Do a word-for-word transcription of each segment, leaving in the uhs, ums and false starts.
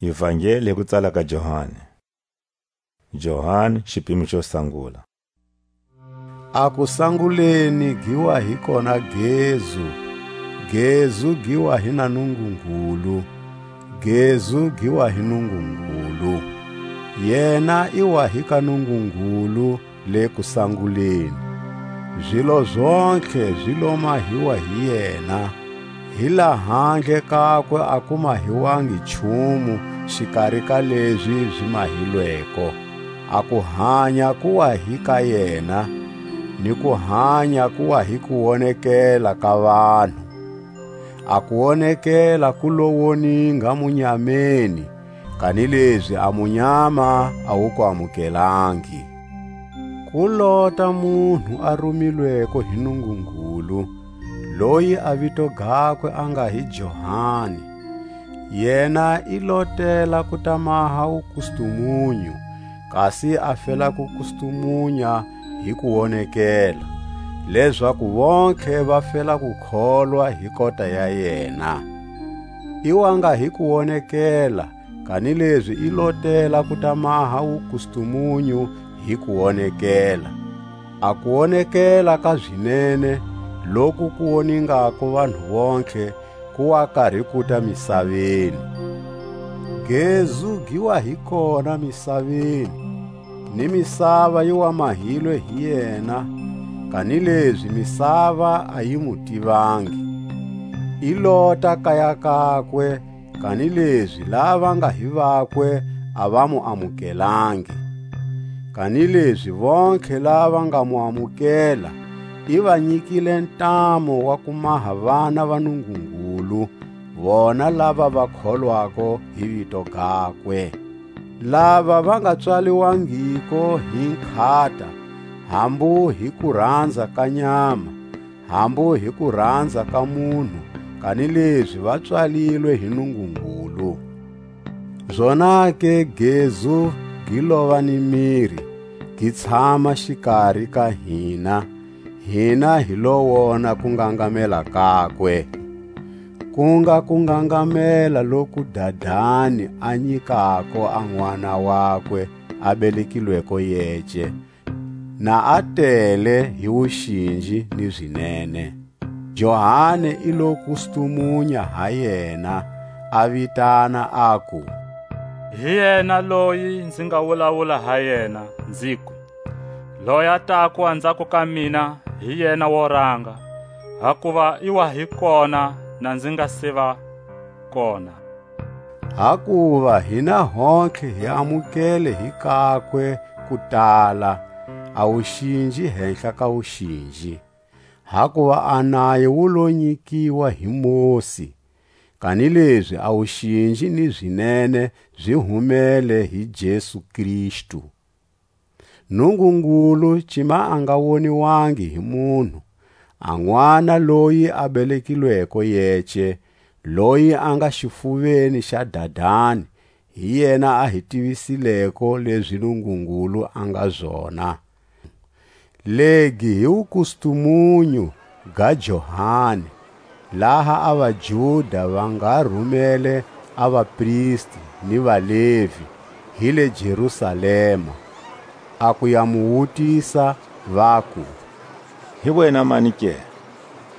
Ivangeli hi ku tsala ka Johani. Johani, xipimo xo sangula. A kusanguleni gi wa hi kona Gezu, Gezu gi wa hi na Nungungulu, Gezu gi wa hi Nungungulu. Yena i wa hi ka Nungungulu le kusanguleni. Zilo zontlhe zi lo mahiwa hi yena, hi lahandle kakwe a ku mahiwangi nchumu xikari ka lezi zi mahilweko. A kuhanya ku wa hi ka yena, ni kuhanya ku wa hi kuwonekela ka vanhu. A kuwonekela ku lo woninga munyameni, kanilezi a munyama a wu ku amukelangi. Ku lota munhu a rumilweko hi Nungungulu, loyi a vito gakwe a nga hi Johani. Yena i lotela ku ta maha wukustumunyu, kasi a fela ku kustumunya hi kuwonekela, lezaku vontlhe va fela ku kholwa hi kota ya yena. I wa nga hi kuwonekela, kanilezi i lotela ku ta maha wukustumunyu hi kuwonekela. A kuwonekela ka zinene, loku ku woningako vanhu vontlhe, ku wa kari kuta misaveni. Gezu gi wa hi kona misaveni, ni misava yi wa mahilwe hi yena, kanilezi misava a yi mu tivangi. I lota kaya kakwe, kanilezi lava nga hi vakwe a va mu amukelangi. Kanilezi vontlhe lava nga mu amukela, i va nyikile ntamu wa ku maha vana va Nungungulu, vona lava va kholwako hi vito gakwe. Lava va nga pswaliwangiko hi nkhata, hambu hi kuranza ka nyama, hambu hi kuranza ka munhu, kanilezi va pswalilwe hi Nungungulu. Zonake gezu gi lova ni miri, gi tshama xikari ka hina, hina hi lo wona kungangamela kakwe. Ku nga kungangamela loku Dadani a nyikako a N'wana wakwe a belekilweko yece, na a tele hi wuxinji ni zinene. Johani i lo kustumunya ha yena, a vitana, aku: Hi yena loyi nzi nga wulawula ha yena, nziku: Loyi a tako anzhako ka mina, hi yena wo ranga, hakuva i wa hi kona na nzi nga se va kona. Hakuva hina hontlhe hi amukele hi kakwe ku tala a wuxinji hehla ka wuxinji. Hakuva a nayo wu lo nyikiwa hi Mosi, kanilezi a wuxinji ni zinene zi humele hi Jesu Kristu. Nungungulu cima a nga woniwangi hi munhu, a N'wana loyi a belekilweko yece, loyi a nga xifuveni xa Dadani, hi yena a hi tivisileko lezi Nungungulu a nga zona. Legi hi wukustumunyu ga Johani, laha a vaJuda va nga rumele a vapristi ni vaLevi hi le Jerusalema, a ku ya mu wutisa, vaku: Hi wena mani ke?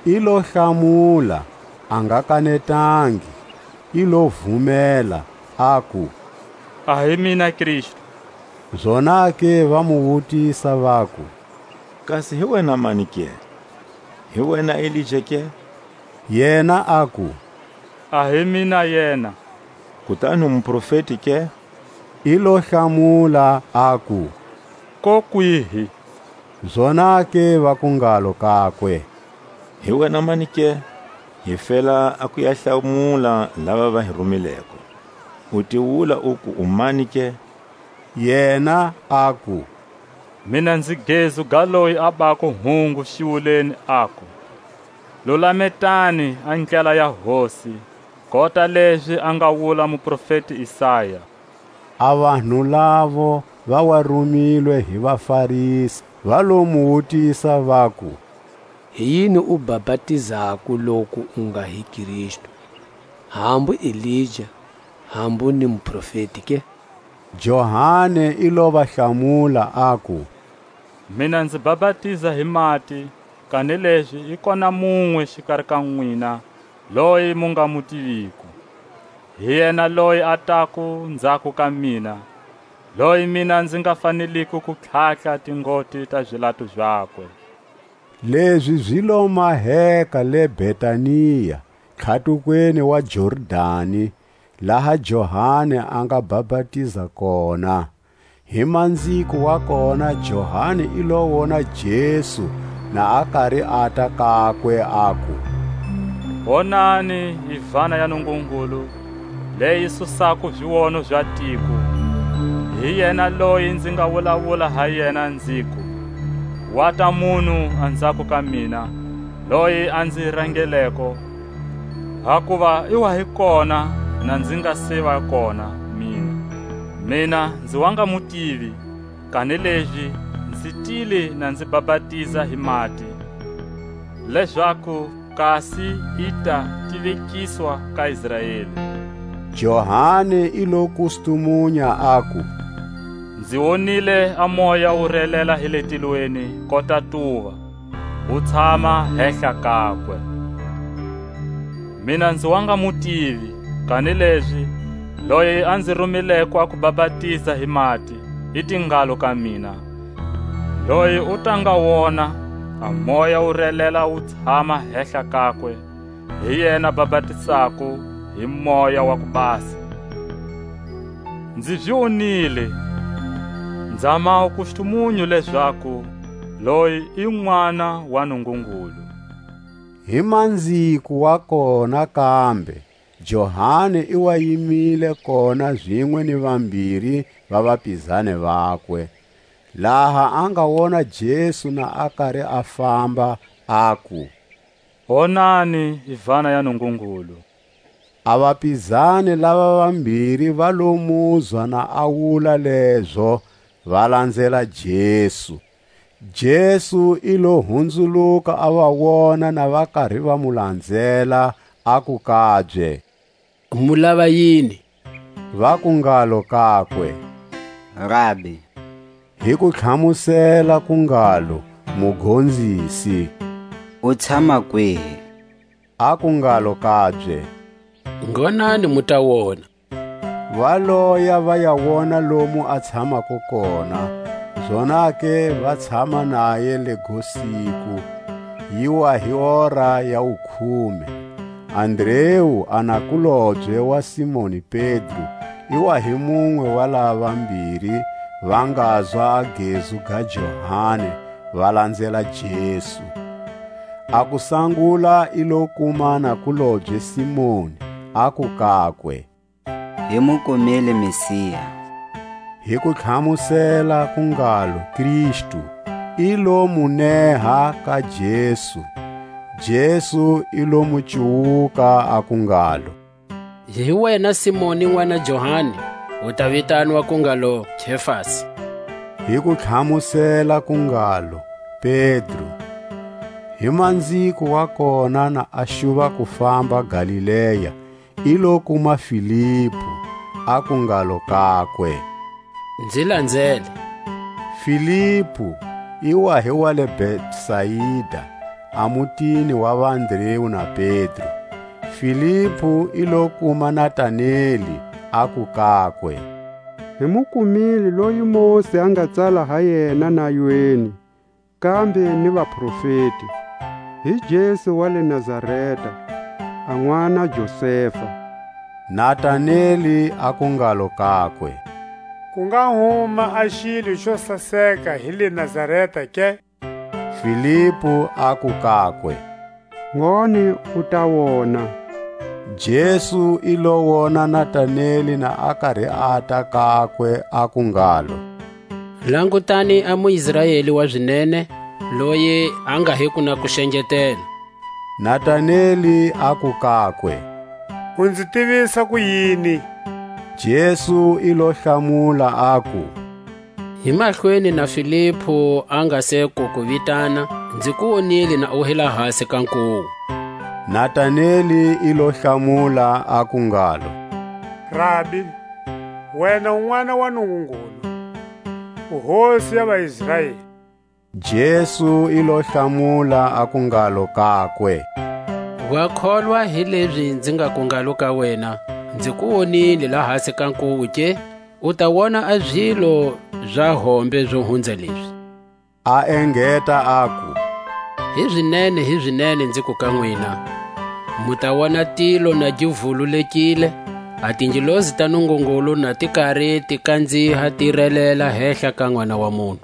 I lo hlamula, a nga kanetangi, i lo vumela, aku: A hi mina Kristu. Zonake va mu wutisa, vaku: Kasi hi wena mani ke? Hi wena Elija ke? Yena aku: A hi mina yena. Kutani u muprofeti ke? I lo hlamula, aku: Kokwihi? Zonake vaku ngalo kakwe: Hi wena mani ke? Hi fela a ku ya hlamula lava va hi rumileko. U ti wula uku u mani ke? Yena aku: Mina nzi gezu ga loyi a bako hungu xiwuleni, aku: Lulametani a ndlela ya Hosi, kota lezi a nga wula muprofeti Isaya. A vanhu lavo va wa rumilwe hi vaFarisi, va lo mu wutisa, vaku: Hi yini u bapatizako loku u nga hi Kristu, hambu Elija, Hambu ni muprofeti ke? Johani i lo va hlamula, aku: Mina nzi bapatiza hi mati, kanilezi i kona munwe xikari ka nwina, loyi mu nga mu tiviko. Hi yena loyi a tako nzhako ka mina, loyi mina nzi nga faneliko ku tlhatlha tingoti ta zilato zakwe. Lezi zi lo maheka le Betania, tlhatukweni wa Jordani, laha Johani a nga bapatiza kona. Hi manziko wa kona, Johani i lo wona Jesu na a kari ata kakwe, aku: Wonani, i vana ya Nungungulu, leyi susako ziono za tiko. Hi yena loyi nzi nga wulawula ha yena, nziku: Wata munhu anzhako ka mina, loyi a nzi rangeleko, hakuva i wa hi kona na nzi nga se va kona mina. Mina nzi wa nga mu tivi, kanilezi nzi tile na nzi bapatiza hi mati, lezaku kasi i ta tivekiswa ka Israeli. Johani i lo kustumunya, aku: Nzi wonile a Moya wu relela hi le tilweni kota tuva, wu tshama hehla kakwe. Mina nzi wa nga mu tivi, kanilezi loyi a nzi rumileko a ku bapatiza hi mati, i te ngalo ka mina: Loyi u ta nga wona, a Moya wu relela wu tshama hehla kakwe, hi yena bapatisako hi Moya wa ku Basa. Nzi zi wonile, nza ma kustumunyu lezaku loyi i N'wana wa Nungungulu. Hi manziko wa kona kambe, Johani i wa yimile kona zinwe ni vambiri va vapizani vakwe. Laha a nga wona Jesu na a kari a famba, aku: Wonani, i vana ya Nungungulu. A vapizani lava vambiri va lo muzwa na a wula lezo, va lanzela Jesu. Jesu i lo hunzuluka a va wona na va kari va mu lanzela, aku kabye: Mu lava yini? Vaku ngalo kakwe: Rabi, hi ku tlhamusela ku ngalo: Mugonzisi. U tshama kwihi? Aku ngalo kabye: Ngonani mu ta wona. Va loya va ya wona lomu a tshamako kona, zonake va tshama naye lego siku, yi wa hi ora ya wukhume. Andreu, a nakulobye wa Simoni Pedro, i wa hi munwe wa lava vambiri va ngazwa a gezu ga Johani, va lanzela Jesu. A kusangula i lo kuma nakulobye Simoni, aku kakwe: Hi mu kumile Mesiya. Hi ku tlhamusela ku ngalo Kristu, i lo mu neha ka Jesu. Jesu i lo mu cuwuka, aku ngalo: Hi wena Simoni n'wana Johani, u ta vitanwa ku ngalo Kefasi. Hi ku tlhamusela ku ngalo Pedro. Hi manziko wa kona na a xuva ku famba Galilea, i lo kuma Filipu, aku ngalo kakwe: Nzi lanzele. Filipu i wa hi wa le Betsaida, a mutini wa va Andreu na Pedro. Filipu i lo kuma Nataneli, aku kakwe: Hi mu kumile loyi Mosi a nga tsala ha yena nayweni, kambe ni vaprofeti, hi Jesu wa le Nazareta, a n'wana Josefa. Nataneli aku ngalo kakwe: Ku nga huma a xilo xo saseka hi le Nazareta ke? Filipu aku kakwe: Ngone u ta wona. Jesu i lo wona Nataneli na a kari ata kakwe, aku ngalo: Langutani a muIsraeli wa zinene, loyi a nga hiko na kuxengetela. Nataneli aku kakwe: U nzi tivisa kuyini? Jesu i lo hlamula, aku: Hi mahlweni na Filipu a nga se ku ku vitana, nzi ku wonile na u hi lahasi ka nkuwu. Nataneli i lo hlamula, aku ngalo: Rabi, wena u N'wana wa Nungungulu, u Hosi ya vaIsraeli. Jesu i lo hlamula, aku ngalo kakwe: Wa kholwa hi lezi nzi ngaku ngalo ka wena: Nzi ku wonile lahasi ka nkuwu ke? U ta wona a zilo za hombe zo hunza lezi. A engeta, aku: Hizinene, hizinene, nziku ka nwina, mu ta wona tilo na gi vululekile, a tingelosi ta Nungungulu na ti kari ti kanziha, ti relela hehla ka N'wana wa munhu.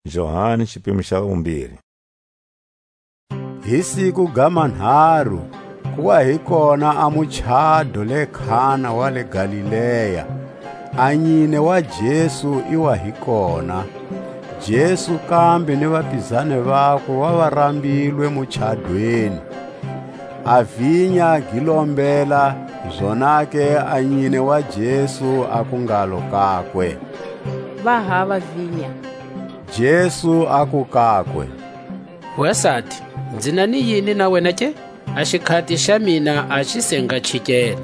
Johani, xipimo xa vumbirhi. Hi siku ga manharu, ku wa hi kona a muchado le Kana wa le Galilea, a nyine wa Jesu i wa hi kona. Jesu kambe ni vapizani vakwe va va rambilwe muchadweni. A vinya gi lombela, zonake a nyine wa Jesu aku ngalo kakwe: Va hava vinya. Jesu aku kakwe: Wasati, nzi na ni yini na wena ke? A xikhati xa mina a xi se nga chikela.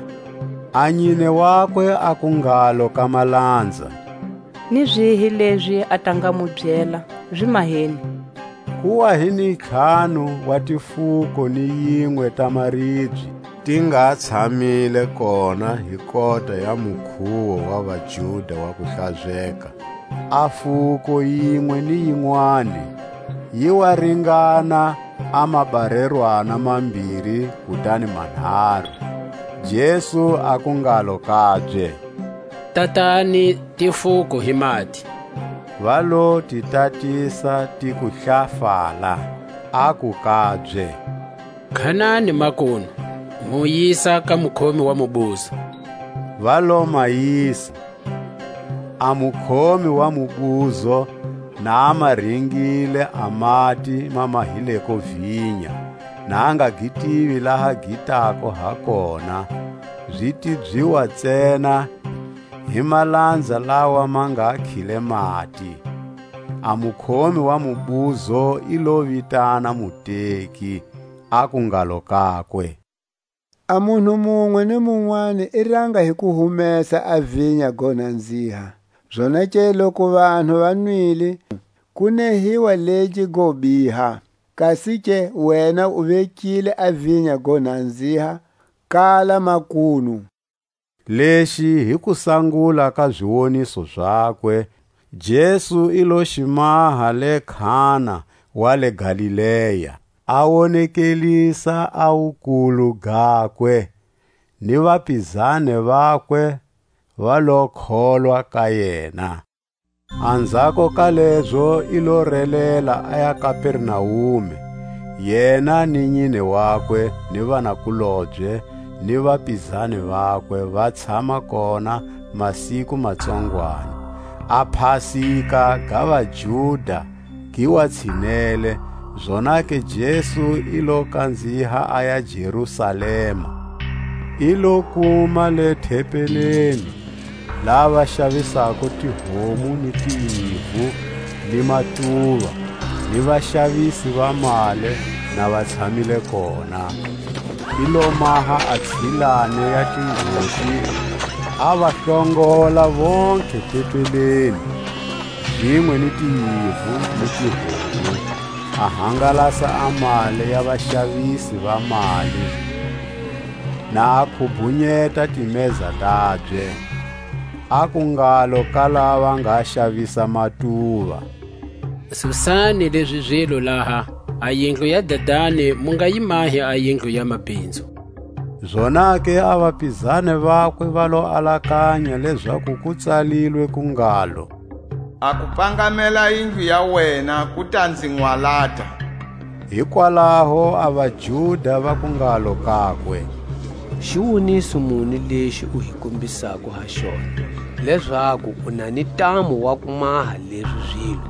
A nyine wakwe aku ngalo ka malanza: Ni zihi lezi a ta nga mu byela, zi maheni. Ku wa hi ni ntlhanu wa tifuko ni yinwe ta maribye, ti nga tshamile kona hi kota ya mukhuwo wa vaJuda wa kuhlazeka. A fuko yinwe ni yinwani yi wa ringana a mabarerwana mambiri kutani manharu. Jesu aku ngalo kabye: Tatani tifuko hi mati. Va lo ti tatisa, ti ku hlafala. Aku kabye: Khanani makunu, mu yisa ka mukhomi wa mubuzo. Va lo ma yisa. A mukhomi wa mubuzo, na a ma ringile a mati ma mahileko vinya, na a nga gi tivi laha gi tako ha kona, zi tibyiwa ntsena hi malanza lawa ma nga khile mati. A mukhomi wa mubuzo i lo vitana muteki, aku ngalo kakwe: A munhu munwe ni munwani i ranga hi ku humesa a vinya go nanziha. Zonake loku vanhu va nwile, ku nehiwa legi go biha. Kasi ke wena u vekile a vinya go nanziha kala makunu. Lexi hi kusangula ka ziwoniso zakwe, Jesu i lo xi maha le Kana wa le Galilea, a wonekelisa a wukulu gakwe, ni vapizani vakwe va lo kholwa ka yena. Anzhako ka lezo i lo relela a ya Kapernaume, yena ni nyine wakwe, ni vanakulobye, ni vapizani vakwe, va tshama kona masiku matsongwani. A Pasika ga vaJuda gi wa tshinele, zonake Jesu i lo kanziha a ya Jerusalema. I lo kuma le thempeleni lava xavisako tihomu ni tinyivu ni matuva, ni vaxavisi va mali na va tshamile kona. I lo maha a tshilani ya tingoti, a va hlongola vontlhe tempeleni, zinwe ni tinyivu ni tihomu, a hangalasa a mali ya vaxavisi va mali, na a khubhunyeta timeza tabye. Aku ngalo ka lava nga xavisa matuva: Susani lezi zilo laha, a yindlu ya Dadani mu nga yi mahi a yindlu ya mabinzu. Zonake a vapizani vakwe va lo alakanya lezaku ku tsalilwe ku ngalo: A ku pangamela yindlu ya wena ku ta nzi nwalata. Hikwalaho a vaJuda vaku ngalo kakwe: Xiwoniso muni lexi u hi kombisako ha xona, lezaku u na ni ntamu wa ku maha lezi zilo?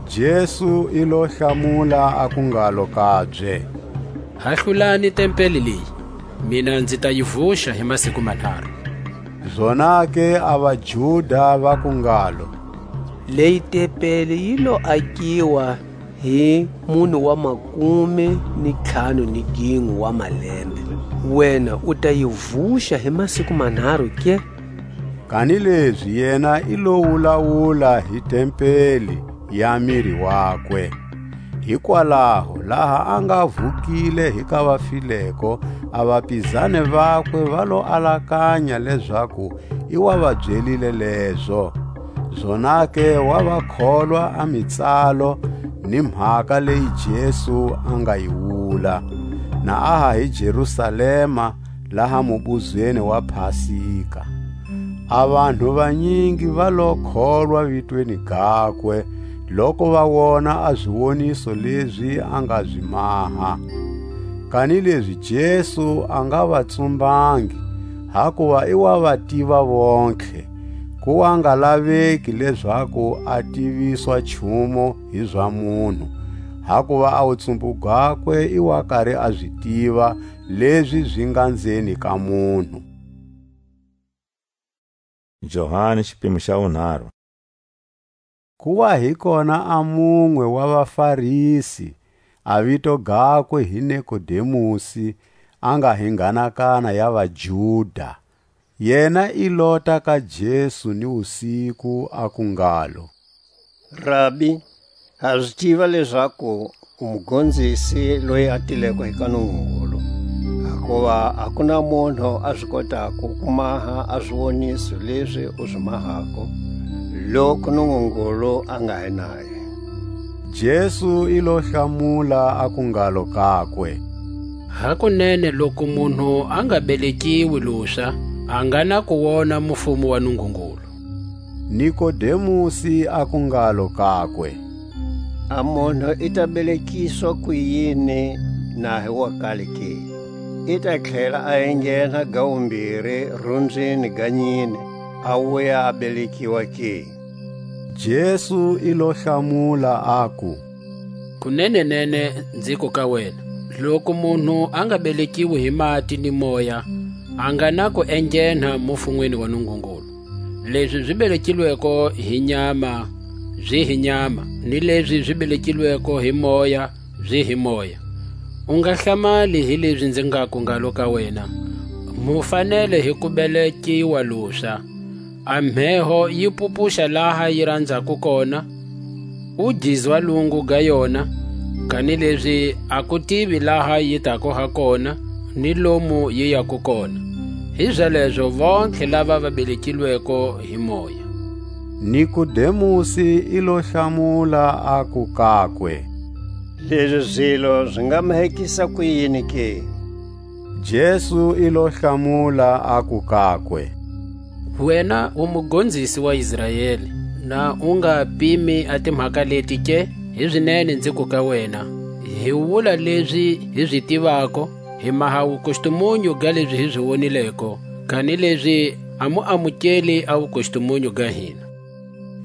Jesu i lo hlamula, aku ngalo kabye: Hahlulani tempeli leyi, mina nzi ta yi vuxa hi masiku manharu. Zonake a vaJuda vaku ngalo: Leyi tempeli yi lo akiwa hi munhu wa makume ni ntlhanu ni ginwe wa malembe, Wena u ta yi vuxa hi masiku manharu ke? Kanilezi yena i lo wulawula hi tempeli ya miri wakwe. Hikwalaho, laha a nga vukile hi ka vafileko, a vapizani vakwe va lo alakanya lezaku i wa va byelile lezo. Zonake wa va kholwa a mitsalo ni mhaka leyi Jesu a nga yi wula, na a ha hi Jerusalema, laha mubuzweni wa Pasika. A vanhu vanyingi va lo kholwa vitweni gakwe, loku va wona a ziwoniso lezi a nga zi maha. Kanilezi Jesu a nga va tsumbangi, hakuva i wa va tiva vontlhe, ku wa nga laveki lezaku a tiviswa nchumu hi za munhu, hakuva a wutsumbu gakwe i wa kari a zi tiva lezi zi nga nzeni ka munhu. Johani, xipimo xa wunharhu. Ku wa hi kona a munwe wa vaFarisi, a vito gakwe hi Nikodemusi, a nga hi nghanakana ya vaJuda. Yena i lota ka Jesu ni wusiku, aku ngalo: Rabi, ha zi tiva lezaku u mugonzisi loyi a tileko hi ka Nungungulu, hakuva a ku na munhu a zi kotako ku maha a ziwoniso lezi u zi mahako, loku Nungungulu a nga hi naye. Jesu i lo hlamula, aku ngalo kakwe: Hakunene, loku munhu a nga belekiwi luxa, a nga na ku wona mufumo wa Nungungulu. Nikodemusi aku ngalo kakwe: A munhu i ta belekiswa kuyini, na hi wa kale ke? I ta tlhela a enghena ga wumbiri runzini ga nyine, a wuya a belekiwa ke? Jesu i lo hlamula, aku: Kunenenene nziku ka wena, loku munhu a nga belekiwi hi mati ni Moya, a nga na ku enghena mufunweni wa Nungungulu. Lezi zi belekilweko hi nyama, zi hi nyama, ni lezi zi belekilweko hi Moya, zi hi Moya. U nga hlamali hi lezi nzi ngaku ngalo ka wena: Mu fanele hi ku belekiwa luxa. A mheho yi pupuxa laha yi ranzako kona, u gizwa lungu ga yona, kanilezi a ku tivi laha yi tako ha kona, ni lomu yi yako kona. Hizalezo vontlhe lava va belekilweko hi Moya. Nikodemusi i lo hlamula, aku kakwe: Lezi zilo zi nga mahekisa kuyini ke? Jesu i lo hlamula, aku kakwe: Wena u mugonzisi wa Israeli, na u nga pimi a timhaka leti ke? Hizinene nziku ka wena, hi wula lezi hi zi tivako, hi maha wukustumunyu ga lezi hi zi wonileko, kanilezi a mu amukeli a wukustumunyu ga hina.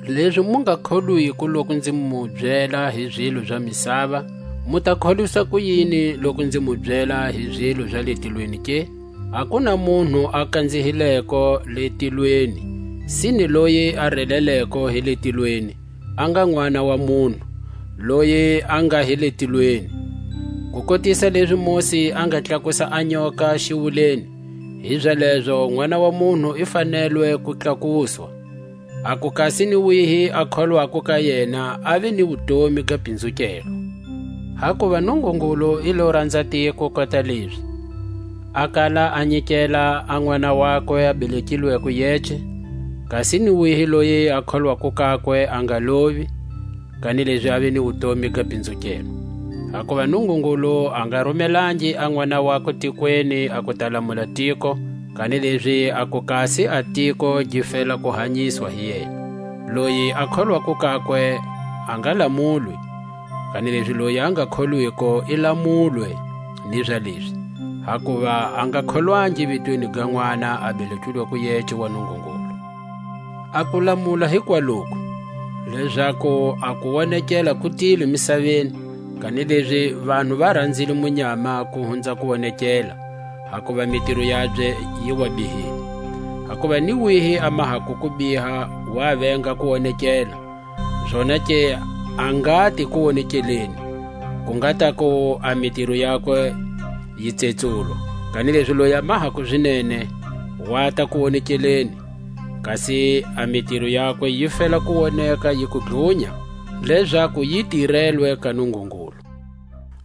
Lezi mu nga kholwiko loku nzi mu byela hi zilo za misava, mu ta kholwisa kuyini loku nzi mu byela hi zilo za le tilweni ke? A ku na munhu a kanzihileko le tilweni, sine loyi a releleko hi le tilweni, a nga n'wana wa munhu, loyi a nga hi le tilweni. Ku kotisa lezi Mosi a nga tlakusa a nyoka xiwuleni, hizalezo N'wana wa munhu i fanelwe ku tlakuswa, a ku kasi ni wihi a kholwako ka yena a ve ni wutomi ga pinzukelo. Hakuva Nungungulu i lo ranza tiko kota lezi, a kala a nyikela a N'wana wakwe a belekilweko yece, kasi ni wihi loyi a kholwako kakwe a nga lovi, kanilezi a ve ni wutomi ga pinzukelo. Hakuva Nungungulu a nga rumelangi a N'wana wakwe tikweni a ku ta lamula tiko, kanilezi a ku kasi a tiko gi fela ku hanyiswa hi yena. Loyi a kholwako kakwe a nga lamulwi, kanilezi loyi a nga kholwiko i lamulwe ni za lezi, hakuva a nga kholwangi vitweni ga N'wana a belekilweko yece wa Nungungulu. A ku lamula hikwaloku, lezaku a kuwonekela ku tile misaveni, kanilezi vanhu va ranzile munyama ku hunza kuwonekela, hakuva mitiro yabye yi wa bihile. Hakuva ni wihi a mahako kubiha wa venga kuwonekela, zonake a ngati kuwonekeleni, ku nga taku a mitiro yakwe yi tsetsulwa. Kanilezi loyi a mahako zinene, wa ta ku wonekeleni, kasi a mitiro yakwe yi fela ku woneka yi ku dlunya, lezaku yi tirelwe ka Nungungulu.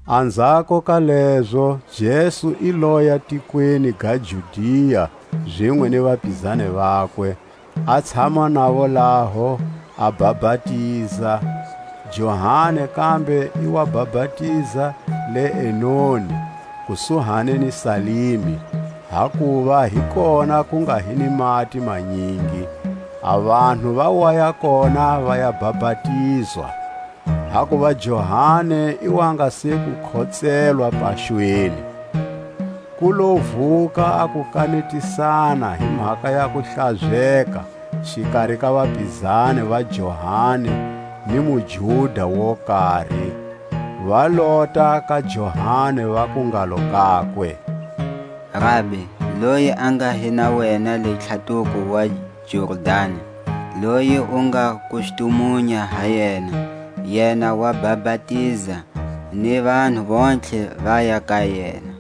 Anzhako ka lezo, Jesu i loya tikweni ga Judia, zinwe ni vapizani vakwe, a tshama navo laho, a bapatiza. Johani kambe i wa bapatiza le Enoni, kusuhani ni Salimi, hakuva hi kona ku nga hi ni mati manyingi. A vanhu va waya kona va ya bapatizwa, hakuva Johani i wa nga se ku khotselwa paxweni. Ku lo vuka a kukanetisana hi mhaka ya kuhlazeka xikari ka vapizani va Johani ni muJuda wo kari. Va lota ka Johani, vaku ngalo kakwe: Rabi, loyi a nga hi na wena le tlhatuko wa Jordani, loyi u nga kustumunya ha yena, yena wa bapatiza, ni vanhu vontlhe va ya ka yena.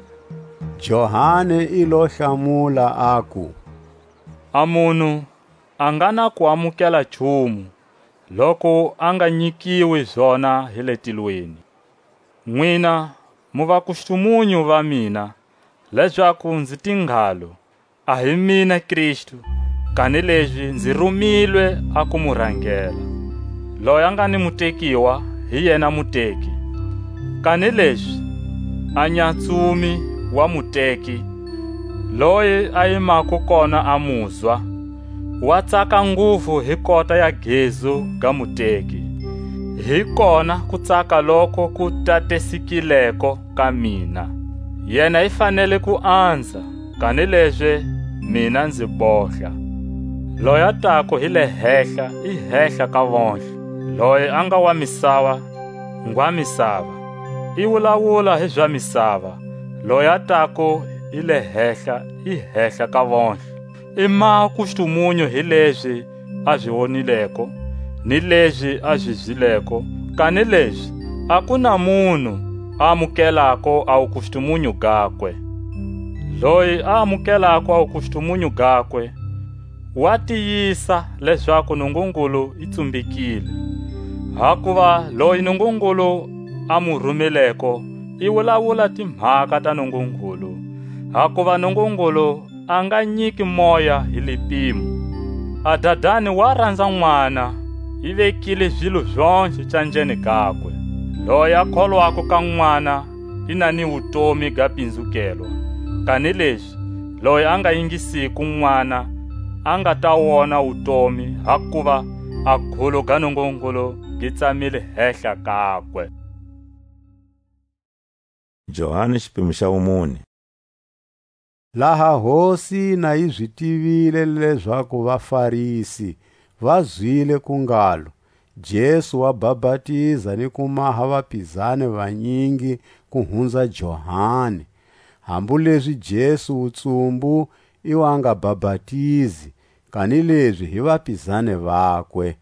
Johani i lo hlamula, aku: A munhu a nga na kuamukela nchumu, loku a nga nyikiwi zona hi le tilweni. Nwina mu vakustumunyu va mina, lezaku nzi te ngalo: A hi mina Kristu, kanilezi nzi rumilwe a ku mu rangela. Loyi a nga ni mutekiwa, hi yena muteki; kanilezi a nyatsumi wa muteki, loyi a yimako kona a muzwa, wa tsaka nguvu hi kota ya gezu ga muteki. Hi kona kutsaka loko ku tatesikileko ka mina. Yena i fanele ku anza, kanilezi mina nzi bohla. Loyi a tako hi le hehla, i hehla ka vontlhe. Loyi a nga wa misava, ngwa misava, i wulawula hi za misava. Loyi a tako hi le hehla, i hehla ka vontlhe. I maha kustumunyu hi lezi a zi wonileko, ni lezi a zi zwileko, kanilezi a ku na munhu a amukelako a wukustumunyu gakwe. Loyi a amukelako a wukustumunyu gakwe, wa tiyisa lezaku Nungungulu i tsumbekile. Hakuva loyi Nungungulu a mu rumeleko, i wulawula timhaka ta Nungungulu, hakuva Nungungulu a nga nyiki Moya hi lipimo. A Dadani wa ranza N'wana, i vekile zilo zontlhe canjeni gakwe. Loyi a kholwako ka N'wana i na ni wutomi ga pinzukelwa, kanilezi loyi a nga yingisiko N'wana a nga ta wona wutomi, hakuva a gulu ga Nungungulu gi tsamile hehla kakwe. Johani xipimo xa wumune. Laha Hosi na yi zi tivile lezaku vaFarisi va zwile ku ngalo Jesu wa bapatiza ni ku maha vapizani vanyingi ku hunza Johani, hambolezi Jesu wutsumbu i wa nga bapatizi, kanilezi hi vapizani vakwe,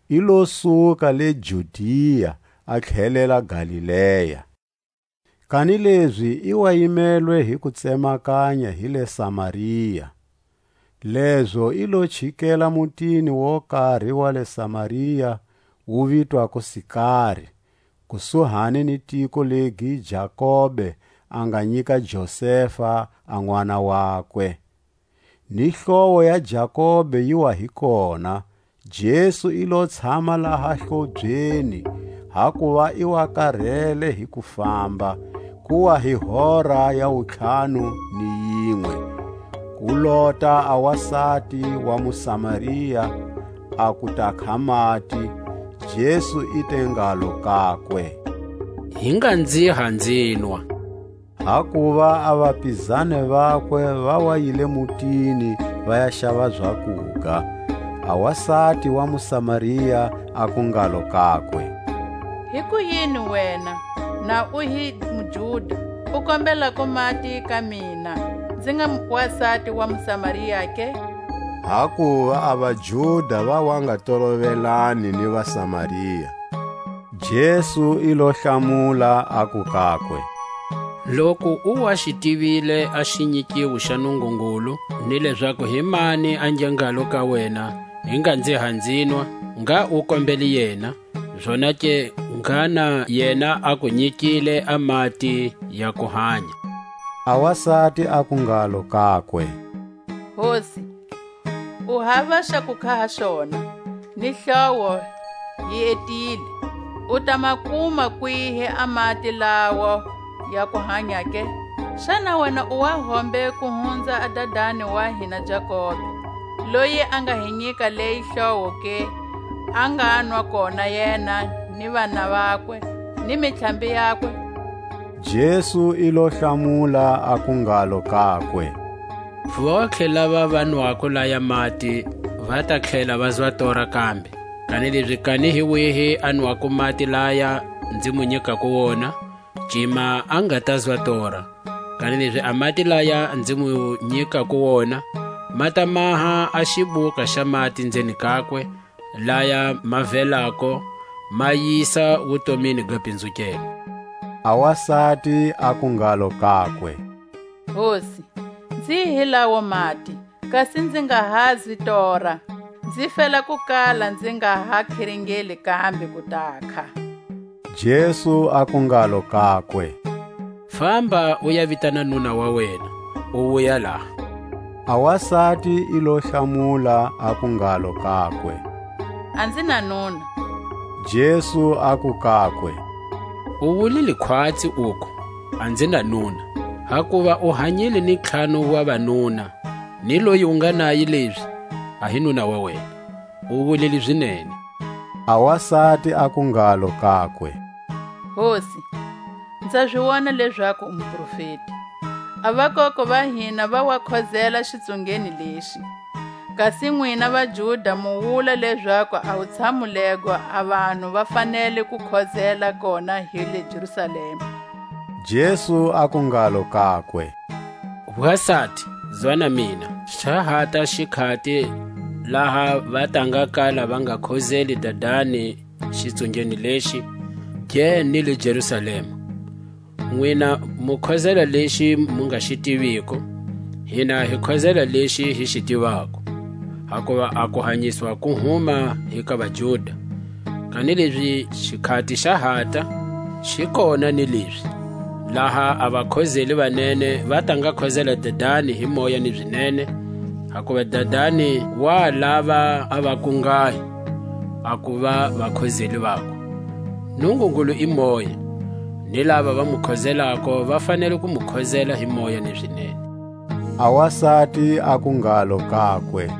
i lo suka le Judia a tlhelela Galilea. Kanilezi i wa yimelwe hi kutsemakanya hi le Samaria. Lezo i lo chikela mutini wo kari wa le Samaria, wu vitwako Sikari, kusuhani ni tiko legi Jakobe a nga nyika Josefa a n'wana wakwe. Ni hlowo ya Jakobe yi wa hi kona, Jesu i lo tshama laha hlobyeni, hakuva i wa karele hi ku famba, ku wa hi hora ya wutlhanu ni yinwe. Ku lota a wasati wa Musamaria, a ku ta kha mati, Jesu i te ngalo kakwe: Hi nga nziha nzinwa. Hakuva a vapizani vakwe va wa yile mutini va ya xava zakuga. A wasati wa Musamaria aku ngalo kakwe: Hikuyini wena, na u hi muJuda, u kombelako mati ka mina, nzi nga wasati wa Musamaria ke? Hakuva a vaJuda va wa nga tolovelani ni vaSamaria. Jesu i lo hlamula, aku kakwe: Loku u wa xi tivile a xinyikiwo xa Nungungulu, ni lezaku hi mani a nge ngalo ka wena: Hi nga nzi ha nzinwa, ngha u kombele yena, zonake ngha na yena a ku nyikile a mati ya kuhanya. A wasati aku ngalo kakwe: Hosi, u hava xa ku kha ha xona, ni hlowo yi etile. U ta ma kuma kwihi a mati lawa ya kuhanya ke? Xana wena u wa hombe ku hunza a dadani wa hina Jakobe, loyi a nga hi nyika leyi hlowo ke, a nga nwa kona yena, ni vana vakwe, ni mitlhambi yakwe? Jesu i lo hlamula, aku ngalo kakwe: Vontlhe lava va nwako laya mati va ta tlhela va zwa tora kambe. Kanilezi kani hi wihi a nwako mati laya nzi mu nyikako wona, cima a nga ta zwa tora. Kanilezi a mati laya nzi mu nyikako wona, ma ta maha a xibuka xa mati nzeni kakwe, laya ma velako, ma yisa wutomini ga pinzukelwa. A wasati aku ngalo kakwe: Hosi, nzi hi lawo mati, kasi nzi nga ha zi tora, nzi fela ku kala nzi nga ha khiringeli kambe ku takha. Jesu aku ngalo kakwe: Famba u ya vitana nuna wa wena, u wuya laha. A wasati i lo hlamula, aku ngalo kakwe: A nzi na nuna. Jesu aku kakwe: U wulile khwatsi uku: A nzi na nuna, hakuva u hanyile ni ntlhanu wa vanuna, ni loyi u nga naye lezi a hi nuna wa wena. U wulile zinene. A wasati aku ngalo kakwe: Hosi, nza zi wona lezaku u muprofeti. A vakoko va hina va wa khozela xitsungeni lexi, kasi nwina vaJuda mu wula lezaku a wutshamu lego a vanhu va fanele ku khozela kona hi le Jerusalema. Jesu aku ngalo kakwe: Wasati, zwa na mina, xa hata xikhati laha va ta nga kala va nga khozeli Dadani xitsungeni lexi, ge ni le Jerusalema. Nwina mu khozela lexi mu nga xi tiviko, hina hi khozela lexi hi xi tivako, hakuva a kuhanyiswa ku huma hi ka vaJuda. Kanilezi xikhati xa hata xi kona ni lezi, laha a vakhozeli vanene va ta nga khozela Dadani hi moya ni zinene, hakuva Dadani wa lava a vakungahi a kuva vakhozeli vakwe. Nungungulu i moya, ni lava va mu khozelako va fanele ku mu khozela hi moya ni zinene. A wasati aku ngalo kakwe: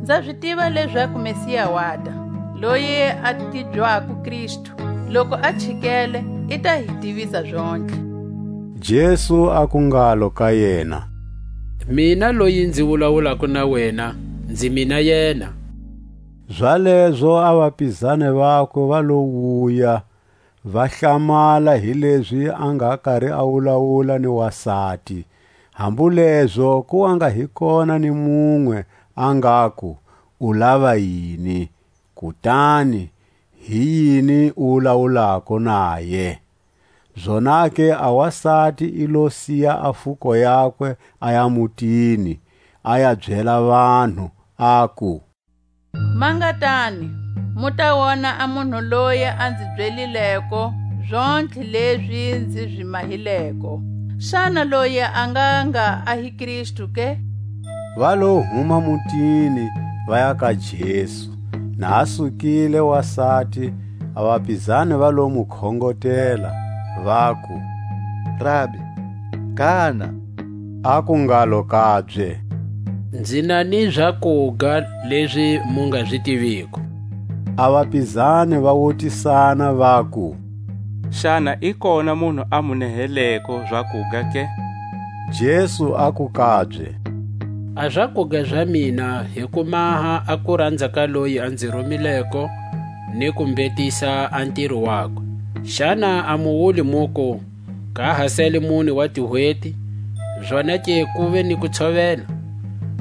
Nza zi tiva lezaku Mesiya wata, loyi a tibyako Kristu. Loku a chikele, i ta hi tivisa zontlhe. Jesu aku ngalo ka yena: Mina loyi nzi wulawulako na wena, nzi mina yena. Zalezo a vapizani vakwe va lo wuya, va hlamala hi lezi a nga kari a wulawula ni wasati. Hambulezo ku wa nga hi kona ni munwe a ngaku: U lava yini? Kutani hi yini u wulawulako naye? Zonake a wasati i lo siya a fuko yakwe, a ya mutini, a ya byela vanhu, aku: Mangatani, mu ta wona a munhu loyi a nzi byelileko zontlhe lezi nzi zi mahileko. Xana loyi a nga nga a hi Kristu ke? Va lo huma mutini, va ya ka Jesu. Na a sukile wasati, a vapizani va lo mu khongotela, vaku: Rabi, kana? Aku ngalo kabye: Nzi na ni zakuga lezi mu nga zi tiviko. A vapizani va wutisana, vaku: Xana i kona munhu a mu neheleko zakuga ke? Jesu aku kabye: A zakuga za mina hi ku maha a kuranza ka loyi a nzi rumileko, ni ku mbetisa a ntiro wakwe. Xana a mu wuli muku: Ka ha sele mune wa tihweti, zonake ku ve ni ku tshovela?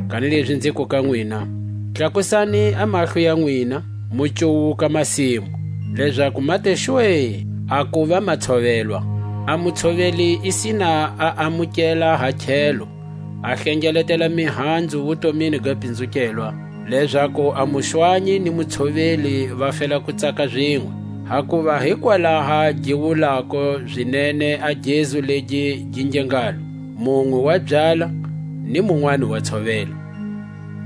Kanilezi nziku ka nwina: Tlakusani a mahlo ya nwina, mu cuwuka masimu, lezaku ma te xwe a kuva ma tshovelwa, A mutshoveli i sina a amukela ha tlhelo, a hlengeletela mihanzu wutomini ga pinzukelwa, lezaku a muxwanyi ni mutshoveli va fela ku tsaka zinwe. Hakuva hikwalaha gi wulako zinene a gezu legi gi nge ngalo: Munwe wa byala, ni munwani wa tshovela.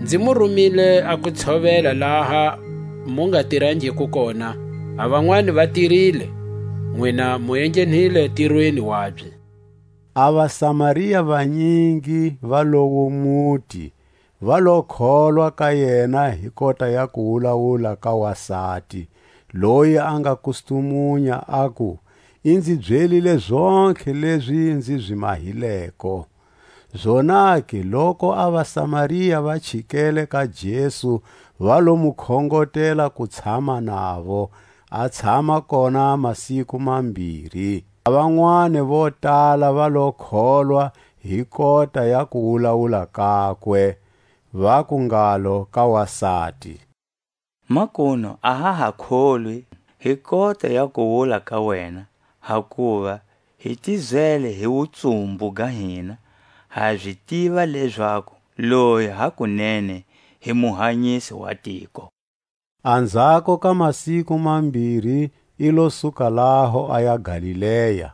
Nzi mu rumile a ku tshovela laha mu nga tirangiku kona, a vanwani va tirile, nwina mu enghenhile tirweni wabye. A vaSamaria vanyingi va lowo muti va lo kholwa ka yena hi kota ya kuwulawula ka wasati, loyi a nga kustumunya, aku: I nzi byelile zontlhe lezi nzi zi mahileko. Zonake, loku a vaSamaria va chikele ka Jesu, va lo mu khongotela ku tshama navo, a tshama kona masiku mambiri. A vanwani vo tala va lo kholwa hi kota ya kuwulawula kakwe, vaku ngalo ka wasati: Makunu a ha ha kholwi hi kota ya kuwula ka wena, hakuva hi tizele hi wutsumbu ga hina, ha zi tiva lezaku loyi hakunene hi Muhanyisi wa tiko. Anzhako ka masiku mambiri i lo suka laho a ya Galilea,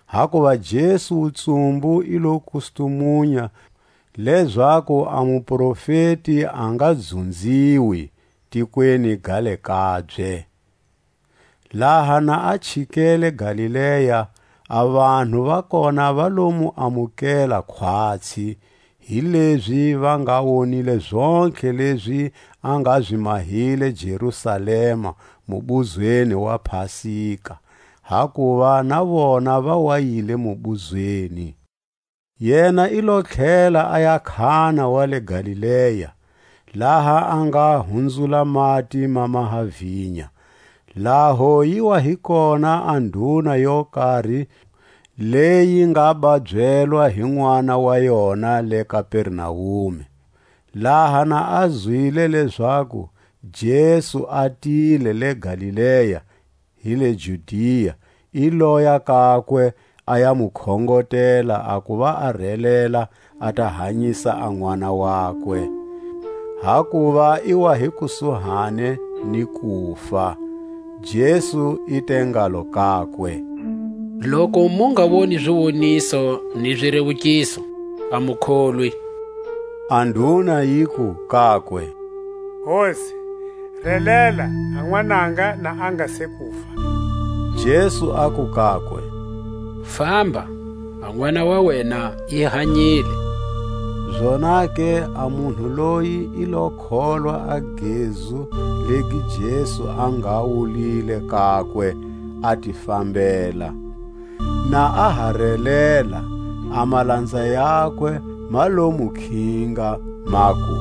hakuva Jesu wutsumbu i lo kustumunya, lezaku a muprofeti a nga dzunziwi tikweni ga le kabye. Laha na a chikele Galilea, a vanhu va kona va lo mu amukela khwatsi, hilezi va nga wonile zontlhe lezi a nga zi mahile Jerusalema mubuzweni wa Pasika, hakuva na vona va wa yile mubuzweni. Yena i lo tlhela a ya Kana wa le Galilea, laha a nga hunzula mati ma maha vinya. Laho yi wa hi kona a nduna yo kari, leyi nga ba byelwa hi n'wana wa yona le Kapernaume. Laha na a zwile lezaku Jesu a tile le Galilea, hi le Judia, i loya kakwe, a ya mu khongotela a kuva a relela, a ta hanyisa a n'wana wakwe, hakuva i wa hi kusuhani ni kufa. Jesu i te ngalo kakwe: Loku mu nga woni ziwoniso ni zirewukiso, a mu kholwi. A nduna yiku kakwe: Hosi, relela, a n'wananga na a nga se kufa. Jesu aku kakwe: Famba, a n'wana wa wena i hanyile. Zonake a munhu loyi i lo kholwa a gezu legi Jesu a nga wulile kakwe, a ti fambela. Na a ha relela, a malanza yakwe ma lo mu khinga, maku: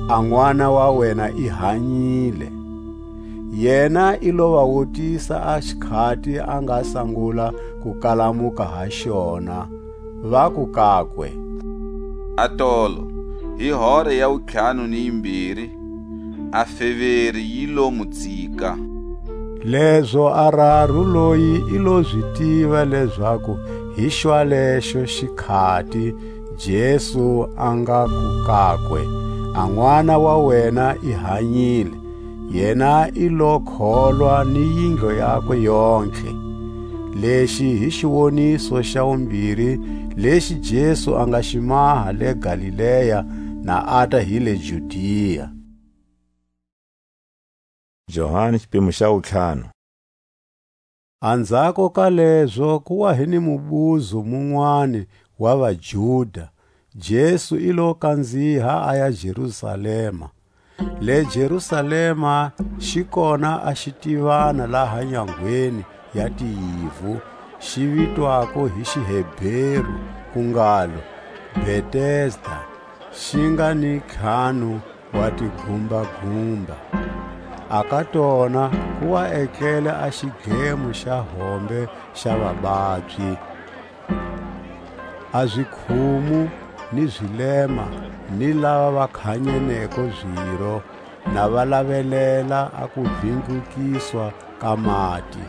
A n'wana wa wena i hanyile. Yena i lo va wutisa a xikhati a nga sangula ku kalamuka ha xona, vaku kakwe: A tolo, hi hora ya wutlhanu ni yimbiri, a feveri yi lo mu tsika. Lezo a raru loyi i lo zi tiva lezaku hi xwalexo xikhati Jesu a ngaku kakwe: A n'wana wa wena i hanyile, yena i lo kholwa ni yindlu yakwe yontlhe. Lexi hi xiwoniso xa wumbiri lexi Jesu a nga xi maha le Galilea, na a ta hi le Judia. Johani, xipimo xa wutlhanu. Anzhako ka lezo ku wa hi ni mubuzo munwani wa vaJuda, Jesu i lo kanziha a ya Jerusalema. Le Jerusalema xi kona a xitivana laha nyangweni ya tiyivu, xi vitwako hi Xihebheru ku ngalo Betesda, xi nga ni ntlhanu wa tigumbagumba. A ka tona ku wa etlele a xidlemo xa hombe xa vababyi. A zikhumu ni zilema ni lava va khanyeneko ziro, na va lavelela a kuvindlukiswa ka mati.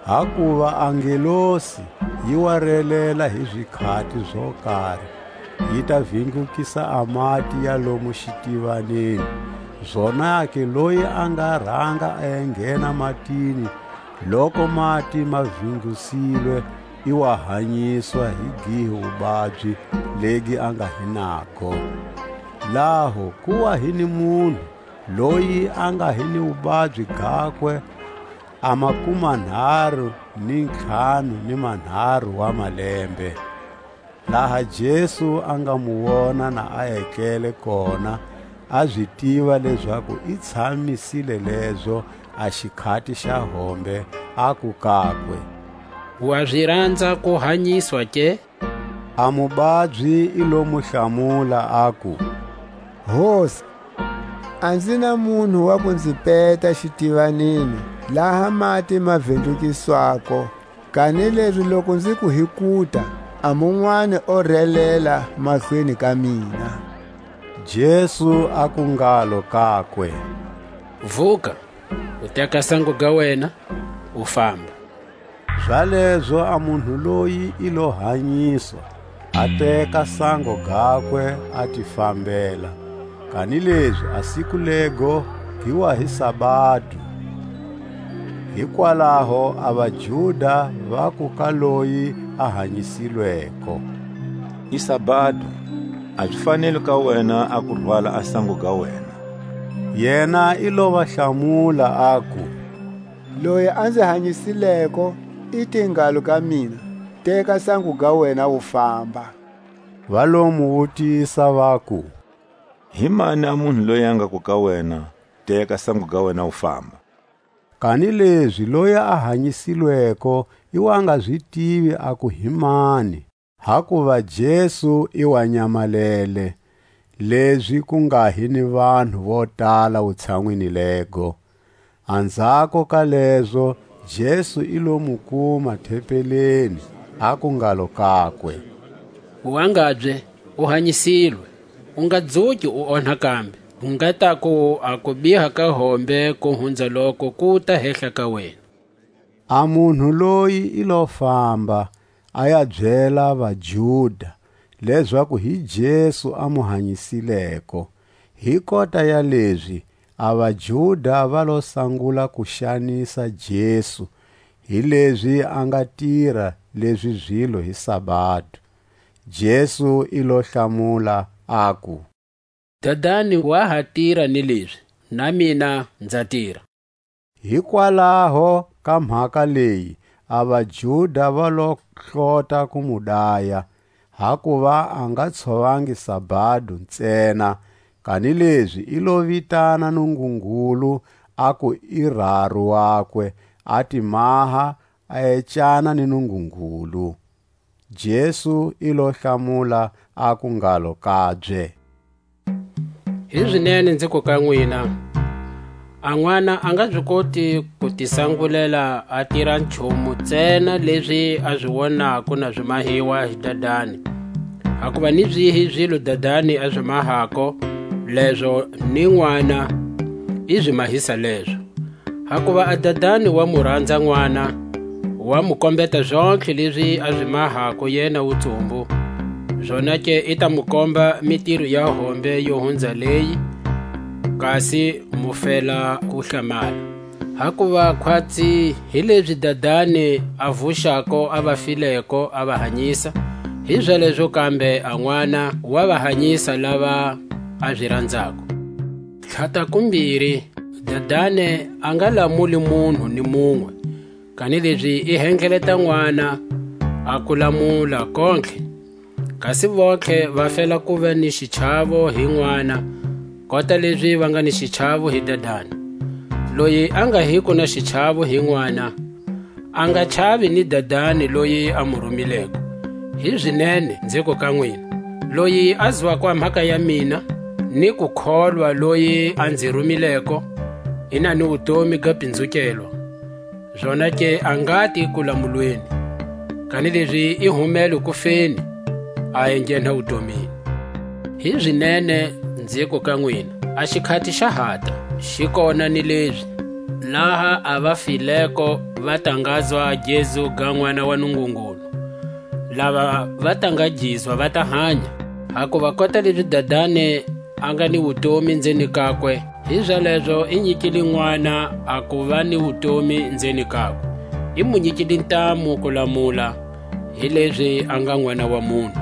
Hakuva a ngelosi yi wa relela hi zikhati zo kari, yi ta vindlukisa a mati ya lomu xitivaneni. Zonake loyi a nga ranga a ya nghena matini, loku mati ma vindlusilwe, i wa hanyiswa hi gihi wubabyi legi a nga hi nago. Laho ku wa hi ni munhu loyi a nga hi ni wubabyi gakwe a makumanharu ni ntlhanu ni manharu wa malembe. Laha Jesu a nga mu wona na a etlele kona, a zi tiva lezaku i tshamisile lezo a xikhati xa hombe, aku kakwe: "Wa zi ranza ku hanyiswa ke?" A mubabyi i lo mu hlamula, aku: "Hosi, a nzi na munhu wa ku nzi peta xitivanini, laha mati ma vindlukiswako. Kanilezi loku nzi ku hi kuta, a munwani o relela mahlweni ka mina." Jesu aku ngalo kakwe: "Vuka, u teka sango ga wena, u famba." Zalezo a munhu loyi i lo hanyiswa, a teka sango gakwe, a ti fambela. Kanilezi a siku lego gi wa hi sabado. Hikwalaho a vaJuda vaku ka loyi a hanyisilweko: "I sabado, a zi faneli ka wena a ku rwala a sango ga wena." Yena i lo va hlamula, aku: "Loyi a nzi hanyisileko i te ngalo ka mina: Teka sango ga wena, u famba." Va lo mu wutisa, vaku: "Hi mani a munhu loyi a ngaku ka wena: Teka sango ga wena, u famba?" Kanilezi loyi a hanyisilweko i wa nga zi tivi aku hi mani, hakuva Jesu i wa nyamalele, lezi ku nga hi ni vanhu vo tala wutshanwini lego. Anzhako ka lezo, Jesu i lo mu kuma thempeleni, aku ngalo kakwe: "Wangabye, u hanyisilwe, u nga dzuki u onha kambe, u nga taku a kubiha ka hombe ku hunza loko ku ta hehla ka wena." A munhu loyi i lo famba, a ya byela vaJuda lezaku hi Jesu a mu hanyisileko. Hi kota ya lezi, a vaJuda va lo sangula ku xanisa Jesu, hilezi a nga tira lezi zilo hi sabado. Jesu i lo hlamula, aku: "Dadani wa ha tira ni lezi, na mina nza tira." Hikwalaho ka mhaka leyi, a vaJuda va lo hlota ku mu daya, hakuva a nga tshovangi sabado ntsena, kanilezi i lo vitana Nungungulu, aku i raru wakwe, a ti maha, a ecana ni Nungungulu. Jesu i lo hlamula, aku ngalo kabye: "Hi zinene nzi ku ka nwina, a n'wana a nga zi koti ku tisangulela a tira nchumu ntsena lezi a zi wonako na zi mahiwa hi Dadani. Hakuva ni zihi zilo Dadani a zi mahako, lezo ni n'wana i zi mahisa lezo. Hakuva a Dadani wa mu ranza n'wana, wa mu kombeta zontlhe lezi a zi mahako yena wutsumbu. Zonake i ta mu komba mitiro ya hombe yo hunza leyi, kasi mu fela ku hlamala. Hakuva khwatsi hi lezi Dadani a vuxako a va fileko, a va hanyisa, hizalezo kambe a n'wana wa va hanyisa lava a zi ranzako. Tlhata kumbiri, Dadani a nga lamuli munhu ni munwe, kanilezi i hengeleta n'wana a ku lamula kontlhe. Kasi vontlhe va fela ku va ni xichavo hi n'wana, kota lezi va nga ni xichavo hi Dadani. Loyi a nga hiko na xichavo hi n'wana, a nga chavi ni Dadani loyi a mu rumileko. Hi zinene nziku ka nwina, loyi a zwako a mhaka ya mina, ni ku kholwa loyi a nzi rumileko, i na ni wutomi ga pinzukelwa. Zonake a ngati kulamulweni, kanilezi i humele kufeni, a enghenha wutomini. Hi zinene nziku ka nwina, a xikhati xa hata, xi kona ni lezi, Laha a va fileko va tangazwa Jesu ga N'wana wa Nungungulu, lava va tangajizwa va ta hanya. Hakuva kota lezi Dadani a nga ni wutomi nzeni kakwe, hizalezo i nyikile N'wana a kuva ni wutomi nzeni kakwe, i mu nyikile ntamu ku lamula, hilezi a nga N'wana wa munhu.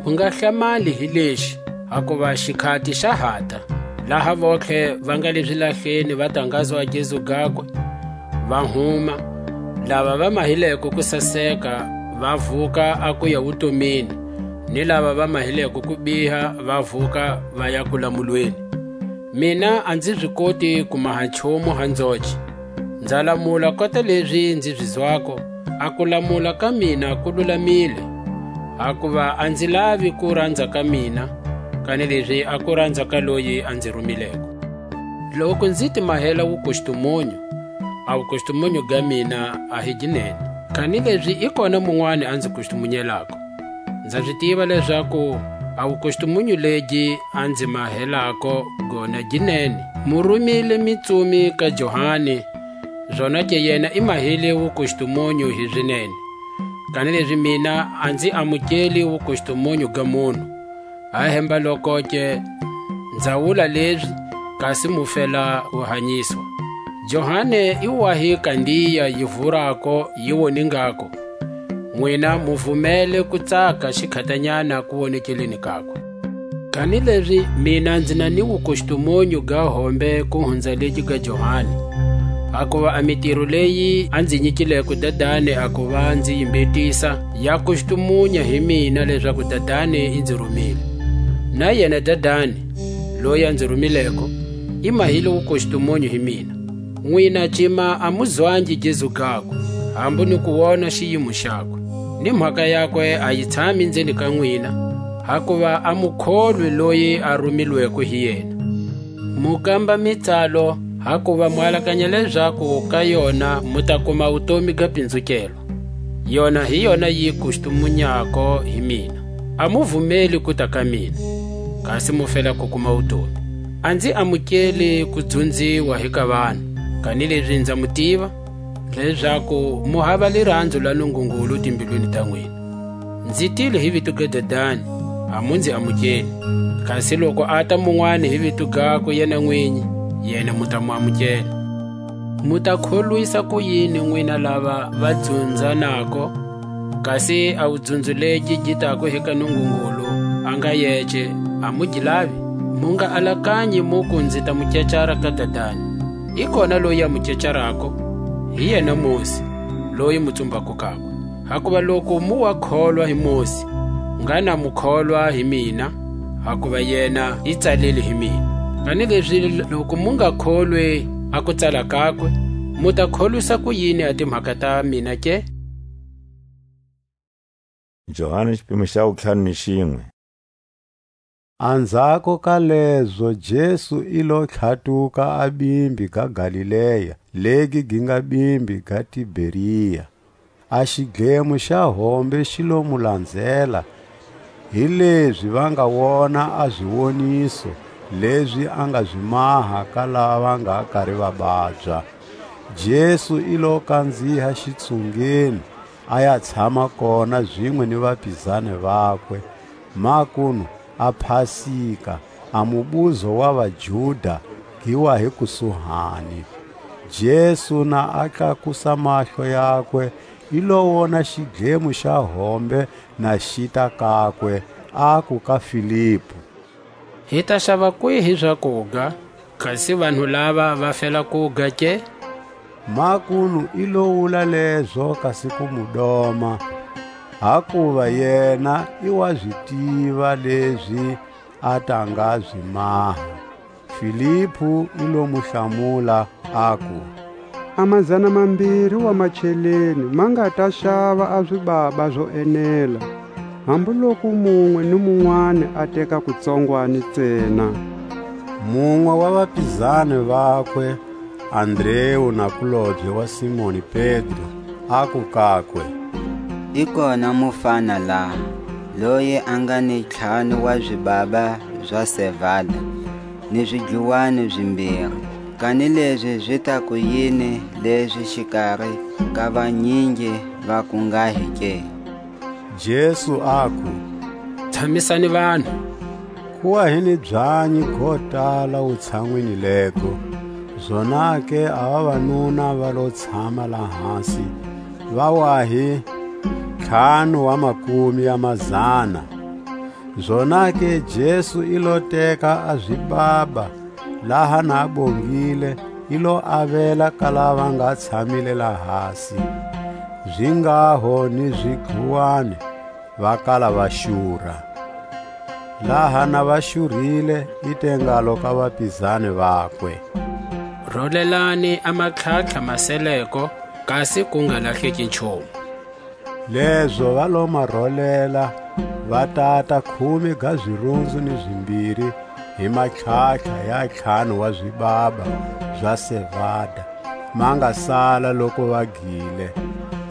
U nga hlamali hi lexi, hakuva xikhati xa hata, laha vontlhe va nga le zilahleni va tangazwa Jesu gakwe, va huma, lava va mahileko ku saseka va vuka a kuya wutomini, ni lava va mahileko ku biha va vuka va ya kulamulweni. Mina a nzi zi koti ku maha nchumu ha nzoce. Nza lamula kota lezi nzi zi zwako, a kulamula ka mina ku lulamile. Hakuva a nzi lavi ku ranza ka mina, kanilezi a ku ranza ka loyi a nzi rumileko. Loku nzi ti mahela wukustumunyu, a wukustumunyu ga mina a hi gi nene. Kanilezi i kona munwani a nzi kustumunyelako. Nza zi tiva lezaku a wukustumunyu legi a nzi mahelako gona gi nene. Mu rumile mitsumi ka Johani, zonake yena i mahile wukustumunyu hi zinene. Kanilezi mina a nzi amukeli wukustumunyu ga munhu. Ahemba lokoke, nza wula lezi, kasi mu fela ku hanyiswa. Johani i wa hi kandiya yi vurako, yi woningako. Nwina mu vumele ku tsaka xikhatanyana ku wonekeleni kakwe. Kanilezi mina nzi na ni wukustumunyu ga hombe ku hunza legi ga Johani. Hakuva a mitiro leyi a nzi nyikileko Dadani a kuva nzi yi mbhetisa, ya kustumunya hi mina lezaku Dadani i nzi rumile. Na yena Dadani, loyi a nzi rumileko, i mahile wukustumunyu hi mina. Nwina cima a mu zwangi Jesu gakwe, hambu ni ku wona xiyimo xakwe, ni mhaka yakwe a yi tshami nzeni ka nwina, hakuva a mu kholwi loyi a rumilweko hi yena. Mu kamba mitsalo, hakuva mu alakanya lezaku ka yona mu ta kuma wutomi ga pinzukelwa. Yona hi yona yi kustumunyako hi mina. A mu vumeli ku ta ka mina, kasi mu fela ku kuma wutomi. A nzi amukeli ku dzunziwa hi ka vanhu, kanilezi nza mu tiva, lezaku mu hava liranzo la Nungungulu timbilwini ta nwina. Nzi tile hi vito ga Dadani, a mu nzi amukeli. Kasi loku a ta munwani hi vito gakwe yena nwinyi, yena mu ta mu amukela. Mu ta kholwisa kuyini nwina lava va dzunzanako, kasi a wudzunzuleki gi tako hi ka Nungungulu a nga yece, a mu gi lavi? Mu nga alakanyi muku nzi ta mu kecara ka Dadani. I kona loyi a mu kecarako, hi yena Mosi, loyi mu tsumbako kakwe. Hakuva loku mu wa kholwa hi Mosi, ngana mu kholwa hi mina, hakuva yena i tsalile hi mina. Kanilezi loku mu nga kholwi a kutsala kakwe, mu ta kholwisa kuyini a timhaka ta mina ke? Johani xipimo xa wutlhanu ni xinwe. Anzhako ka lezo Jesu i lo tlhatuka a bimbi ga Galilea, legi gi nga bimbi ga Tiberia. A xidlemo xa hombe xi lo mu lanzela, hilezi va nga wona a ziwoniso lezi a nga zi maha ka lava nga kari va babya. Jesu i lo kanziha xitsungeni, a ya tshama kona zinwe ni vapizani vakwe. Makunu a Pasika, a mubuzo wa vaJuda, gi wa hi kusuhani. Jesu na a tlakusa mahlo yakwe, i lo wona xidlemo xa hombe na xita kakwe, aku ka Filipu: "Hi ta xava kwihi zakuga, kasi vanhu lava va fela kuga ke?" Makunu i lo wula lezo kasi ku mu doma, hakuva yena i wa zi tiva lezi a ta nga zi maha. Filipu i lo mu hlamula, aku: "A mazana mambiri wa macheleni ma nga ta xava a zibaba zo enela, hambuloku munwe ni munwani a teka kutsongwani ntsena." Munwe wa vapizani vakwe, Andreu nakulobye wa Simoni Pedro, aku kakwe: "I kona mufana laha, loyi a nga ni ntlhanu wa zibaba za sevada, ni zidluwani zimbiri, Kanilezi zi ta ku yini lezi xikari ka vanyingi va ku ngha hi ke? Jesu aku: Tshamisani vanhu. Ku wa hi ni byanyi go tala wutshanwini lego. Zonake a vavanuna va lo tshama lahasi, va wa hi ntlhanu wa makumi ya mazana. Zonake Jesu i lo teka a zibaba, laha na a bongile, i lo avela ka lava nga tshamile lahasi, zi nghaho ni zidluwani, va kala va xura. Laha na va xurhile, i te ngalo ka vapizani vakwe: Rolelani a matlhatlha ma seleko, kasi ku nga lahleki nchumu. Lezo va lo ma rolela, va tata khume ga zirunzu ni zimbiri hi matlhatlha ya ntlhanu wa zibaba za sevada, ma nga sala loku va gile.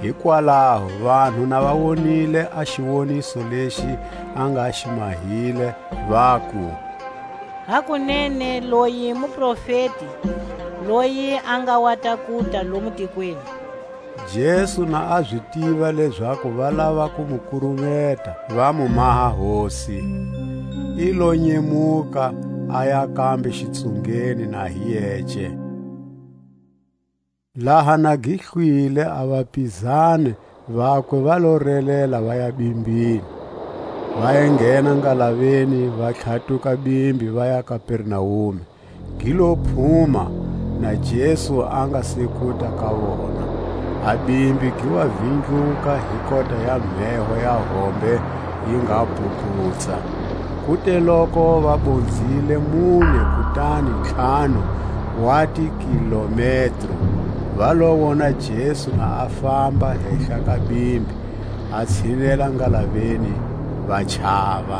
Hikwalaho vanhu na va wonile a xiwoniso lexi a nga xi mahile, vaku: Hakunene loyi muprofeti, loyi a nga wa ta kuta lomu tikweni. Jesu na a zi tiva lezaku va lava ku mu kurumeta, va mu maha hosi, i lo nyemuka, a ya kambe xitsungeni na hi yece. Laha na gi hlwile, a vapizani vakwe va lo relela va ya bimbini, va ya nghena ngalaveni, va tlhatuka bimbi, va ya Kapernaume. Gi lo phuma, na Jesu a nga se kuta ka vona. A bimbi gi wa vindluka hi kota ya mheho ya hombe yi nga puputsa. Kuteloko va bonzile mune kutani ntlhanu wa tikilometro, va lo wona Jesu na a famba hehla ka bimbi, a tshinela ngalaveni, va chava.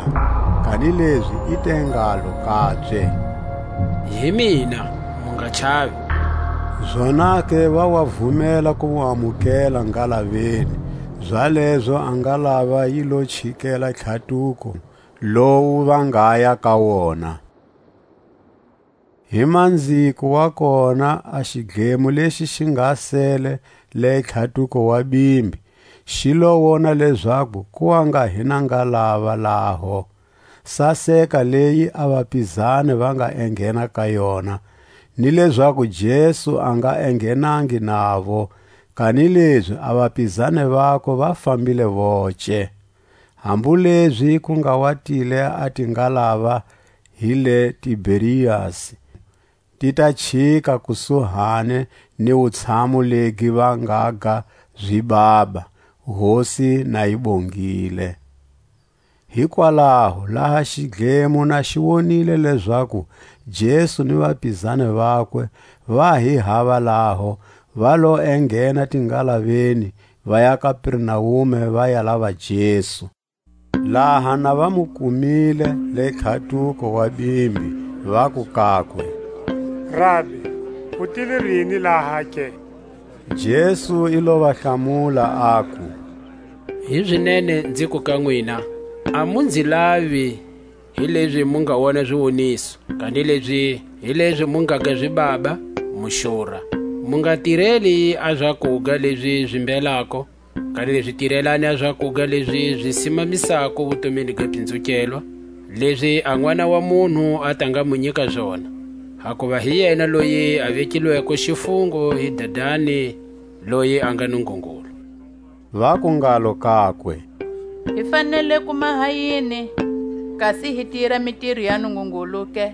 Kanilezi i te ngalo kabye: Hi mina, mu nga chavi. Zonake va wa vumela ku mu amukela ngalaveni, zalezo a ngalava yi lo chikela tlhatuko lowu va ngaya ka wona. Hi manziko wa kona a xidlemo lexi xi nga sele le tlhatuko wa bimbi, xi lo wona lezaku ku wa nga hi na ngalava laho. Saseka leyi a vapizani va nga enghena ka yona, ni lezaku Jesu a nga enghenangi navo, kanilezi a vapizani vakwe va fambile voce. Hambu lezi ku nga wa tile a tingalava hi le Tiberiasi, ti ta chika kusuhani ni wutshamu legi va nga ga zibaba, Hosi na yi bongile. Hikwalaho, laha xidlemo na xi wonile lezaku Jesu ni vapizani vakwe va hi hava laho, va lo enghena tingalaveni, va ya Kapernaume, va ya lava Jesu. Laha na va mu kumile le tlhatuko wa bimbi, vaku kakwe: Rabi, u tile rini laha ke? Jesu i lo va hlamula, aku: Hizinene nziku ka nwina, a mu nzi lavi, hilezi mu nga wona ziwoniso, kanilezi hilezi mu nga ga zibaba, mu xura. Mu nga tireli a zakuga lezi zi mbelako, kanilezi tirelani a zakuga lezi zi simamisako vutomini ga pinzukelwa, lezi a N'wana wa munhu a ta nga mu nyika zona. Hakuva hi yena loyi a vekilweko xifungo hi Dadani, loyi a nga Nungungulu. Vaku ngalo kakwe: Hi fanele ku maha yini, kasi hi tira mitiro ya Nungungulu ke?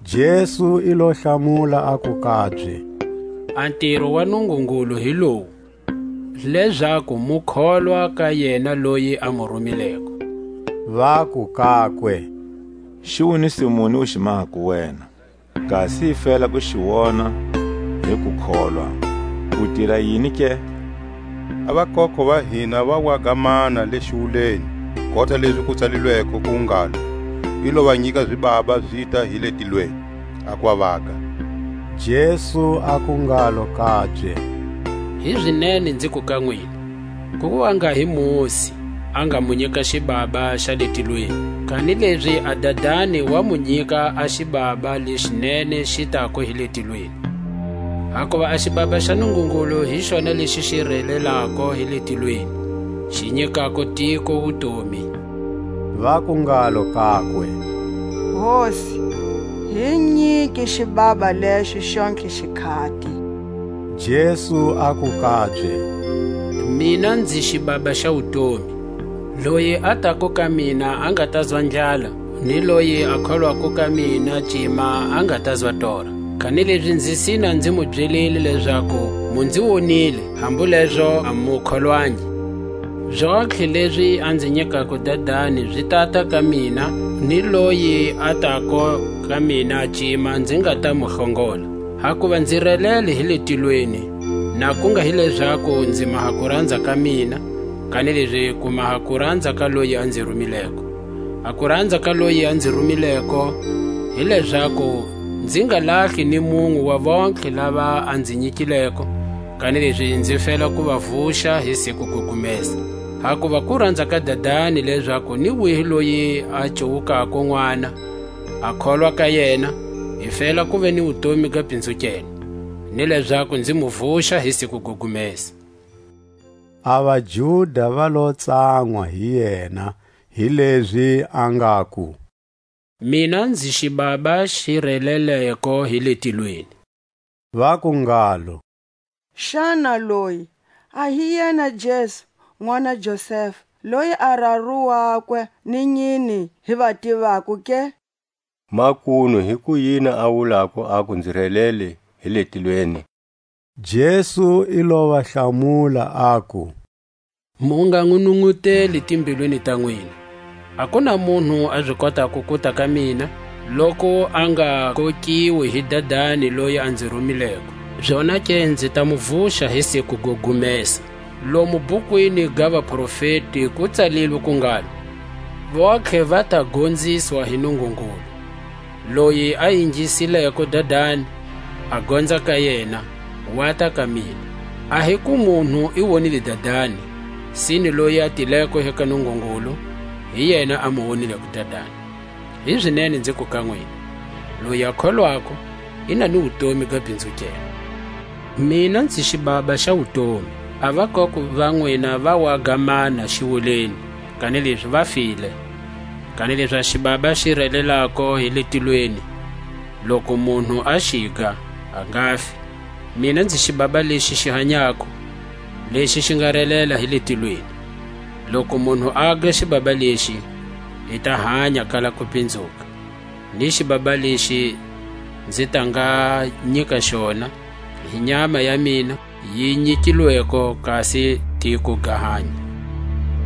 Jesu i lo hlamula, aku kabye: A ntiro wa Nungungulu hi lowu, lezaku mu kholwa ka yena loyi a mu rumileko. Vaku kakwe: Xiwoniso muni u xi mahako wena? Kasi hi fela ku xi wona hi kukholwa. U tira yini ke? A vakokho va hina va waga mana le xiwuleni, kota lezi ku tsalilweko ku ngalo: I lo va nyika zibaba zita hi le tilweni, a ku va vaga. Jesu aku ngalo kabye: Hizinene nziku ka nwina, ku wa nga hi Mosi, a nga mu nyika xibaba xa le tilweni. Kanilezi a Dadani wa mu nyika a xibaba lexinene xi tako hi le tilweni. Hakuva a xibaba xa Nungungulu hi xona lexi xi relelako hi le tilweni, xi nyikako tiko wutomi. Vaku ngalo kakwe: Hosi, hi nyiki xibaba lexo xontlhe xikhati. Jesu aku kabye: Mina nzi xibaba xa wutomi. Loyi a tako ka mina a nga ta zwa ndlala, ni loyi a kholwako ka mina cima a nga ta zwa tora. Kanilezi nzi sina nzi mu byelile lezaku mu nzi wonile, hambu lezo a mu kholwangi. Zontlhe lezi a nzi nyikako Dadani zi tata ka mina, ni loyi a tako ka mina cima nzi nga ta mu hlongola. Hakuva nzi relele hi le tilweni, na ku nga hi lezaku nzi maha kuranza ka mina, kanilezi ku maha kuranza ka loyi a nzi rumileko. A kuranza ka loyi a nzi rumileko, hi lezaku nzi nga lahli ni munwe wa vontlhe lava a nzi nyikileko, kanilezi nzi fela ku va vuxa hi siku ku gumesa. Hakuva ku ranza ka Dadani lezaku ni wihi loyi a cuwukako n'wana, a kholwa ka yena, i fela ku ve ni wutomi ga pinzukela, ni lezaku nzi mu vuxa hi siku go gumesa. A vaJuda va lo tsanwa hi yena, hilezi a ngaku: Mina nzi xibaba xi releleko hi le tilweni. Vaku ngalo: Xana loyi a hi yena Jesu, n'wana Josefa, loyi a raru wakwe ni nyini hi va tivako ke? Makunu, hi kuyini a wulako aku, nzi relele hi le tilweni? Jesu i lo va hlamula, aku: Mu nga n'wi nunguteli timbilwini ta n'wina. A ku na munhu a zi kotako kuta ka mina, loku a nga kokiwi hi Dadani loyi a nzi rumileko. Zonake nzi ta mu vuxa hi siku go gumesa. Lomu bukwini ga vaprofeti ku tsalilwe ku ngalo: Vontlhe va ta gonziswa hi Nungungulu. Loyi a yingisileko Dadani, a gonza ka yena, wa ta ka mina. A hi ku munhu i wonile Dadani, sine loyi a tileko hi ka Nungungulu, hi yena a mu wonileko Dadani. Hizinene nziku ka nwina, loyi a kholwako i na ni wutomi ga pinzukela. Mina nzi xibaba xa wutomi. A vakoko va nwina va wa ga mana xiwuleni, kanilezi va file. Kanilezi a xibaba xi relelako hi le tilweni, loku munhu a xiga, a nga fi. Mina nzi xibaba lexi xi hanyako, lexi xi nga relela hi le tilweni. Loku munhu a ga xibaba lexi, i ta hanya kala ku pinzuka. Ni xibaba lexi nzi ta nga nyika xona, hi nyama ya mina yi nyikilweko, kasi tiko ga hanya.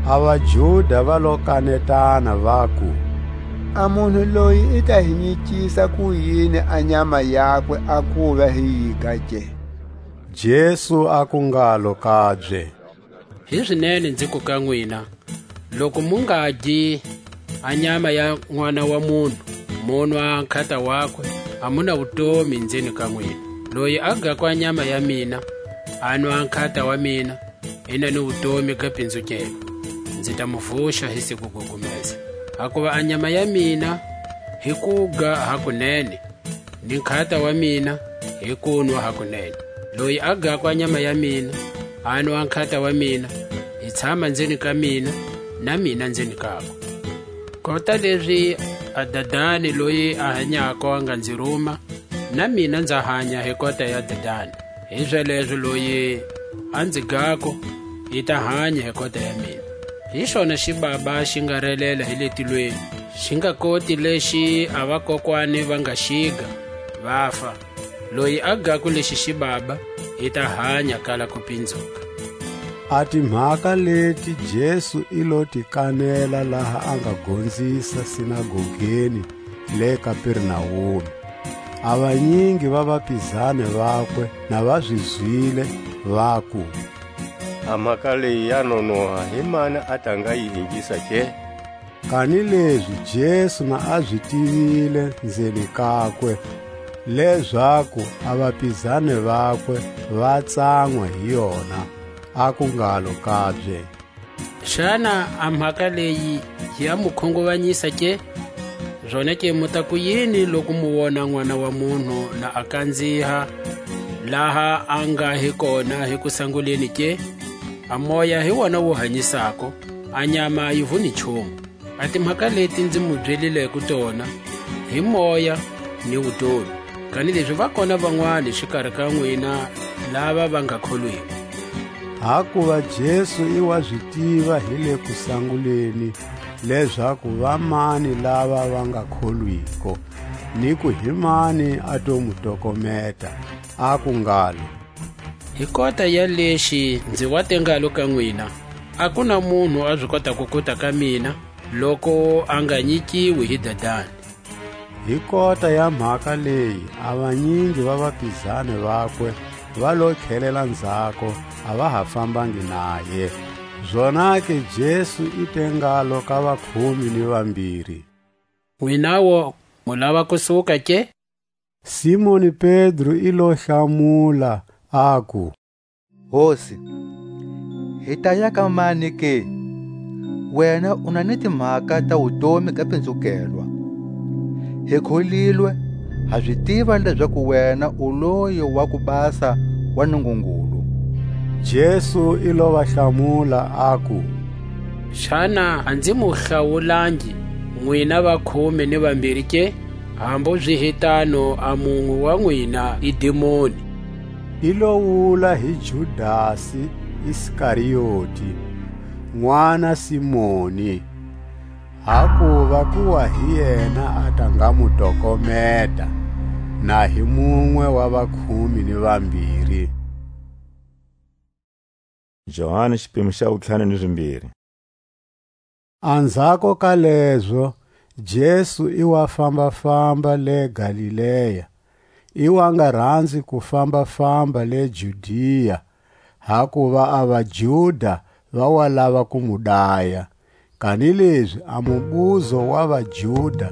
A vaJuda va lo kanetana, vaku: A munhu loyi i ta hi nyikisa kuyini a nyama yakwe a kuva hi yiga ke? Jesu aku ngalo kabye: Hizinene nziku ka nwina, loku mu nga gi a nyama ya N'wana wa munhu, mu nwa nkhata wakwe, a mu na wutomi nzeni ka nwina. Loyi a gako a nyama ya mina, a nwa nkhata wa mina, i na ni wutomi ga pinzukelo. Nzi ta mu vuxa hi siku go gumesa. Hakuva a nyama ya mina hi kuga hakunene, ni nkhata wa mina hi kunwa hakunene. Loyi a gako a nyama ya mina, a nwa nkhata wa mina, i tshama nzeni ka mina, na mina nzeni kakwe. Kota lezi a Dadani loyi a hanyako a nga nzi ruma, na mina nza hanya hi kota ya Dadani. Hizalezo loyi a nzi gako, i ta hanya hi kota ya mina. Hi xona xibaba xi nga relela hi le tilweni, xi nga koti lexi a vakokwani va nga xiga, vafa. Loyi a gako lexi xibaba, i ta hanya kala ku pinzuka. A timhaka leti Jesu i lo ti kanela laha a nga gonzisa sinagogeni le Kapernawumi. A vanyingi va vapizani vakwe na va zi zwile, vaku: A mhaka leyi ya nonoha, hi mani a ta nga yi ingisa ke? Kanilezi Jesu na a zi tivile nzeni kakwe, lezaku a vapizani vakwe va tsanwa hi yona, aku ngalo kabye: Xana a mhaka leyi ya mu khunguvanyisa ke? Zonake mu ta ku yini loku mu wona N'wana wa munhu na a kanziha laha a nga hi kona hi kusanguleni ke? A moya hi wona wu hanyisako, a nyama a yi vuni nchumu. A timhaka leti nzi mu byelileko tona, hi moya ni wutomi. Kanilezi va kona vanwani xikari ka nwina lava va nga kholwiko. Hakuva Jesu i wa zi tiva hi le kusanguleni lezaku va mani lava va nga kholwiko, ni ku hi mani a to mu tokometa, aku ngalo: Hi kota ya lexi nzi wa te ngalo ka nwina, a ku na munhu a zi kotako kuta ka mina, loku a nga nyikiwi hi Dadani. Hi kota ya mhaka leyi a vanyingi va vapizani vakwe va lo tlhelela nzhako, a va ha fambangi naye. Zonake Jesu i te ngalo ka vakhume ni vambiri: Nwinawo mu lava ku suka ke? Simoni Pedro i lo hlamula, aku: Hosi, hi ta ya ka mani ke? Wena u na ni timhaka ta wutomi ga pinzukelwa. Hi kholilwe, ha zi tiva lezaku wena u loyi wa ku basa wa Nungungulu. Jesu i lo va hlamula, aku: Xana a nzi mu hlawulangi nwina vakhume ni vambiri ke? Hambu zi hi tano, a munwe wa nwina i dimoni. I lo wula hi Judasi Iskarioti, n'wana Simoni, hakuva ku wa hi yena a ta nga mu tokometa, na hi munwe wa vakhume ni vambiri. Johani, xipimo xa wutlhanu ni zimbiri. Anzhako ka lezo, Jesu i wa famba-famba le Galilea, i wa nga ranzi ku famba-famba le Judia, hakuva a vaJuda va wa lava ku mu daya. Kanilezi a mubuzo wa vaJuda,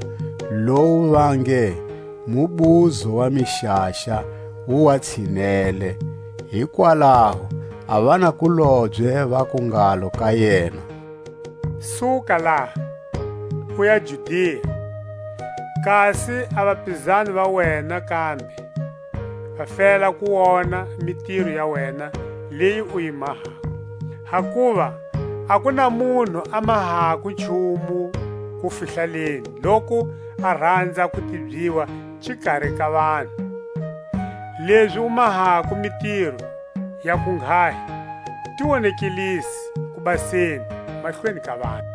lowu va nge, mubuzo wa mixaxa, wu wa tshinele. Hikwalaho a vanakulobye vaku ngalo ka yena: Suka laha, u ya Judia, kasi a vapizani va wena kambe va fela ku wona mitiro ya wena leyi u yi mahako. Hakuva a ku na munhu a mahako nchumu kufihlaleni, loku a ranza ku tibyiwa xikari ka vanhu. Lezi u mahako mitiro ya ku nghahi, ti wonekelisi kubaseni mahlweni ka vanhu.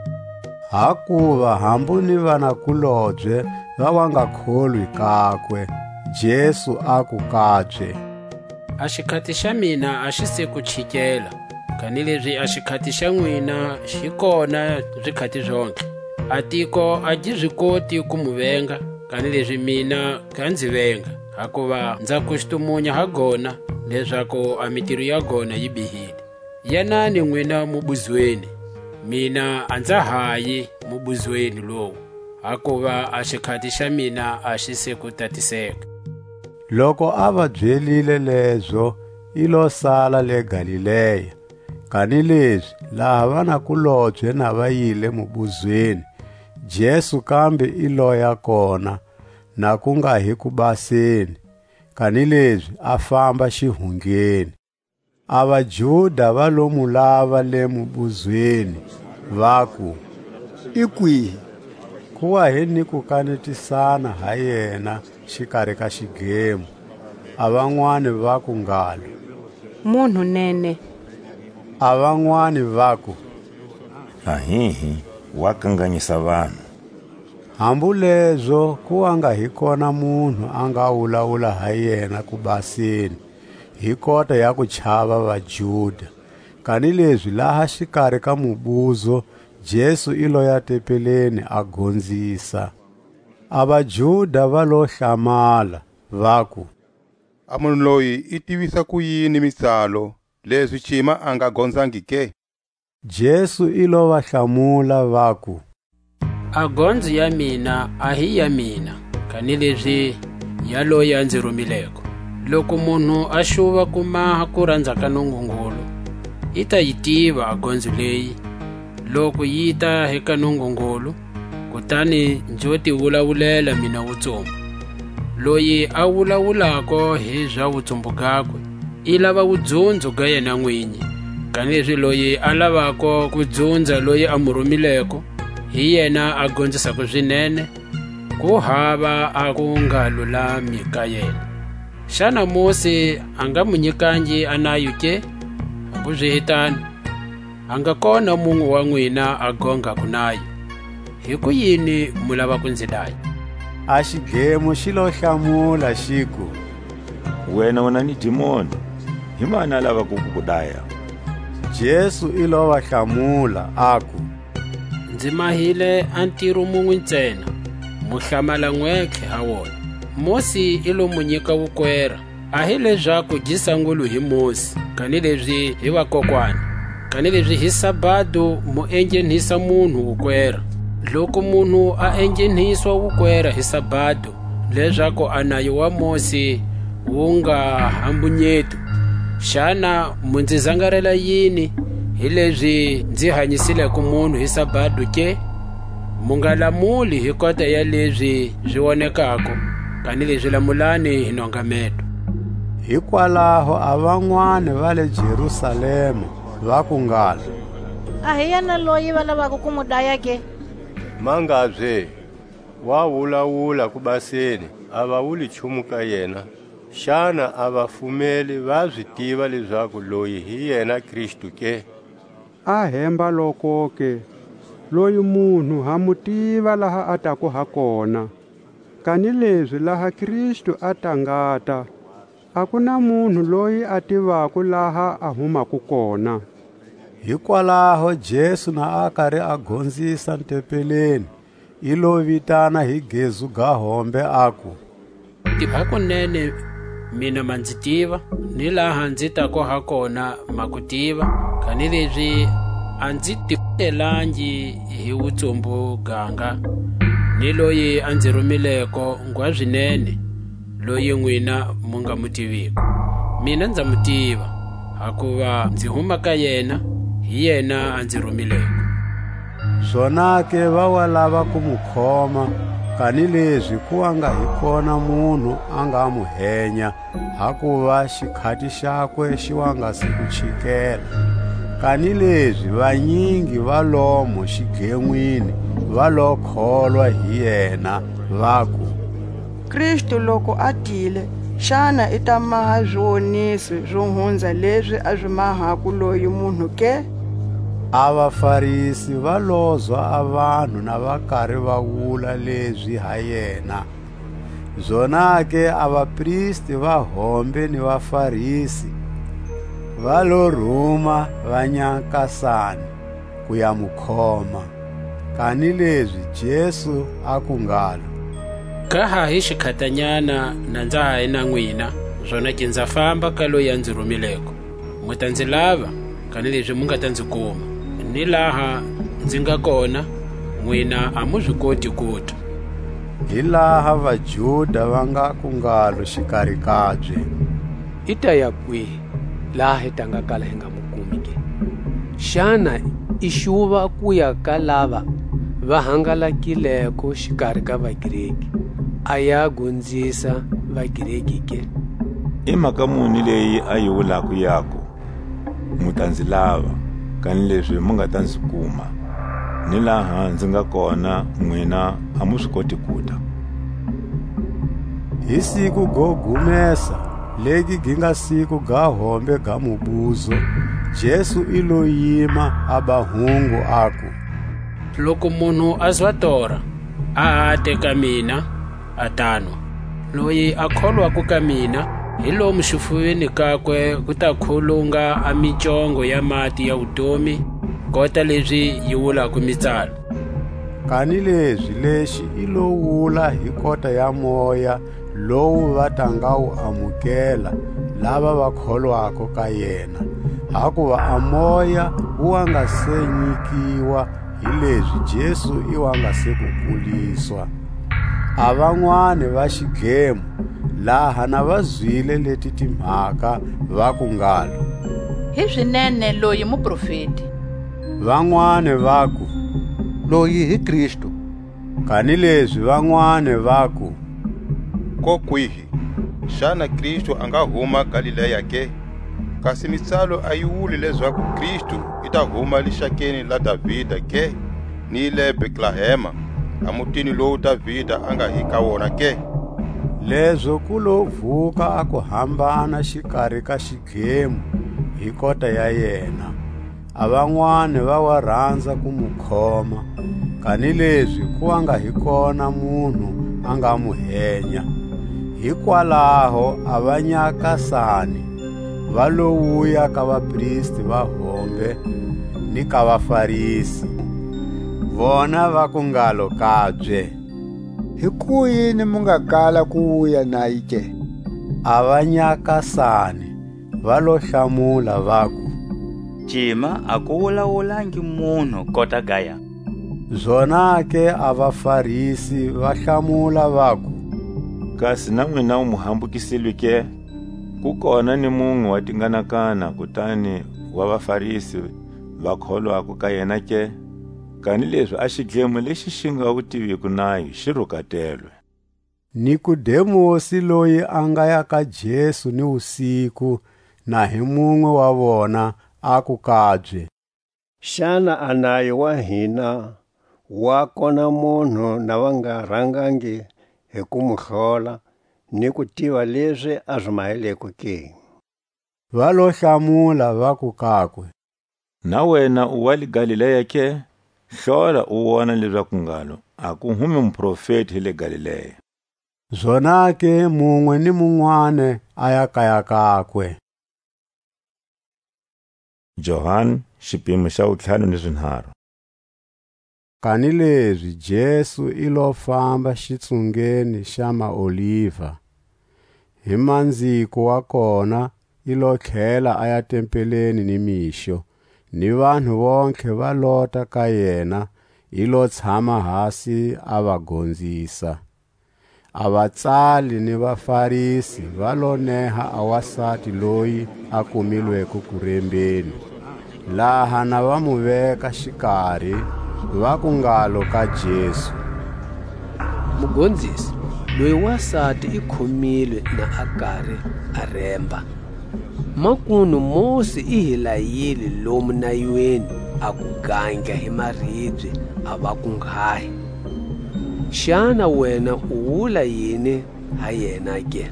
Hakuva hambu ni vanakulobye va wa nga kholwi kakwe, Jesu aku kabye: A xikhati xa mina a xi se ku chikela, kanilezi a xikhati xa nwina xi kona zikhati zontlhe. A tiko a gi zi koti ku mu venga, kanilezi mina ga nzi venga, hakuva nza kustumunya ha gona, lezaku a mitiro ya gona yi bihile. Yanani nwina mubuzweni, mina a nza ha yi mubuzweni lowu, hakuva a xikhati xa mina a xi se ku tatiseka. Loku a va byelile lezo, i lo sala le Galilea. Kanilezi laha vanakulobye na va yile mubuzweni, Jesu kambe i loya kona, na ku nga hi kubaseni, kanilezi a famba xihundleni. A vaJuda va lo mu lava le mubuzweni, vaku: I kwihi? Ku wa hi ni kukanetisana ha yena xikari ka xidlemo. A vanwani vaku ngalo: Munhu nene. A vanwani vaku: Ahihi, wa kanganyisa vanhu. Hambu lezo ku wa nga hi kona munhu a nga wulawula ha yena kubaseni, hi kota ya ku chava vaJuda. Kanilezi laha xikari ka mubuzo, Jesu i loya tempeleni a gonzisa. A vaJuda va lo hlamala, vaku: A munhu loyi i tivisa kuyini mitsalo, lezi cima a nga gonzangi ke? Jesu i lo va hlamula, vaku: A gonzo ya mina a hi ya mina, kanilezi ya loyi a nzi rumileko. Loku munhu a xuva ku maha kuranza ka Nungungulu, i ta yi tiva a gonzo leyi, loku yi ta hi ka Nungungulu, kutani nzo ti wulawulela mina wutsumbu. Loyi a wulawulako hi za wutsumbu gakwe, i lava wudzunzo ga yena nwinyi; kanilezi loyi a lavako ku dzunza loyi a mu rumileko, hi yena a gonzisako zinene, ku hava a ku nga lulami ka yena. Xana Mosi a nga mu nyikangi a nayo ke? Hakuzihi tano, a nga kona munwe wa nwina a gongako nayo. Hikuyini mu lava ku nzi daya? A xidlemo xi lo hlamula, xiku: Wena u na ni dimoni, himani a lavako ku ku daya? Jesu i lo va hlamula, aku: Nzi mahile a ntiro munwe ntsena, mu hlamala nwentlhe ha wona. Mosi i lo mu nyika wukwera, a hi lezaku gi sangulwe hi Mosi, kanilezi hi vakokwani; kanilezi hi sabado mu enghenhisa munhu wukwera. Loku munhu a enghenhiswa wukwera hi sabado, lezaku a nayo wa Mosi wu nga ha mbunyetu, xana mu nzi zangarela yini, hilezi nzi hanyisileko munhu hi sabado ke? Mu nga lamuli hi kota ya lezi zi wonekako, kanilezi lamulani hi nongameto. Hikwalaho a vanwani va le Jerusalema vaku ngalo: A hi yena loyi va lavako ku mu daya ke? Mangabye, wa wulawula ku baseni, a va wuli nchumu ka yena. Xana a vafumeli va zi tiva lezaku loyi hi yena Kristu ke? A hemba lokoke, loyi munhu ha mu tiva laha a tako ha kona. Kanilezi laha Kristu a ta ngata, a ku na munhu loyi a tivako laha a humako kona. Hikwalaho Jesu na a kari a gonzisa ntempeleni, i lo vitana hi gezu ga hombe, aku: Ti hakunene mina ma nzi tiva, ni laha nzi tako ha kona ma ku tiva, kanilezi a nzi tivutelangi hi wutsumbu ganga, ni loyi a nzi rumileko ngwazinene, loyi nwina mu nga mu tiviko. Mina nza mu tiva, hakuva nzi huma ka yena, hi yena a nzi rumileko. Zonake va wa lava ku mu khoma, kanilezi ku wa nga hi kona munhu a nga mu henya, hakuva xikhati xakwe xi wa nga si ku chikela. Kanilezi vanyingi va lomo xidlenwini va lo kholwa hi yena, vaku: Kristu loku a tile, xana i ta maha ziwoniso zo hunza lezi a zi mahako loyi munhu ke? A vaFarisi va lozwa a vanhu na va kari va wula lezi ha yena. Zonake a vapristi va hombe ni vaFarisi va lo ruma vanyakasani ku ya mu khoma. Kanilezi Jesu aku ngalo: Ka ha hi xikhatanyana na nza ha hi na nwina, zonake nza famba ka loyi a nzi rumileko. Mu ta nzi lava, kanilezi mu nga ta nzi kuma; ni laha nzi nga kona, nwina a mu zi koti kuta. Hi laha vaJuda va ngaku ngalo xikari kabye: I ta ya kwihi, laha hi ta nga kala hi nga mu kumi ke? Xana i xuva ku ya ka lava va hangalakileko xikari ka vaGreki, a ya gonzisa vaGreki ke? I mhaka muni leyi a yi wulako yaku: Mu ta nzi lava, kanilezi mu nga ta nzi kuma; ni laha nzi nga kona, nwina a mu zi koti kuta? Hi siku go gumesa, legi gi nga siku ga hombe ga mubuzo, Jesu i lo yima, a ba hungu, aku: Loku munhu a zwa tora, a ate ka mina, a tanwa. Loyi a kholwako ka mina, hi lomu xifuveni kakwe ku ta khulunga a micongo ya mati ya wutomi, kota lezi yi wulako mitsalo. Kanilezi lexi i lo wula hi kota ya Moya lowu va ta nga wu amukela lava va kholwako ka yena, hakuva a Moya wu wa nga se nyikiwa, hilezi Jesu i wa nga se ku kuliswa. A vanwani va xidlemo, laha na va zwile leti timhaka, vaku ngalo: Hizinene loyi muprofeti. Vanwani vaku: Loyi hi Kristu. Kanilezi vanwani vaku: Ko kwihi? Xana Kristu a nga huma Galilea ke? Kasi mitsalo a yi wuli lezaku Kristu i ta huma lixakeni la Davida ke, ni le Betlehema, a mutini lowu Davida a nga hi ka wona ke? Lezo ku lo vuka a kuhambana xikari ka xidlemo hi kota ya yena. A vanwani va wa ranza ku mu khoma, kanilezi ku wa nga hi kona munhu a nga mu henya. Hikwalaho a vanyakasani va lo wuya ka vapristi va hombe ni ka vaFarisi, vona vaku ngalo kabye: Hikuyini mu nga kala ku wuya naye ke? A vanyakasani va lo hlamula, vaku: Cima a ku wulawulangi munhu kota gaya. Zonake a vaFarisi va hlamula, vaku: Kasi na nwina mu hambukisilwe ke? Ku kona ni munwe wa tinganakana kutani wa vaFarisi va kholwako ka yena ke? Kanilezi a xidlemo lexi xi nga wu tiviko nayo xi rukatelwe. Nikodemusi, loyi a nga ya ka Jesu ni wusiku, na hi munwe wa vona, aku kabye: Xana a nayo wa hina wa kona munhu na va nga rangangi hi ku mu hlola ni ku tiva lezi a zi maheleko ke? Va lo hlamula, vaku kakwe: Na wena u wa le Galilea ke? Hlola u wona lezaku ngalo a ku humi muprofeti hi le Galilea. Zonake munwe ni munwani a ya kaya kakwe. Johani, xipimo xa wutlhanu ni zinharu. Kanilezi Jesu i lo famba xitsungeni xa maOliva. Hi manziko wa kona i lo tlhela a ya tempeleni ni mixo, ni vanhu vontlhe va lota ka yena, i lo tshama hasi a va gonzisa. A vatsali ni vaFarisi va lo neha a wasati loyi a kumilweko kurembeni. Laha na va mu veka xikari, vaku ngalo ka Jesu: Mugonzisi, loyi wasati i khomilwe na a kari a remba. Makunu Mosi i hi layile lomu nayweni a ku gandla hi maribye a vakunghahi. Xana wena u wula yini ha yena ke?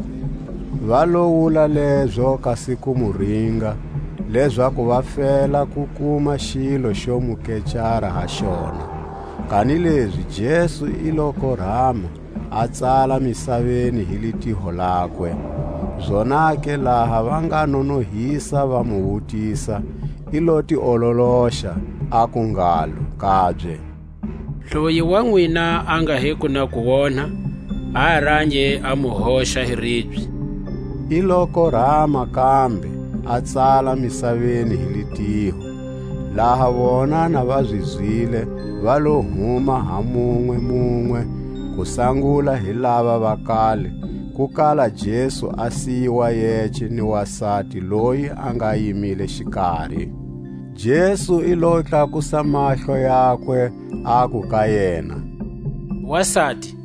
Va lo wula lezo kasi ku mu ringa, lezaku va fela ku kuma xilo xo mu kecara ha xona. Kanilezi Jesu i lo korama, a tsala misaveni hi litiho lakwe. Zonake laha va nga nonohisa va mu wutisa, i lo ti ololoxa, aku ngalo kabye: Loyi wa nwina a nga hiko na ku wonha, a range a mu hoxa hi ribye. I lo korama kambe, a tsala misaveni hi litiho. Laha vona na va zi zwile, va lo huma ha munwe munwe, ku sangula hi lava va kale, ku kala Jesu a siyiwa yece ni wasati loyi a nga yimile xikari. Jesu i lo tlakusa mahlo yakwe, aku ka yena: Wasati,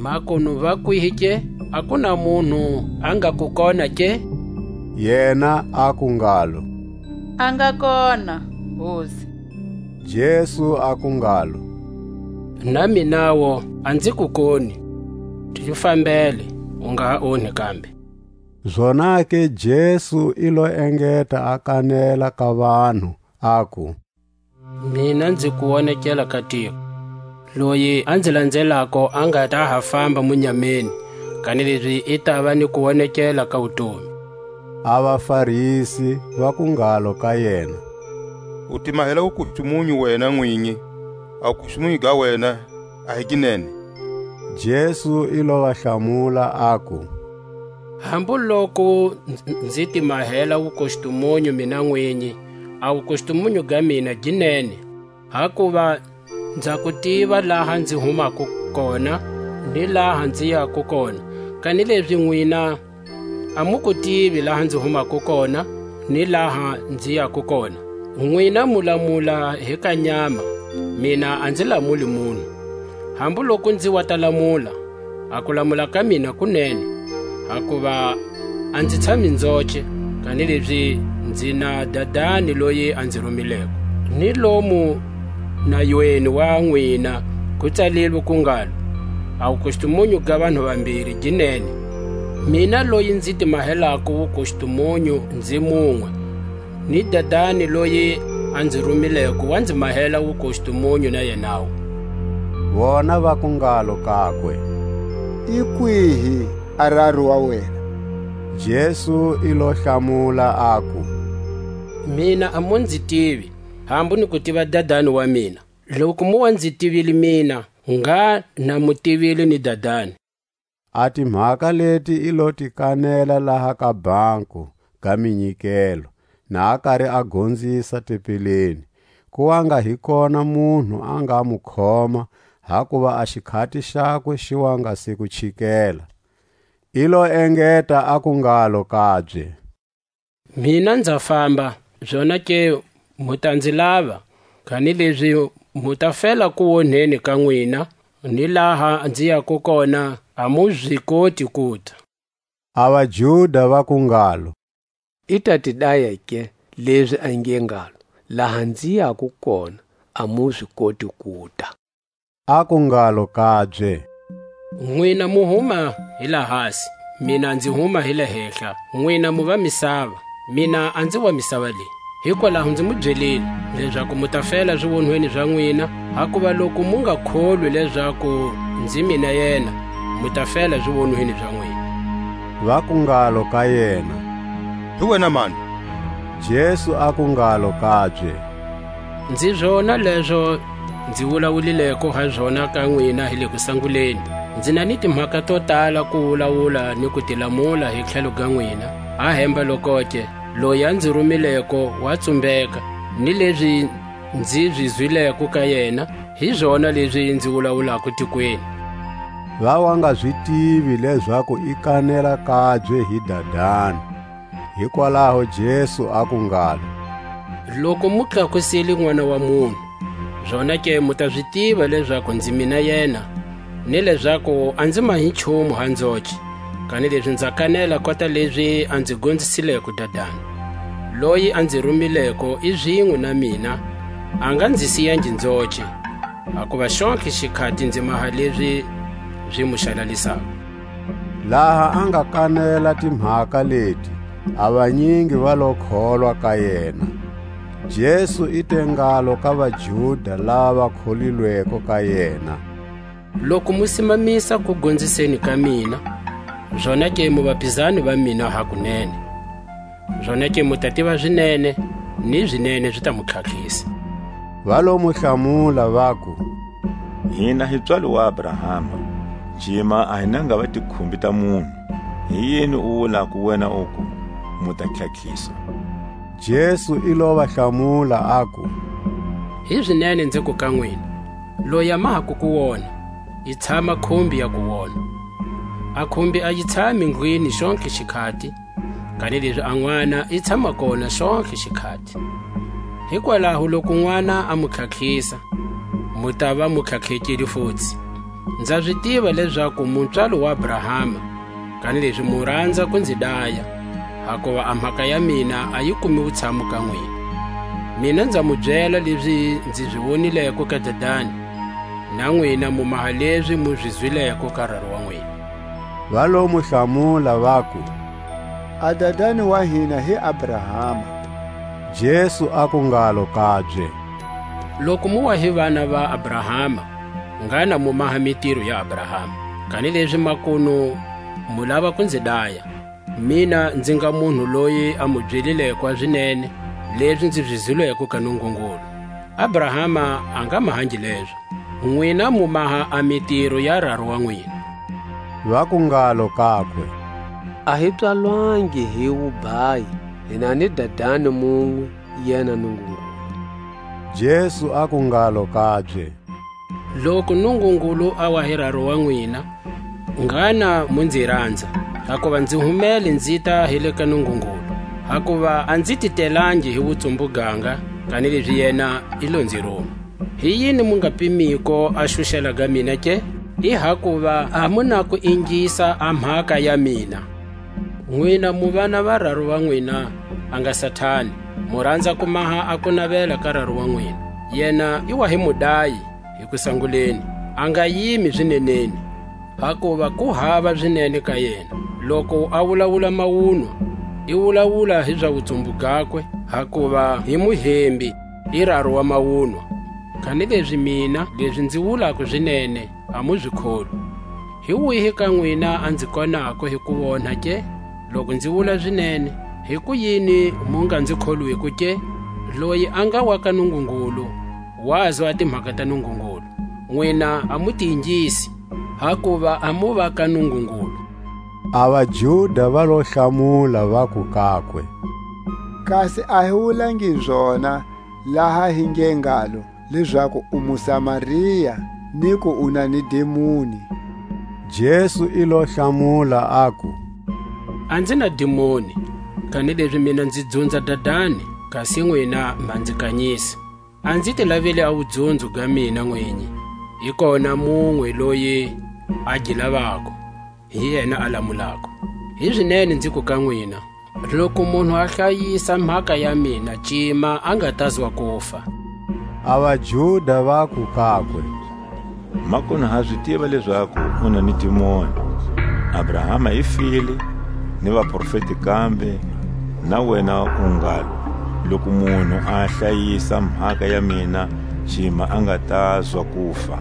makunu va kwihi ke? A ku na munhu a nga ku kona ke? Yena aku ngalo: A nga kona, Hosi. Jesu aku ngalo: Na minawo a nzi ku koni. Ti fambele, u nga ha onhi kambe. Zonake Jesu i lo engeta a kanela ka vanhu, aku: Mina nzi ku wonekela ka tiko. Loyi a nzi landzelako a nga ta ha famba munyameni, kanilezi i tava ni ku wonekela ka wutomi. A vaFarisi vaku ngalo ka yena: U ti mahela wukustumunyu wena nwinyi, a wukustumunyu ga wena a hi gi nene. Jesu i lo va hlamula, aku: Hambu loku nz-, nz-, nzi ti mahela wukustumunyu mina nwinyi, a wukustumunyu ga mina gi nene, hakuva nza ku tiva laha nzi humako kona, ni laha nzi yako kona, kanilezi nwina a mu ku tivi laha nzi humako kona, ni laha nzi yako kona. Nwina mu lamula hi ka nyama, mina a nzi lamuli munhu. Hambu loku nzi wa ta lamula, a kulamula ka mina kunene, hakuva a nzi tshami nzoce, kanilezi nzi na Dadani loyi a nzi rumileko. Ni lomu nayweni wa nwina ku tsalilwe ku ngalo: A wukustumunyu ga vanhu vambiri gi nene. Mina loyi nzi ti mahelako wukustumunyu nzi munwe, ni Dadani loyi a nzi rumileko wa nzi mahela wukustumunyu na yenawu. Vona vaku ngalo kakwe: I kwihi a raru wa wena? Jesu i lo hlamula, aku: Mina a mu nzi tivi, hambu ni ku tiva Dadani wa mina. Loku mu wa nzi tivile mina, ngha na mu tivile ni Dadani. A timhaka leti i lo ti kanela laha ka banku ga minyikelo, na a kari a gonzisa tempeleni. Ku wa nga hi kona munhu a nga mu khoma, hakuva a xikhati xakwe xi wa nga se ku chikela. I lo engeta aku ngalo kabye: Mina nza famba, zonake mu ta nzi lava, kanilezi mu ta fela kuonheni ka nwina, ni laha nzi yako kona a mu zi koti kuta. A vaJuda vaku ngalo: I ta ti daya ke, lezi a nge ngalo: Laha nzi yako kona a mu zi koti kuta? Aku ngalo kabye: Nwina mu huma hi lahasi, mina nzi huma hi le hehla. Nwina mu va misava, mina a nzi wa misava leyi. Hikwalaho nzi mu byelile, lezaku mu ta fela ziwonhweni za nwina, hakuva loku mu nga kholwi lezaku nzi mina yena, mu ta fela ziwonhweni za nwina. Vaku ngalo ka yena: Hi wena mani? Jesu aku ngalo kabye: Nzi zona lezo nzi wulawulileko ha zona ka nwina hi le kusanguleni. Nzi na ni timhaka to tala ku wulawula ni ku ti lamula hi tlhelo ga nwina. A hemba lokoke, loyi a nzi rumileko wa tsumbeka, ni lezi nzi zi zwileko ka yena, hi zona lezi nzi wulawulako tikweni. Va wa nga zi tivi lezaku i kanela kabye hi Dadani. Hikwalaho Jesu aku ngalo: Loku mu tlakusile N'wana wa munhu, zonake mu ta zi tiva lezaku nzi mina yena, ni lezaku a nzi mahi nchumu ha nzoce, kanilezi nza kanela kota lezi a nzi gonzisileko Dadani. Loyi a nzi rumileko i zinwe na mina, a nga nzi siyangi nzoce, hakuva xontlhe xikhati nzi maha lezi zi mu xalalisako. Laha a nga kanela timhaka leti, a vanyingi va lo kholwa ka yena. Jesu i te ngalo ka vaJuda lava kholilweko ka yena: Loku mu simamisa ku gonziseni ka mina, zonake mu vapizani va mina hakunene. Zonake mu ta tiva zinene, ni zinene zi ta mu tlhatlhisa. Va lo mu hlamula, vaku: Hina hi pswalo wa Abrahama, cima a hi nanga va tikhumbi ta munhu. Hi yini u wulako wena uku: Mu ta tlhatlhiswa? Jesu i lo va hlamula, aku: Hizinene nziku ka nwina, loyi a mahako ku wona, yi tshama khumbi ya ku wona. A khumbi a yi tshami ndlwini xontlhe xikhati, kanilezi a N'wana i tshama kona xontlhe xikhati. Hikwalaho loku N'wana a mu tlhatlhisa, mu tava mu tlhatlhekile futsi. Nza zi tiva lezaku mu pswalo wa Abrahama, kanilezi mu ranza ku nzi daya, hakuva a mhaka ya mina a yi kumi wutshamu ka nwina. Mina nza mu byela lezi nzi zi wonileko ka Dadani, na nwina mu maha lezi mu zi zwileko ka raru wa nwina. Va lo mu hlamula, vaku: A dadani wa hina hi Abrahama. Jesu aku ngalo kabye: Loku mu wa hi vana va Abrahama, ngana mu maha mitiro ya Abrahama. Kanilezi makunu mu lava ku nzi daya, mina nzi nga munhu loyi a mu byelileko a zinene, lezi nzi zi zwileko ka Nungungulu. Abrahama a nga mahangi lezo. Nwina mu maha a mitiro ya raru wa nwina. Vaku ngalo kakwe: A hi pswalwangi hi wubhayi, hi na ni dadani munwe, yena Nungungulu. Jesu aku ngalo kabye: Loku Nungungulu a wa hi raru wa nwina, ngana mu nzi ranza, hakuva nzi humele nzita hi le ka Nungungulu, hakuva a nzi titelangi hi wutsumbuganga, kanilezi yena i lo nzi ruma. Hi yini mu nga pimiko a xuxela ga mina ke? I hakuva a mu na ku ingisa a mhaka ya mina. Nwina mu vana va raru wa nwina, a nga Satani, mu ranza ku maha a kunavela ka raru wa nwina. Yena i wa hi mudayi, hi kusanguleni, a nga yimi zineneni, hakuva ku hava zinene ka yena. Loku a wulawula mawunwa, i wulawula hi za wutsumbu gakwe, hakuva hi muhembi, i raru wa mawunwa. Kanilezi mina, lezi nzi wulako zinene, a mu zi kholwi. Hi wihi ka nwina a nzi konako hi ku wonha ke? Loku nzi wula zinene, hikuyini mu nga nzi kholwiko ke? Loyi a nga wa ka Nungungulu, wazo a timhaka ta Nungungulu. Nwina a mu ti ingisi, hakuva a mu va ka Nungungulu. A vaJuda va lo hlamula, vaku kakwe: Kasi a hi wulangi zona, laha hi nge ngalo, lezaku u muSamaria, ni ku u na ni dimoni? Jesu i lo hlamula, aku: A nzi na dimoni, kanilezi mina nzi dzunza Dadani, kasi nwina ma nzi kanyisa. A nzi ti laveli a wudzunzo ga mina nwinyi, hi kona munwe loyi a gi lavako, hi yena a lamulako. Hizinene nziku ka nwina, loku munhu a hlayisa mhaka ya mina, cima a nga tazwa kufa. A vaJuda vaku kakwe: Makunu ha zi tiva lezaku u na ni dimoni. Abrahama i file, ni vaprofeti kambe, na wena u ngalo: Loku munhu a hlayisa mhaka ya mina, cima a nga tazwa kufa.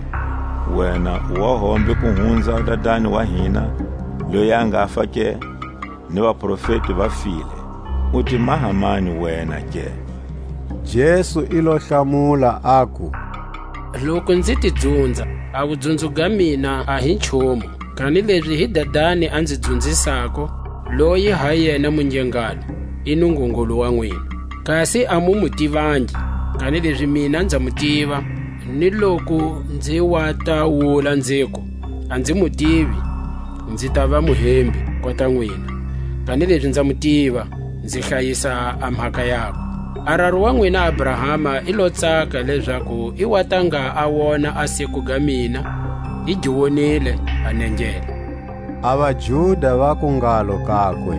Wena u wa hombe ku hunza dadani wa hina, loyi a nga fa ke? Ni vaprofeti va file. U ti maha mani wena ke? Jesu i lo hlamula, aku: Loku nzi ti dzunza, a wudzunzo ga mina a hi nchumu, kanilezi hi Dadani a nzi dzunzisako, loyi ha yena mu nge ngalo: I Nungungulu wa nwina. Kasi a mu mu tivangi, kanilezi mina nza mu tiva, ni loku nzi wa ta wula nziku: A nzi mu tivi, nzi ta va muhembi kota nwina, kanilezi nza mu tiva, nzi hlayisa a mhaka yakwe. A raru wa nwina Abrahama i lo tsaka lezaku i wa ta nga a wona a siku ga mina, i gi wonile a nengela. A vaJuda vaku ngalo kakwe: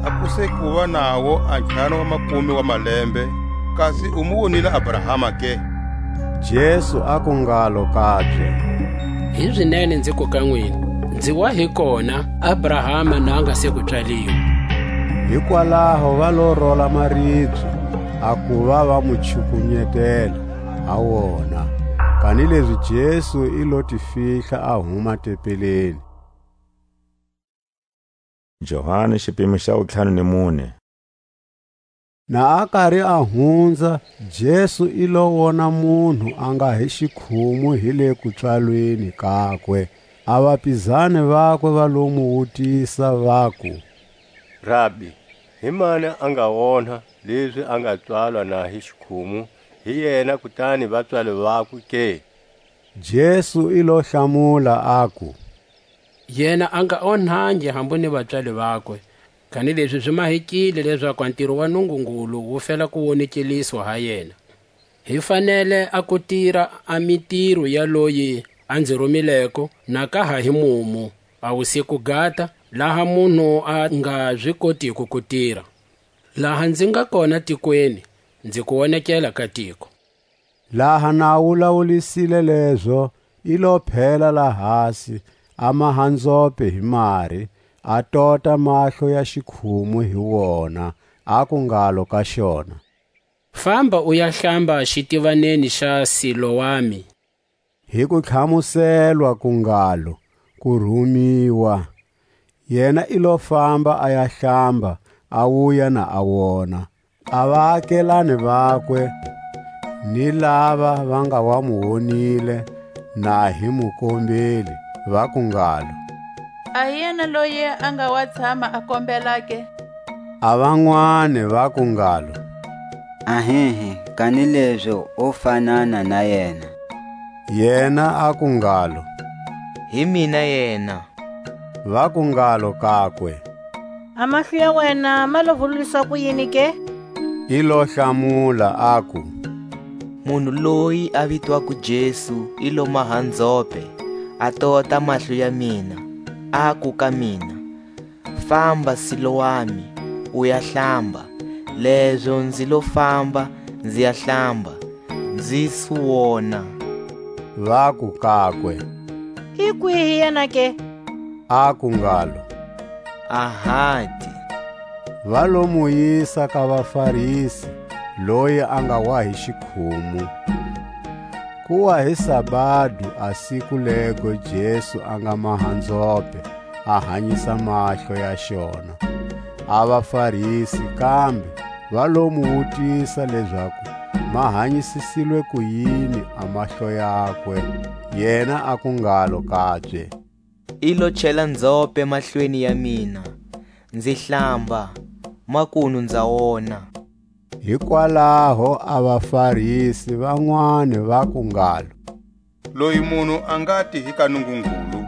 A ku se kuva nawo a ntlhanu wa makume wa malembe, kasi u mu wonile Abrahama ke? Jesu aku ngalo kabye: Hizinene nziku ka nwina, nzi wa hi kona, Abrahama na nga se ku pswaliwa. Hikwalaho va lo rola maribye, a kuva va mu chukunyetela ha wona. Kanilezi Jesu i lo ti fihla a huma tempeleni. Johani, xipimo xa wutlhanu ni mune. Na a kari a hunza, Jesu i lo wona munhu a nga hi xikhumu hi le kupswalweni kakwe. A vapizani vakwe va lo mu wutisa, vaku: Rabi, hi mani a nga onha lezi a nga pswalwa na hi xikhumu hi yena, kutani vapswali vakwe ke? Jesu i lo hlamula, aku: Yena a nga onhangi hambu ni vapswali vakwe, kanilezi zi mahekile lezaku a ntiro wa Nungungulu wu fela ku wonekeliswa ha yena. Hi fanele a ku tira a mitiro ya loyi a nzi rumileko, na ka ha hi mumu, a wusiku gata, laha munhu a nga zi kotiko ku tira. Laha nzi nga kona tikweni, nzi ku wonekela ka tiko. Laha na a wulawulisile lezo, i lo phela lahasi, a maha nzhope hi mari, a tota mahlo ya xikhumu hi wona, aku ngalo ka xona: Famba u ya hlamba xitivaneni xa Siloami. Hi ku tlhamuselwa ku ngalo: Ku rumiwa. Yena i lo famba a ya hlamba, a wuya na a wona. A vaakelani vakwe ni lava va nga wa mu wonile, na hi mu kombeli, vaku ngalo: A hi yena loyi a nga wa tshama a kombela ke? A vanwani vaku ngalo: Ahihi, kanilezi o fanana na yena. Yena aku ngalo: Hi mina yena. Vaku ngalo kakwe: A mahlo ya wena ma lo vululiswa kuyini ke? I lo hlamula, aku: Munhu loyi a vitwako Jesu i lo maha nzhope, a tota mahlo ya mina, aku ka mina: Famba, Siloami, u ya hlamba. Lezo nzi lo famba, nzi ya hlamba, nzi su wona. Vaku kakwe: I kwihi yena ke? Aku ngalo: Ahati. Va lo mu yisa ka vaFarisi, loyi a nga wa hi xikhumu. Ku wa hi sabado, a siku lego Jesu a nga maha nzhope, a hanyisa mahlo ya xona. A vaFarisi kambe va lo mu wutisa lezaku ma hanyisisilwe kuyini a mahlo yakwe. Yena aku ngalo kabye: I lo chela nzhope mahlweni ya mina, nzi hlamba, makunu nza wona. Hikwalaho a vaFarisi vanwani vaku ngalo: Loyi munhu a nga ti hi ka Nungungulu,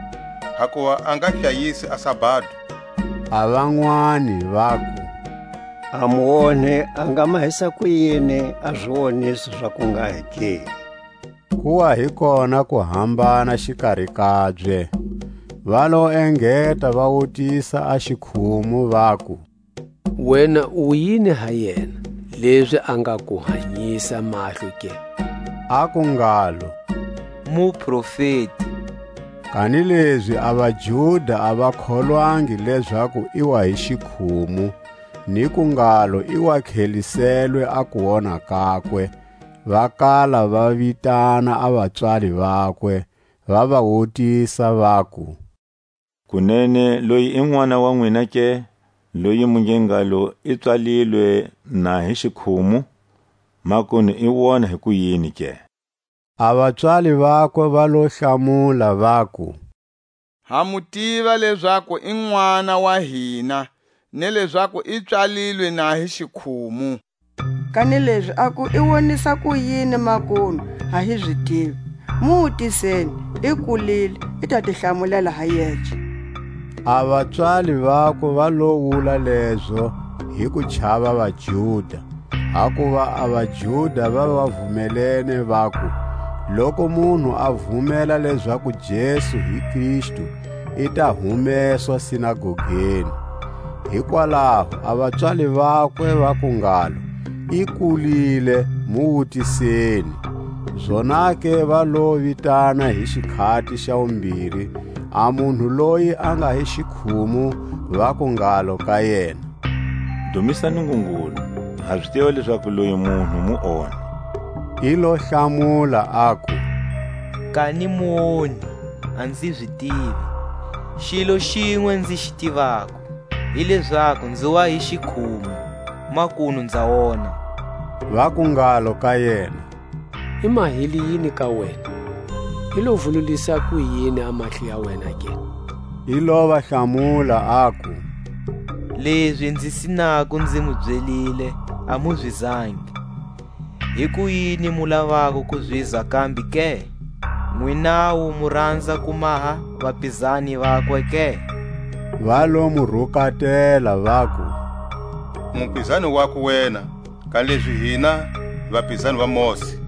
hakuva a nga hlayisi a sabado. A vanwani vaku: A muonhi a nga mahisa kuyini a ziwoniso za kunghahi ke? Ku wa hi kona kuhambana xikari kabye. Va lo engeta va wutisa a xikhumu, vaku: Wena u yini ha yena, lezi a nga ku hanyisa mahlo ke? Aku ngalo: Muprofeti. Kanilezi a vaJuda a va kholwangi lezaku i wa hi xikhumu, ni ku ngalo i wa tlheliselwe a kuwona kakwe. Va kala va vitana a vapswali vakwe, va va wutisa, vaku: Kunene loyi i n'wana wa nwina ke, loyi mu nge ngalo i pswalilwe na hi xikhumu? Makunu i wona hi kuyini ke? A vapswali vakwe va lo hlamula, vaku: Ha mu tiva lezaku i n'wana wa hina, ni lezaku i pswalilwe na hi xikhumu. Kanilezi aku i wonisa kuyini makunu, ha hi zi tivi. Mu wutiseni, i kulile, i ta ti hlamulela ha yece. A vapswali vakwe va lo wula lezo hi ku chava vaJuda, hakuva a vaJuda va va vumelene, vaku: Loku munhu a vumela lezaku Jesu hi Kristu, i ta humeswa sinagogeni. Hikwalaho a vapswali vakwe vaku ngalo: I kulile, mu wutiseni. Zonake va lo vitana hi xikhati xa wumbiri a munhu loyi a nga hi xikhumu, vaku ngalo ka yena: Dumisa Nungungulu, ha zi tiva lezaku loyi munhu muonhi. I lo hlamula, aku: Kani muonhi, a nzi zi tivi. Xilo xinwe nzi xi tivako, hi lezaku nzi wa hi xikhumu, makunu nza wona. Vaku ngalo ka yena: I mahile yini ka wena? I lo vululisa kuyini a mahlo ya wena ke? I lo va hlamula, aku: Lezi nzi sinako nzi mu byelile, a mu zi zangi. Hikuyini mu lavako ku ziza kambe ke? Nwinawu mu ranza ku maha vapizani vakwe ke? Va lo mu rukatela, vaku: Mupizani wakwe wena, kanilezi hina hi vapizani va Mose.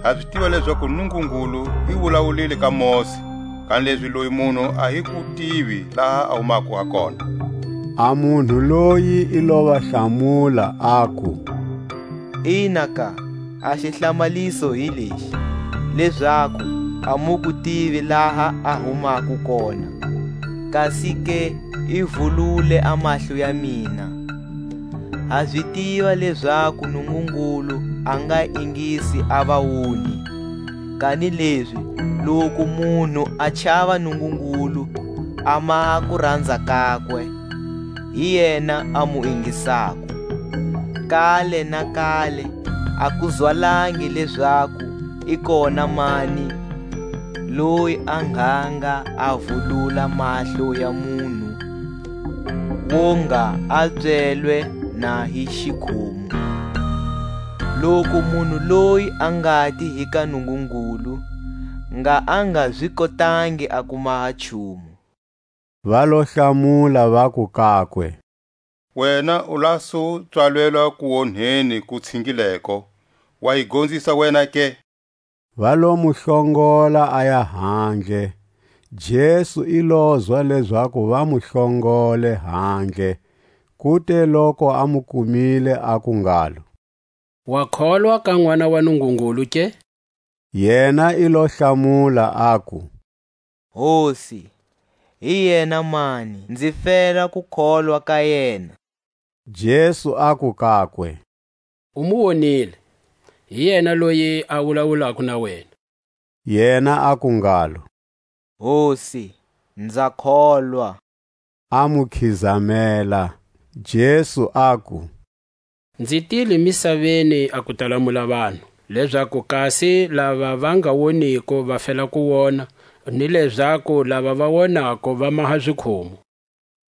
Ha zi tiva lezaku Nungungulu i wulawulile ka Mose, kanilezi loyi munhu a hi ku tivi laha a humako ha kona. A munhu loyi i lo va hlamula, aku: Ina ka, a xihlamaliso hi lexi, lezaku a mu ku tivi laha a humako kona, kasi ke i vulule a mahlo ya mina. Ha zi tiva lezaku Nungungulu a nga ingisi a vaonhi, kanilezi loku munhu a chava Nungungulu, a maha kuranza kakwe, hi yena a mu ingisako. Kale na kale a ku zwalangi lezaku i kona mani loyi a nganga a vulula mahlo ya munhu, wonga a byelwe na hi xikhumu. Loku munhu loyi a ngati hi ka Nungungulu, nga a nga zi kotangi a ku maha nchumu. Va lo hlamula, vaku kakwe: Wena u la su pswalelwa kuonheni ku tshingileko, wa yi gonzisa wena ke? Va lo mu hlongola a ya handle. Jesu i lozwa lezaku va mu hlongole handle, kute loku a mu kumile, aku ngalo: Wa kholwa ka N'wana wa Nungungulu ke? Yena i lo hlamula, aku: Hosi, hi yena mani, nzi fela ku kholwa ka yena? Jesu aku kakwe: U mu wonile, hi yena loyi a wulawulako na wena. Yena aku ngalo: Hosi, nza kholwa. A mu khizamela. Jesu aku: Nzi tile misaveni a ku ta lamula vanhu, lezaku kasi lava va nga woniko va fela ku wona, ni lezaku lava va wonako va maha zikhumu.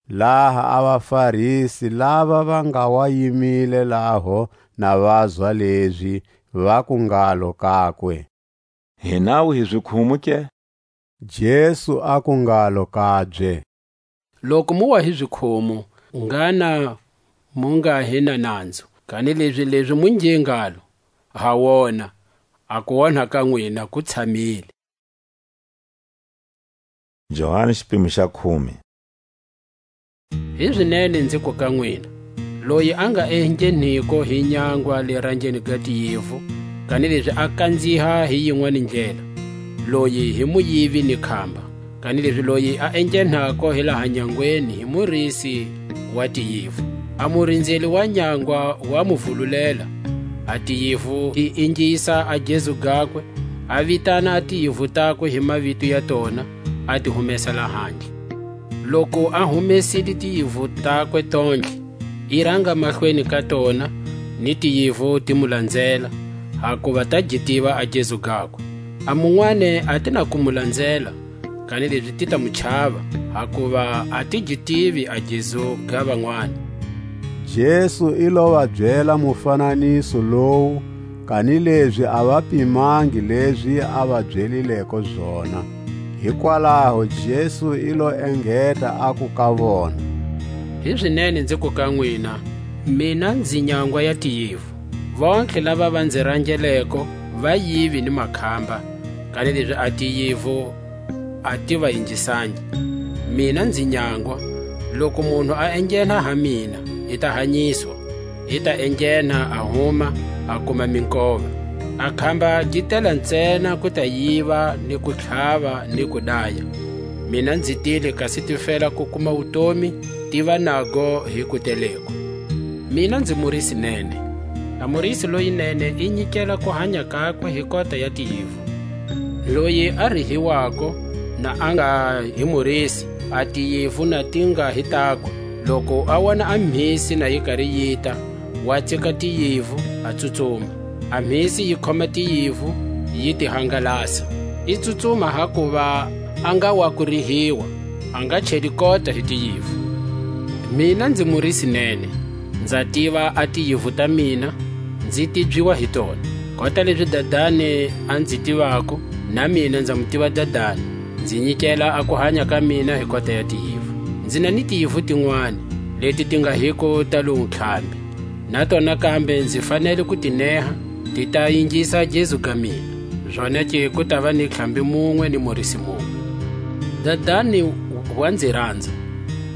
Laha a vaFarisi lava va nga wa yimile laho na vazwa lezi, vaku ngalo kakwe: Hinawu hi zikhumu ke? Jesu aku ngalo kabye: Loku mu wa hi zikhumu, ngana mu nga hi na nanzu, kanilezi lezi mu nge ngalo: Ha wona, a kuonha ka nwina ku tshamile. Johani xipimo xa khume. Hizinene nziku ka nwina, loyi a nga engheniko hi nyangwa le ranjeni ga tiyivu, kanilezi a kanziha hi yinwani ndlela, loyi hi muyivi ni khamba. Kanilezi loyi a enghenako hi laha nyangweni hi murisi wa tiyivu. A murinzeli wa nyangwa wa mu vululela, a tiyivu ti ingisa a gezu gakwe, a vitana a tiyivu takwe hi mavito ya tona, a ti humesa lahandle. Loku a humesile tiyivu takwe tontlhe, i ranga mahlweni ka tona, ni tiyivu ti mu lanzela, hakuva ta gi tiva a gezu gakwe. A munwani a ti na ku mu lanzela, kanilezi ti ta mu chava, hakuva a ti gi tivi a gezu ga vanwani. Jesu i lo va byela mufananiso lowu, kanilezi a va pimangi lezi a va byelileko zona. Hikwalaho Jesu i lo engeta, aku ka vona: Hizinene nziku ka nwina, mina nzi nyangwa ya tiyivu. Vontlhe lava va nzi rangeleko va yivi ni makhamba, kanilezi a tiyivu a ti va yingisangi. Mina nzi nyangwa, loku munhu a enghena ha mina, i ta hanyiswa, i ta enghena a huma, a kuma minkova. A khamba gi tela ntsena ku ta yiva, ni ku tlhava, ni ku daya. Mina nzi tile kasi ti fela ku kuma wutomi, ti va nago hi kuteleko. Mina nzi murisi nene. A murisi loyinene i nyikela ku hanya kakwe hi kota ya tiyivu. Loyi a rihiwako, na a nga hi murisi, a tiyivu na ti nga hi takwe. Loku a wona a mhisi na yi kari yita, wa tsika tiyivu, a tsutsuma. A mhisi yi khoma tiyivu, yi ti hangalasa. I tsutsuma hakuva a nga wa ku rihiwa, a nga cheli kota hi tiyivu. Mina nzi murisi nene, nza tiva a tiyivu ta mina, nzi tibyiwa hi tona. Kota lezi Dadani a nzi tivako, na mina nza mu tiva Dadani, nzi nyikela a kuhanya ka mina hi kota ya tiyivu. Nzi na ni tiyivu tinwani, leti ti nga hiko ta lowu ntlhambi. Na tona kambe nzi fanele ku ti neha, ti ta yingisa gezu ga mina. Zonake ku tava ni ntlhambi munwe ni murisi munwe. Dadani wa nzi ranza,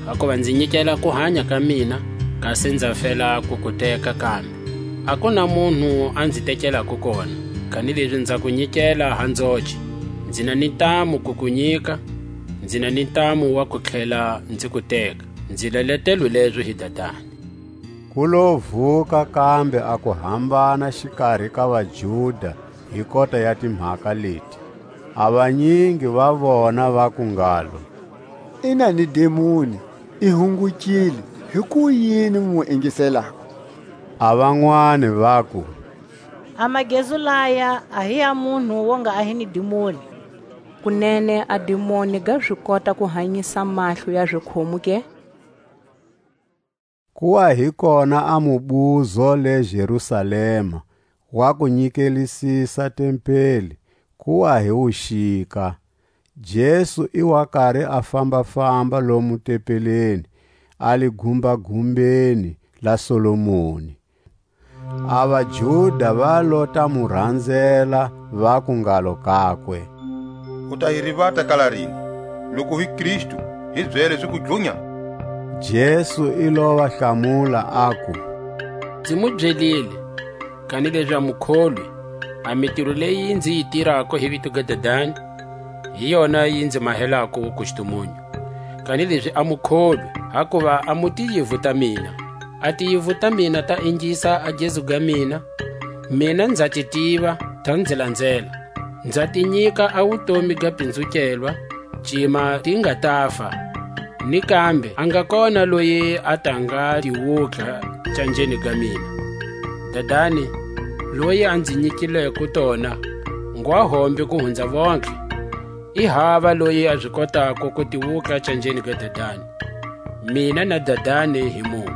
hakuva nzi nyikela kuhanya ka mina, kasi nza fela ku ku teka kambe. A ku na munhu a nzi tekelako kona, kanilezi nza ku nyikela ha nzoce. Nzi na ni ntamu ku ku nyika, nzi na ni ntamu wa ku tlhela nzi ku teka. Nzi leletelwe lezo hi Dadani. Ku lo vuka kambe a ku hambana xikari ka vaJuda hi kota ya timhaka leti. A vanyingi va vona vaku ngalo: I na ni demoni, i hungukile, hikuyini mu mu ingiselako? A vanwani vaku: A magezu laya a hi ya munhu wo nga a hi ni demoni. Kunene a demoni ga zi kota ku hanyisa mahlo ya zikhomu ke? Ku wa hi kona a mubuzo le Jerusalema, wa ku nyikelisisa tempeli, ku wa hi wuxika. Jesu i wa kari a famba-famba lomu tempeleni, a le gumbagumbeni la Solomoni. A vaJuda va lo ta mu ranzela, vaku ngalo kakwe: U ta hi rivata kala rini? Loku hi Kristu, hi byele zi ku dlunya. Jesu i lo va hlamula, aku: Nzi mu byelile, kanilezi a mu kholwi. A mitiro leyi nzi yi tirako hi vito ga Dadani, hi yona yi nzi mahelako wukustumunyu. Kanilezi a mu kholwi, hakuva a mu tiyivu ta mina. A tiyivu ta mina ta ingisa a gezu ga mina. Mina nza ti tiva, ta nzi lanzela. Nza ti nyika a wutomi ga pinzukelwa, cima ti nga tafa. Ni kambe a nga kona loyi a ta nga tiwutlha canjeni ga mina. Dadani, loyi a nzi nyikileko tona, ngwa hombe ku hunza vontlhe. I hava loyi a zi kotako ku tiwutlha canjeni ga Dadani. Mina na Dadani hi munwe.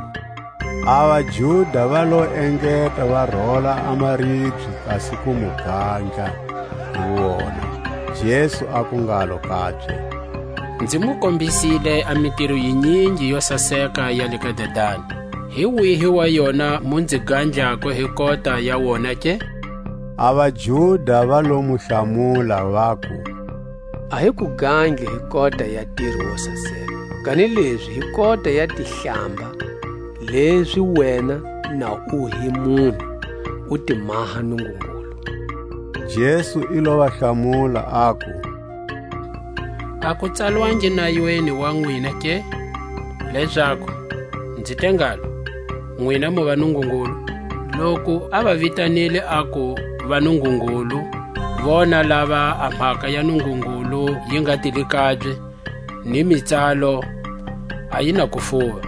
A vaJuda va lo engeta va rola a maribye, kasi ku mu gandla hi wona. Jesu aku ngalo kabye: Nzi mu kombisile a mitiro yinyingi yo saseka ya le ka Dadani. Hi wihi wa yona mu nzi gandlako hi kota ya wona ke? A vaJuda va lo mu hlamula, vaku: A hi ku gangi hi kota ya tiro wo saseka, kanilezi hi kota ya tihlamba, lezi wena na u hi munhu, u ti maha Nungungulu. Jesu i lo va hlamula, aku: A ku tsalwangi nayweni wa nwina ke, lezaku, nzi te ngalo, nwina mu va Nungungulu? Loku a va vitanile, aku va Nungungulu, vona lava a mhaka ya Nungungulu yi nga tili kabye, ni mitsalo a yi na kufuva.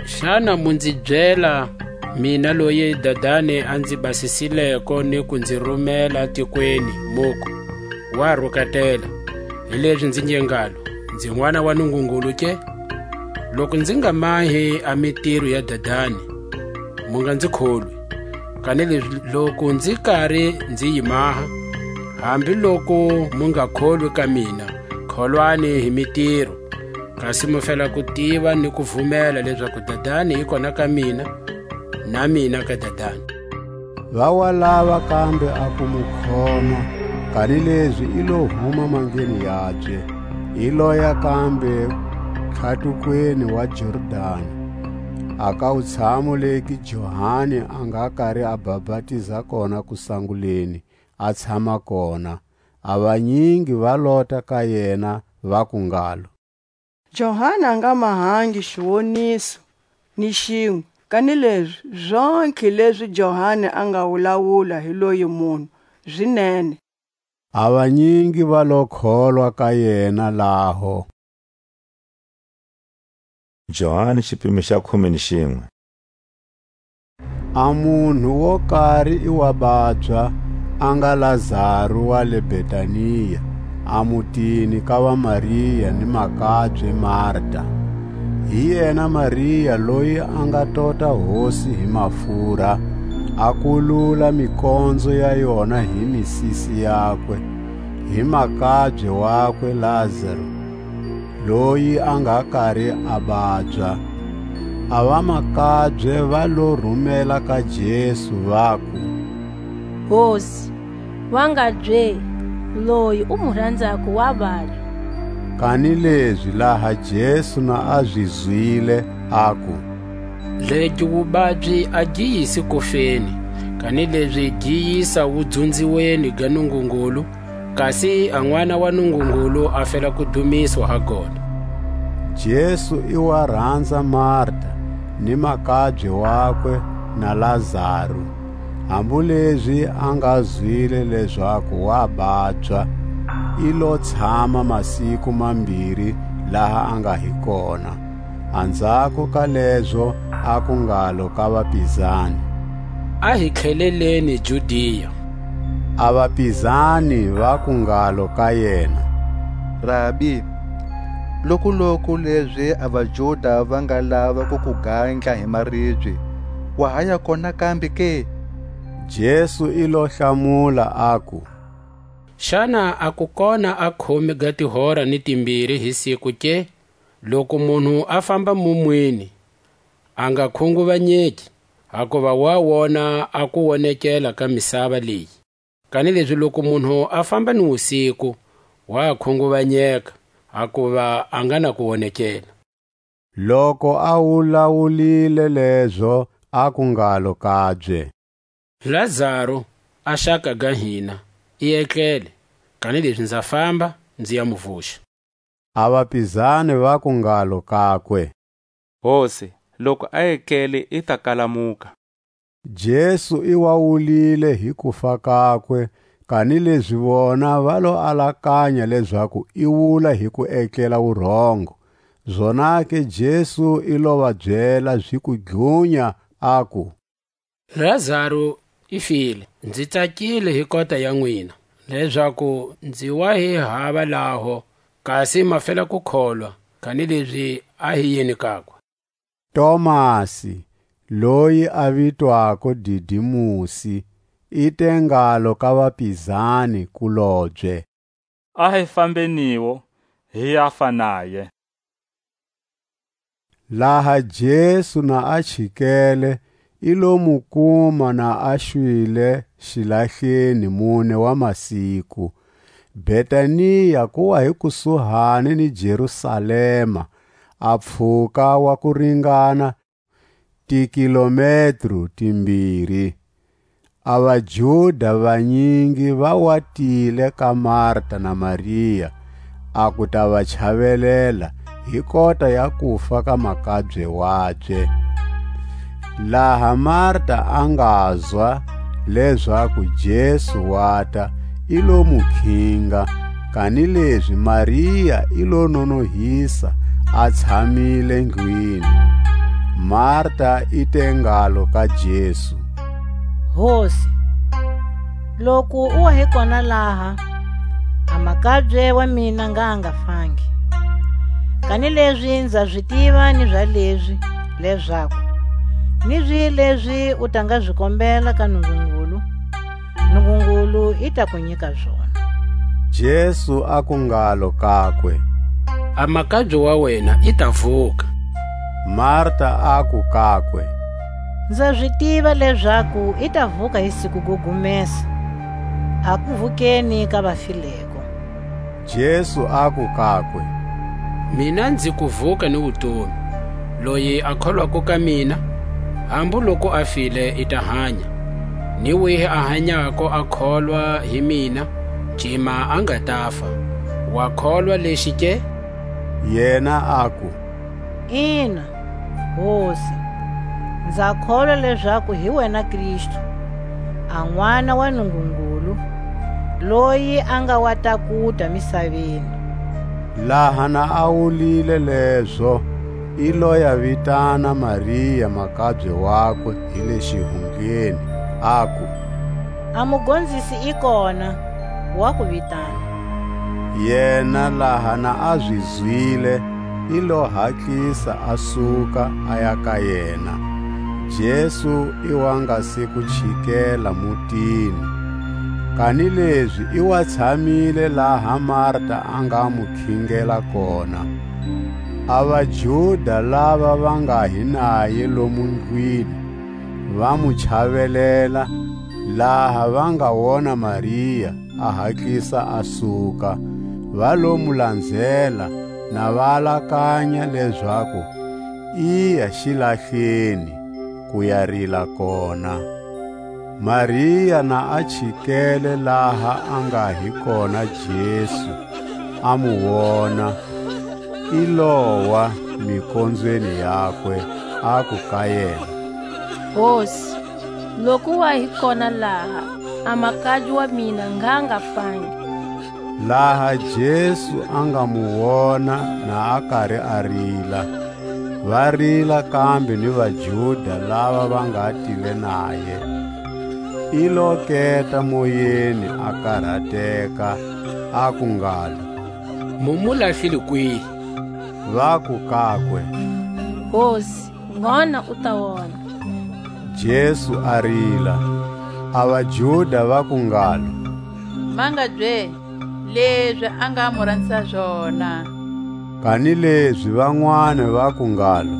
Xana mu nzi byela, mina loyi Dadani a nzi basisileko ni ku nzi rumela tikweni, muku: Wa rukatela, hilezi nzi nge ngalo, nzi n'wana wa Nungungulu ke? Loku nzi nga mahi a mitiro ya Dadani, mu nga nzi kholwi. Kanilezi loku nzi kari nzi yi maha, hambi loku mu nga kholwi ka mina, kholwani hi mitiro, kasi mu fela ku tiva ni ku vumela lezaku Dadani i kona ka mina, na mina ka Dadani. Va wa lava kambe a ku mu khoma, kanilezi i lo huma mandleni yabye, i loya kambe tlhatukweni wa Jordani, a ka wutshamu legi Johani a nga kari a bapatiza kona kusanguleni, a tshama kona. A vanyingi va lota ka yena, vaku ngalo: Johani a nga mahangi xiwoniso ni xinwe, kanilezi zontlhe lezi Johani a nga wulawula hi loyi munhu, zi nene. A vanyingi va lo kholwa ka yena laho. Johani xipimo xa khume ni xinwe. A munhu wo kari i wa babya, a nga Lazaru wa le Betania, a mutini ka va Maria ni makabye Marta. Hi yena Maria loyi a nga tota Hosi hi mafura, a kulula mikonzo ya yona hi misisi yakwe, hi makabye wakwe Lazaru, loyi a nga kari a babya. A vamakabye va lo rumela ka Jesu, vaku: Hosi, wa nga bye, loyi u mu ranzako wa babya. Kanilezi laha Jesu na a zi zwile, aku: Legi wubabyi a gi yisi kufeni, kanilezi gi yisa wudzunziweni ga Nungungulu, kasi a N'wana wa Nungungulu a fela ku dumiswa ha gona. Jesu i wa ranza Marta, ni makabye wakwe, na Lazaru. Hambu lezi a nga zwile lezaku wa babya, i lo tshama masiku mambiri laha a nga hi kona. Anzhako ka lezo aku ngalo ka vapizani: A hi tlheleleni Judia. A vapizani vaku ngalo ka yena: Rabi, lokuloku lezi a vaJuda va nga lava ku ku gandla hi maribye, wa ha ya kona kambe ke? Jesu i lo hlamula, aku: Xana a ku kona a khume ga tihora ni timbiri hi siku ke? Loku munhu a famba mumwini, a nga khunguvanyeki, hakuva wa wona a kuwonekela ka misava leyi. Kanilezi loku munhu a famba ni wusiku, wa khunguvanyeka, hakuva a nga na kuwonekela. Loku a wulawulile lezo, aku ngalo kabye: Lazaru, a xaka ga hina, i etlele, kanilezi nza famba, nzi ya mu vuxa. A vapizani vaku ngalo kakwe: Hosi, loku a etlele, i ta kalamuka. Jesu i wa wulile hi kufa kakwe, kanilezi vona va lo alakanya lezaku i wula hi ku etlela wurhongo. Zonake Jesu i lo va byela zi ku dlunya, aku: Lazaru i file. Nzi tsakile hi kota ya nwina, lezaku nzi wa hi hava laho, kasi ma fela ku kholwa, kanilezi a hi yini kakwe? Tomasi, loyi a vitwako Didimusi, i te ngalo ka vapizani-kulobye: A hi fambeniwo, hi ya fa naye. Laha Jesu na a chikele, i lo mu kuma na a xwile xilahleni mune wa masiku. Betania ku wa hi kusuhani ni Jerusalema, a pfhuka wa ku ringana tikilometro timbiri. A vaJuda vanyingi va wa tile ka Marta na Maria, a ku ta va chavelela hi kota ya kufa ka makabye wabye. Laha Marta a ngazwa lezaku Jesu wata, i lo mu khinga, kanilezi Maria i lo nonohisa, a tshamile ndlwini. Marta i te ngalo ka Jesu: Hosi, loku u wa hi kona laha, a makabye wa mina nga a nga fangi. Kanilezi nza zi tiva ni za lezi, lezaku ni zwi lezi u ta nga zi kombela ka Nungungulu, Nungungulu i ta ku nyika zona. Jesu aku ngalo kakwe: A makabye wa wena i ta vuka. Marta aku kakwe: Nza zi tiva lezaku i ta vuka hi siku go gumesa, a ku vukeni ka vafileko. Jesu aku kakwe: Mina nzi kuvuka ni wutomi. Loyi a kholwako ka mina, hambu loku a file, i ta hanya; ni wihi a hanyako a kholwa hi mina, cima a nga tafa. Wa kholwa lexi ke? Yena aku: Ina, Hosi, nza kholwa lezaku hi wena Kristu, a N'wana wa Nungungulu, loyi a nga wa takuta misaveni. Laha na a wulile lezo, i lo ya vitana Maria makabye wakwe hi le xihundleni, aku: A Mugonzisi i kona, wa ku vitana. Yena laha na a zi zwile, i lo hatlisa a suka, a ya ka yena. Jesu i wa nga se ku chikela mutini, kanilezi i wa tshamile laha Marta a nga mu khingela kona. A vaJuda lava va nga hi naye lomu ndlwini va mu chavelela, laha va nga wona Maria a hatlisa a suka, va lo mu lanzela, na va alakanya lezaku i ya xilahleni ku ya rila kona. Maria na a chikele laha a nga hi kona Jesu, a mu wona, i lowa mikonzweni yakwe, aku ka yena: Hosi, loku wa hi kona laha, a makabye wa mina ngha nga fangi. Laha Jesu a nga mu wona na a kari a rila, va rila kambe ni vaJuda lava va nga tile naye. I lo keta moyeni a karateka, aku ngalo: Mu mu lahlile kwihi? Vaku kakwe: Hosi, ngona u ta wona. Jesu a rila. A vaJuda vaku ngalo: Ma nga bye lezi a nga mu ranzisa zona. Kanilezi vanwani vaku ngalo: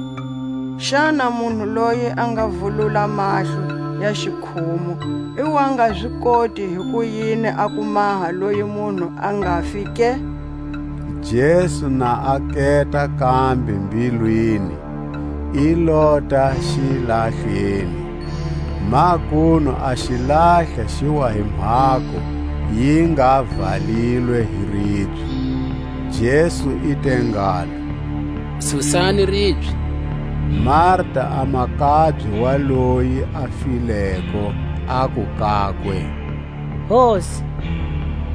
Xana munhu loyi a nga vulula mahlo ya xikhumu, i wa nga zi koti hi kuyini a ku maha loyi munhu a nga fi ke? Jesu na a keta kambe mbilwini, i lota xilahleni. Makunu a xilahla xi wa hi mhako, yi nga valilwe hi ribye. Jesu i te ngalo: "Susani ribye." Marta a makabye wa loyi a fileko, aku kakwe: "Hosi,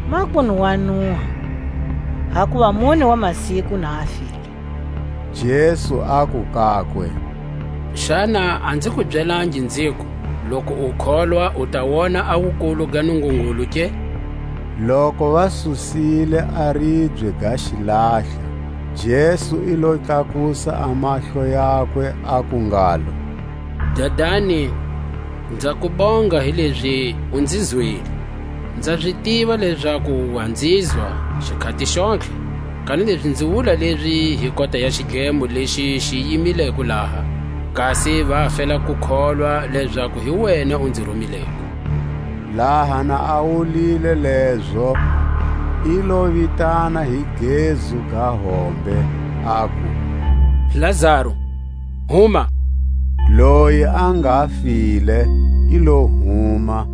makunu wa nuha, hakuva mune wa masiku na a file." Jesu aku kakwe: "Xana a nzi ku byelangi, nziku, loku u kholwa u ta wona a wukulu ga Nungungulu ke?" Loku va susile a ribye ga xilahla, Jesu i lo tlakusa a mahlo yakwe, aku ngalo: "Dadani, nza ku bonga hilezi u nzi zwile. Nza zi tiva lezaku wa nzi zwa xikhati xontlhe, kanilezi nzi wula lezi hi kota ya xidlemo lexi xi yimileko laha, kasi va fela ku kholwa lezaku hi wena u nzi rumileko." Laha na a wulile lezo, i lo vitana hi gezu ga hombe, aku: "Lazaru, huma!" Loyi a nga file i lo huma,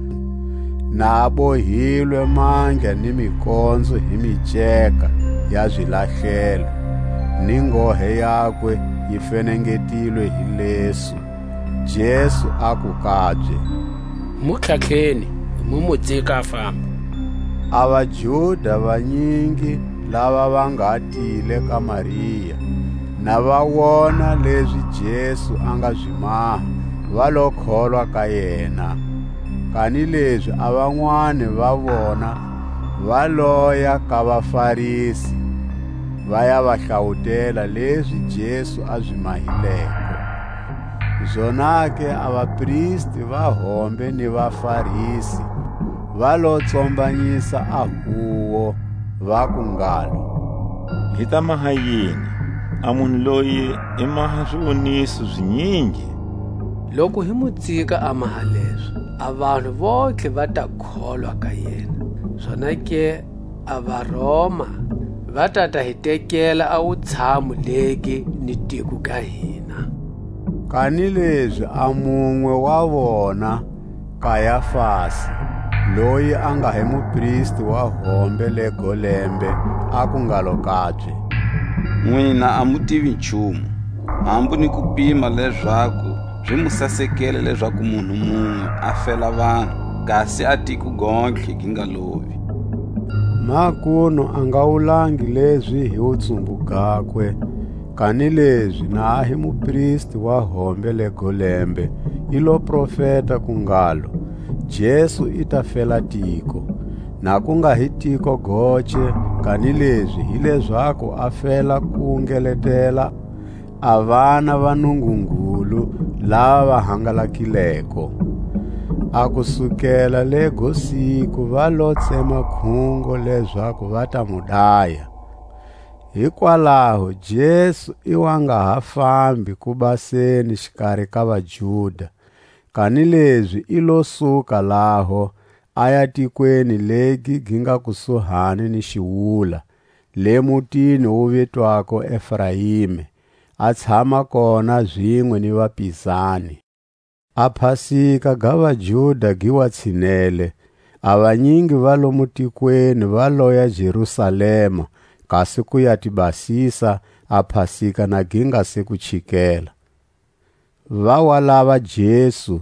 na a bohilwe mandla ni mikonzo hi miceka ya zilahlelo, ni ngohe yakwe yi fenengetilwe hi lesu. Jesu aku kabye: "Mu tlhatlheni, mu mu dzika a famba." A vaJuda vanyingi lava va nga tile ka Maria, na va wona lezi Jesu a nga zi maha, va lo kholwa ka yena. Kanilezi a vanwani va vona va loya ka vaFarisi, va ya va hlawutela lezi Jesu a zi mahileko. Zonake a vapristi va hombe ni vaFarisi va lo tsombanyisa a huwo, vaku ngalo: "Hi ta maha yini? A munhu loyi i maha ziwoniso zinyingi. Loku hi mu tsika a maha lezo, a vanhu vontlhe va ta kholwa ka yena. Zonake a vaRoma va ta ta hi tekela a wutshamu legi ni tiko ga hina." Kanilezi a munwe wa vona, Kayafasi, loyi a nga hi mupristi wa hombe lego lembe, aku ngalo kabye: "Nwina a mu tivi nchumu, hambu ni ku pima lezaku zi mu sasekele lezaku munhu munwe a fela vanhu, kasi a tiko gontlhe gi nga lovi." Makunu a nga wulangi lezi hi wutsumbu gakwe, kanilezi na a hi mupristi wa hombe lego lembe, i lo profeta ku ngalo: "Jesu i ta fela tiko, na ku nga hi tiko goce, kanilezi hi lezaku a fela ku ngeletela a vana va Nungungulu lava va hangalakileko." A ku sukela lego siku va lo tsema khungo lezaku va ta mu daya. Hikwalaho Jesu i wa nga ha fambi ku baseni xikari ka vaJuda, kanilezi i lo suka laho, a ya tikweni legi gi nga kusuhani ni xiwula, le mutini wu vitwako Efraime, a tshama kona zinwe ni vapizani. A Pasika ga vaJuda gi wa tshinele, a vanyingi va lomu tikweni va loya Jerusalema, kasi ku ya ti basisa, a Pasika na gi nga se ku chikela. Va wa lava Jesu,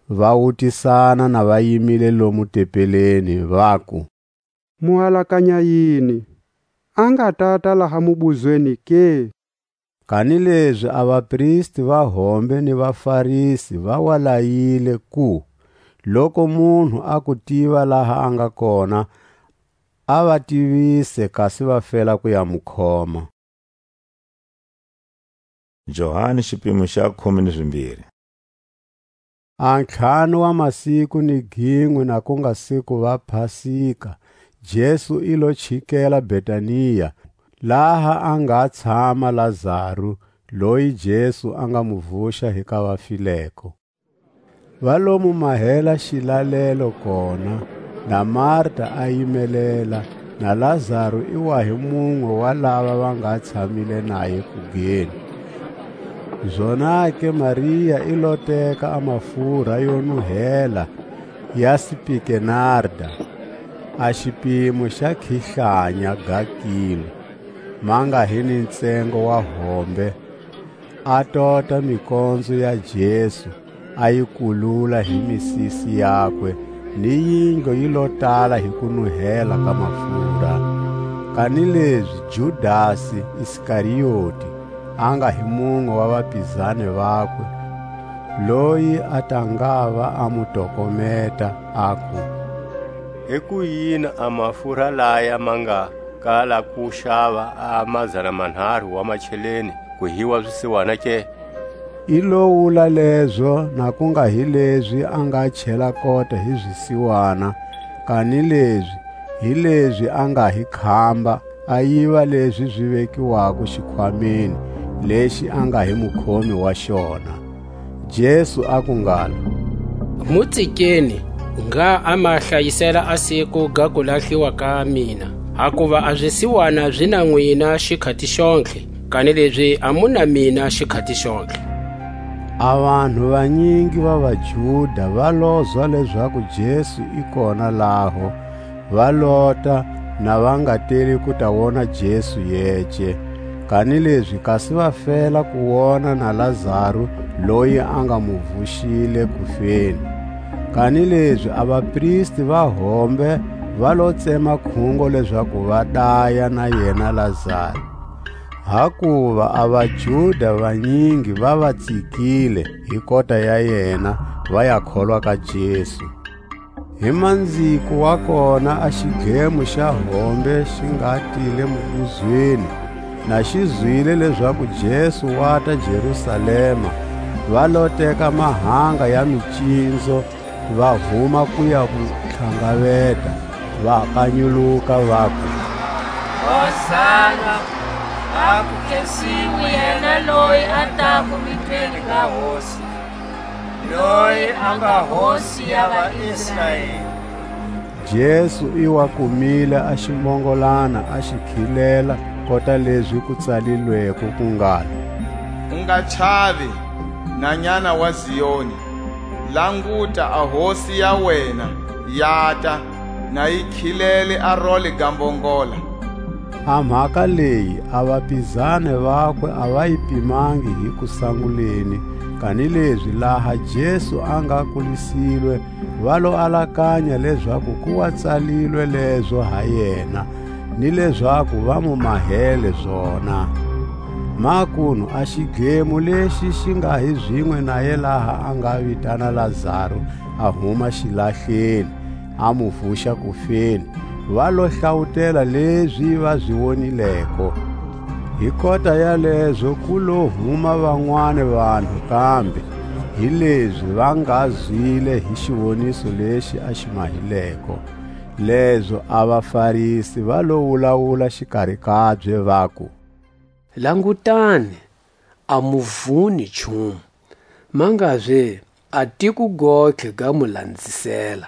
va wutisana na va yimile lomu tempeleni, vaku: "Mu alakanya yini? A nga tata laha mubuzweni ke?" Kanilezi a vapristi va hombe ni vaFarisi va wa layile ku, loku munhu a ku tiva laha a nga kona, a va tivise, kasi va fela ku ya mu khoma. Johani xipimo xa khume ni zimbiri. A ntlhanu wa masiku ni ginwe na ku nga siku va Pasika, Jesu i lo chikela Betania, laha a nga tshama Lazaru, loyi Jesu a nga mu vuxa hi ka vafileko. Va lo mu mahela xilalelo kona, na Marta a yimelela, na Lazaru i wa hi munwe wa lava va nga tshamile naye kugeni. Zonake Maria i lo teka a mafurha yo nuhela ya sipikenarda, a xipimo xa khihlanya ga kilo, ma nga hi ni ntsengo wa hombe, a tota mikonzo ya Jesu, a yi kulula hi misisi yakwe, ni yindlu yi lo tala hi kunuhela ka mafurha. Kanilezi Judasi Iskarioti, a nga hi munwe wa vapizani vakwe, loyi a ta ngava a mu tokometa, aku: Hikuyini a mafurha laya ma nga kala ku xava a mazana manharu wa macheleni ku hiwa zisiwana ke? I lo wula lezo, na ku nga hi lezi a nga chela kota hi zisiwana, kanilezi hi lezi a nga hi khamba, a yiva lezi zi vekiwako xikhwameni, lexi a nga hi mukhomi wa xona. Jesu aku ngalo: Mu tsikeni, ngha a ma hlayisela a siku ga kulahliwa ka mina. Hakuva a zisiwana zi na nwina xikhati xontlhe, kanilezi a mu na mina xikhati xontlhe. A vanhu vanyingi va vaJuda va lozwa lezaku Jesu i kona laho, va lota, na va nga teli ku ta wona Jesu yece, kanilezi kasi va fela ku wona na Lazaru, loyi a nga mu vuxile kufeni. Kanilezi a vapristi va hombe va lo tsema khungo lezaku va daya na yena Lazaru. Hakuva a vaJuda vanyingi va va tsikile hi kota ya yena, va ya kholwa ka Jesu. Hi manziko wa kona a xidlemo xa hombe xi nga tile mubuzweni, na xi zwile lezaku Jesu wata Jerusalema, va lo teka mahanga ya micinzo, va huma ku ya mu tlhangaveta, va kanyuluka, vaku: Hosana! A ku khensiwe yena loyi a tako vitweni ga Hosi, loyi a nga Hosi ya vaIsraeli. Jesu i wa kumile a ximongolana, a xi khilela, kota lezi ku tsalilweko ku ngalo: U nga chavi, nhanyana wa Zioni; languta, a Hosi ya wena yata, na yi khilele a role ga mbongola. A mhaka leyi a vapizani vakwe a va yi pimangi hi kusanguleni, kanilezi laha Jesu a nga kulisilwe, va lo alakanya lezaku ku wa tsalilwe lezo ha yena, ni lezaku va mu mahele zona. Makunu a xidlemo lexi xi nga hi zinwe naye laha a nga vitana Lazaru a huma xilahleni, a mu vuxa kufeni, va lo hlawutela lezi va zi wonileko. Hi kota yalezo ku lo huma vanwani vanhu kambe, hilezi va nga zwile hi xiwoniso lexi a xi mahileko. Lezo a vaFarisi va lo wulawula xikari kabye, vaku: Langutani, a mu vuni nchumu, mangabye a tiko gontlhe ga mu lanzisela.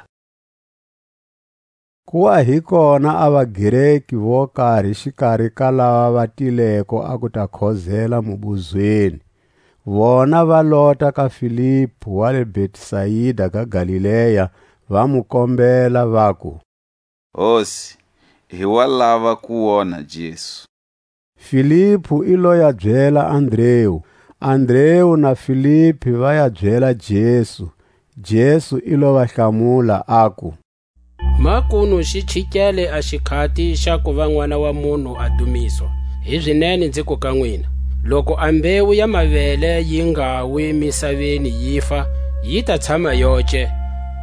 Ku wa hi kona a vaGreki vo kari xikari ka lava va tileko a ku ta khozela mubuzweni. Vona va lota ka Filipu wa le Betsaida ga Galilea, va mu kombela, vaku: Hosi, hi wa lava ku wona Jesu. Filipu i lo ya byela Andreu, Andreu na Filipi va ya byela Jesu. Jesu i lo va hlamula, aku: Makunu xi chikele a xikhati xa ku va N'wana wa munhu a dumiswa. Hizinene nzi ku ka nwina, loku a mbewu ya mavele yi nga wi misaveni yi fa, yi ta tshama yoce,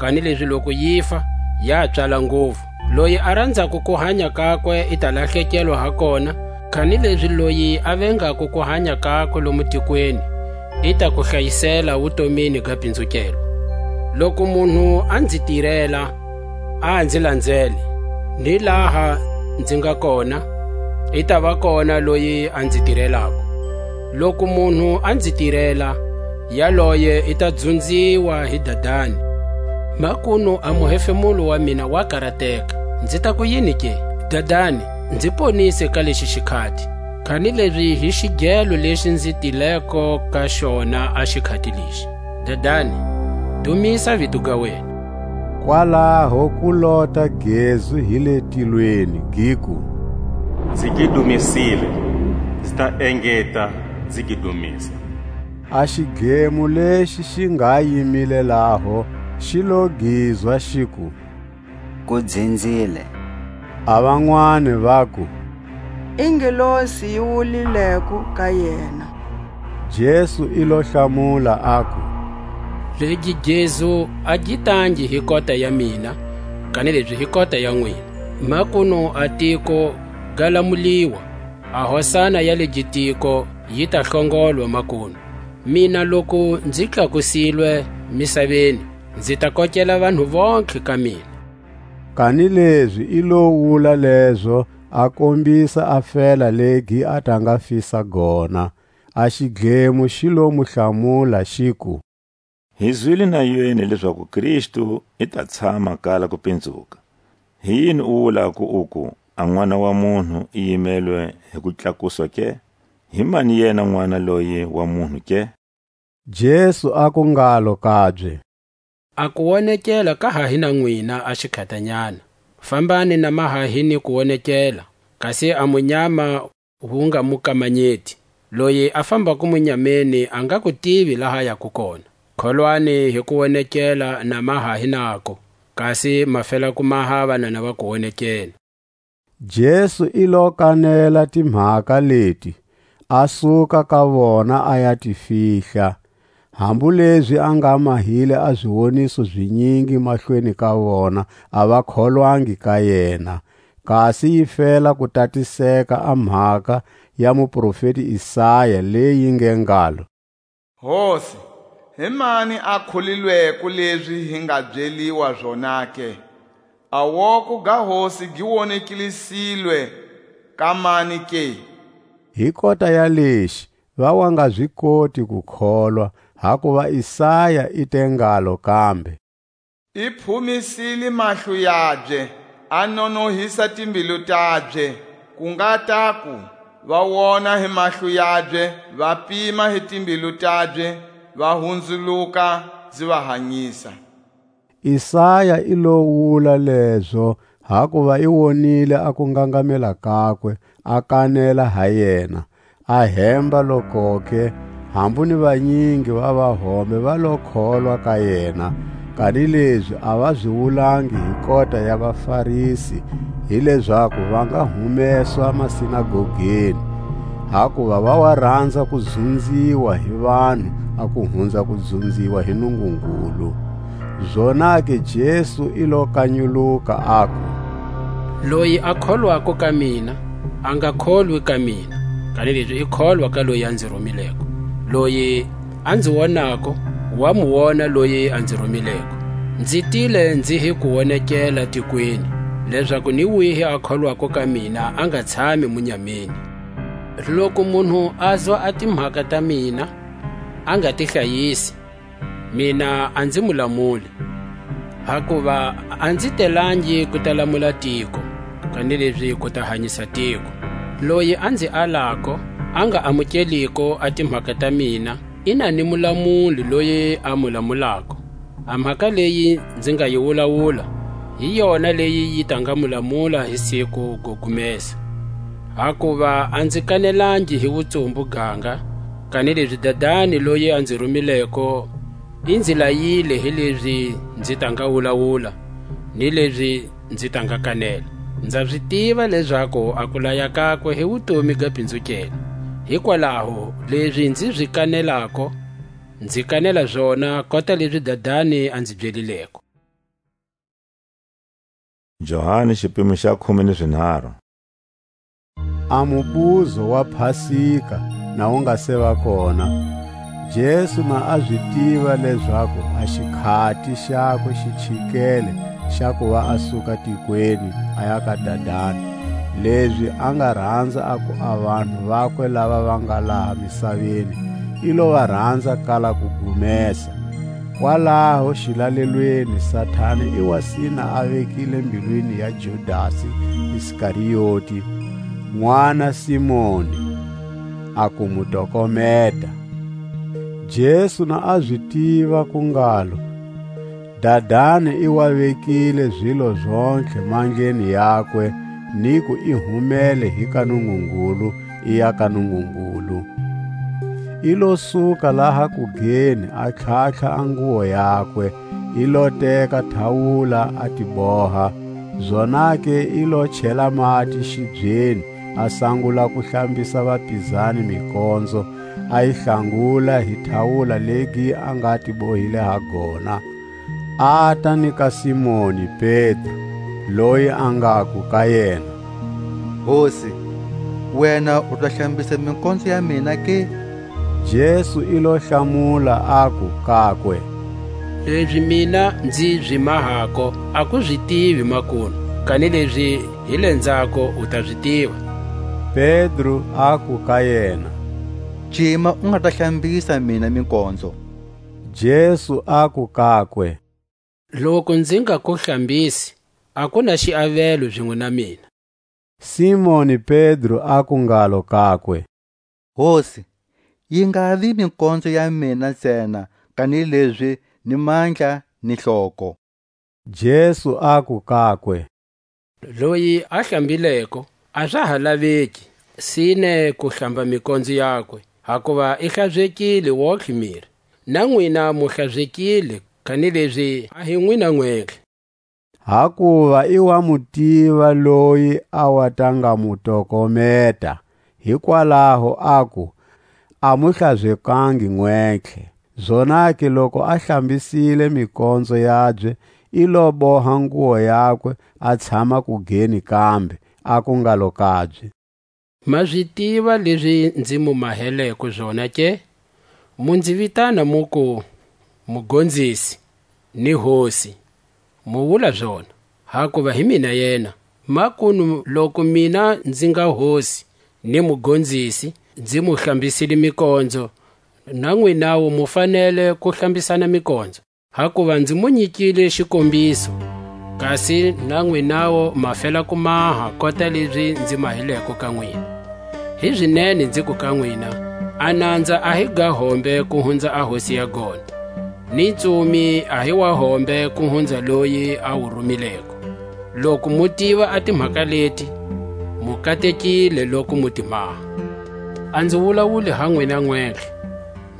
kanilezi loku yi fa, ya pswala nguvu. Loyi a ranzako ku hanya kakwe i ta lahlekelwa ha kona, kanilezi loyi a vengako ku hanya kakwe lomu tikweni, i ta ku hlayisela wutomini ga pinzukelwa. Loku munhu a nzi tirela, a nzi lanzele, ni laha nzi nga kona, i ta va kona loyi a nzi tirelako. Loku munhu a nzi tirela, yaloye i ta dzunziwa hi Dadani. Makunu a muhefemulo wa mina wa karateka. Nzi ta ku yini ke? Dadani, nzi ponise ka lexi xikhati, kanilezi hi xigelo lexi nzi tileko ka xona a xikhati lexi. Dadani, dumisa vito ga wena. Kwalaho ku lota gezu hi le tilweni, giku: Nzi gi dumisile, nzi ta engeta, nzi gi dumisa. A xidlemo lexi xi nga yimile laho, xi lo gizwa, xiku: Ku dzinzile. A vanwani vaku: I ngelosi yi wulileko ka yena. Jesu i lo hlamula, aku: Legi gezu a gi tangi hi kota ya mina, kanilezi hi kota ya nwina. Makunu a tiko ga lamuliwa, a hosana ya le gitiko yi ta hlongolwa makunu. Mina loku nzi tlakusilwe misaveni, nzi ta kokela vanhu vontlhe ka mina. Kanilezi i lo wula lezo, a kombisa a fela legi a ta nga fisa gona. A xidlemo xi lo mu hlamula, xiku: Hi zwile na yini lezaku Kristu i ta tshama kala ku pinzuka. Hi yini u wulako uku, a N'wana wa munhu i yimelwe hi kutlakuswa ke? Hi mani yena N'wana loyi wa munhu ke? Jesu aku ngalo kabye: A kuwonekela ka ha hi na nwina a xikhatanyana. Fambani na maha hi ni kuwonekela, kasi a munyama wu nga mu kamanyeti. Loyi a fambako munyameni a nga ku tivi laha yako kona. Kholwani hi kuwonekela na maha hi nako, kasi ma fela ku maha vanana va kuwonekela. Jesu i lo kanela timhaka leti, a suka ka vona, a ya ti fihla. Hambu lezi a nga mahile a ziwoniso zinyingi mahlweni ka vona, a va kholwangi ka yena. Kasi yi fela ku tatiseka a mhaka ya muprofeti Isaya, leyi nge ngalo: Hosi, hi mani a kholilweko lezi hi nga byeliwa zona ke? A woko ga Hosi gi wonekilisile ka mani ke? Hi kota ya lexi, va wa nga zi koti ku kholwa, hakuva Isaya i te ngalo kambe: I phumisile mahlo yabye, a nonohisa timbilu tabye, ku nga taku, va wona hi mahlo yabye, va pima hi timbilu tabye, va hunzuluka, zi va hanyisa. Isaya i lo wula lezo, hakuva i wonile a kungangamela kakwe, a kanela ha yena. A hemba lokoke, hambu ni vanyingi va vahombe va lo kholwa ka yena, kanilezi a va zi wulangi hi kota ya vaFarisi, hi lezaku va nga humeswa masinagogeni, hakuva va wa ranza ku dzunziwa hi vanhu a ku hunza ku dzunziwa hi Nungungulu. Zonake Jesu i lo kanyuluka, aku: Loyi a kholwako ka mina, a nga kholwi ka mina, kanilezi i kholwa ka loyi a nzi rumileko. Loyi a nzi wonako, wa mu wona loyi a nzi rumileko. Nzi tile nzi hi ku wonekela tikweni, lezaku ni wihi a kholwako ka mina a nga tshami munyameni. Loku munhu a zwa a timhaka ta mina, a nga ti hlayisi, mina a nzi mu lamuli, hakuva a nzi telangi ku ta lamula tiko, kanilezi ku ta hanyisa tiko. Loyi a nzi alako, a nga amukeliko a timhaka ta mina, i na ni mulamuli loyi a mu lamulako. A mhaka leyi nzi nga yi wulawula, hi yona leyi yi ta nga mu lamula hi siku go gumesa. Hakuva a nzi kanelangi hi wutsumbu ganga, kanilezi Dadani loyi a nzi rumileko i nzi layile hi lezi nzi ta nga wulawula, ni lezi nzi ta nga kanela. Nza zi tiva lezaku a kulaya kakwe hi wutomi ga pinzukela. Hikwalaho, lezi nzi zi kanelako, nzi kanela zona kota lezi Dadani a nzi byelileko. Johani, xipimo xa khume ni zinharhu. A mubuzo wa Pasika na wu nga se va kona, Jesu na a zi tiva lezaku a xikhati xakwe xi chikele xa kuva a suka tikweni a ya ka Dadani. lezi a nga ranza aku a vanhu vakwe lava va nga laha misaveni, i lo va ranza kala ku gumesa. Kwalaho xilalelweni Satani i wa sina a vekile mbilwini ya Judasi Iskarioti, n'wana Simoni, a ku mu tokometa. Jesu na a zi tiva ku ngalo, Dadani i wa vekile zilo zontlhe mandleni yakwe, ni ku i humele hi ka Nungungulu, i ya ka Nungungulu. I lo suka laha kugeni, a tlhatlha a nguwo yakwe, i lo teka thawula, a ti boha. Zonake i lo chela mati xibyeni, a sangula ku hlambisa vapizani mikonzo, a yi hlangula hi thawula legi a nga ti bohile ha gona. Ata ni ka Simoni Pedro, loyi a ngaku ka yena: Hosi, wena u ta hlambisa mikonzo ya mina ke? Jesu i lo hlamula, aku kakwe: Lezi mina nzi zi mahako, a ku zi tivi makunu, kanilezi hi le nzhako u ta zi tiva. Pedro aku ka yena: Cima u nga ta hlambisa mina mikonzo. Jesu aku kakwe: Loku nzi nga ku hlambisi, a ku na xiavelo zinwe na mina. Simoni Pedro aku ngalo kakwe: Hosi, yi nga vi mikonzo ya mina ntsena, kanilezi ni mandla ni hloko. Jesu aku kakwe: Loyi a hlambileko, a za ha laveki sine ku hlamba mikonzo yakwe, hakuva i hlazekile wontlhe miri. Na nwina mu hlazekile, kanilezi a hi nwina nwentlhe. Hakuva i wa mu tiva loyi a wa ta nga mu tokometa, hikwalaho aku: A mu hlazekangi nwentlhe. Zonake loku a hlambisile mikonzo yabye, i lo boha nguwo yakwe, a tshama kugeni kambe, aku ngalo kabye: Ma zi tiva lezi nzi mu maheleko zona ke? Mu nzi vitana muku, Mugonzisi, ni Hosi, mu wula zona, hakuva hi mina yena. Makunu loku mina nzi nga Hosi ni Mugonzisi, nzi mu hlambisile mikonzo, na nwinawu mu fanele ku hlambisana mikonzo. Hakuva nzi mu nyikile xikombiso, kasi na nwinawu ma fela ku maha kota lezi nzi mahileko ka nwina. Hi zinene nziku ka nwina, a nanza a hi ga hombe ku hunza a hosi ya gona, ni ntsumi a hi wa hombe ku hunza loyi a wu rumileko. Loku mu tiva a timhaka leti, mu katekile loku mu ti maha. A nzi wulawuli ha nwina nwentlhe,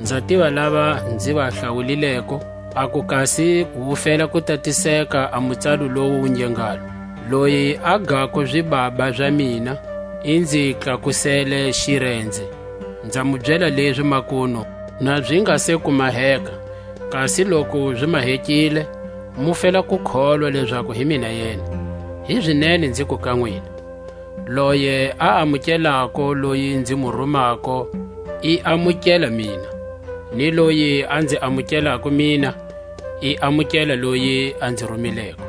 nza tiva lava nzi va hlawulileko, aku kasi wu fela ku tatiseka a mutsalu lowu wu nge ngalo: Loyi a gako zibaba za mina, i nzi tlakusele xirenze. Nza mu byela lezi makunu, na zi nga se ku maheka, kasi loku zi mahekile, mu fela ku kholwa lezaku hi mina yena. Hi zinene nziku ka nwina, loye a amukelako loyi nzi mu rumako, i amukela mina, ni loyi a nzi amukelako mina, i amukela loyi a nzi rumileko.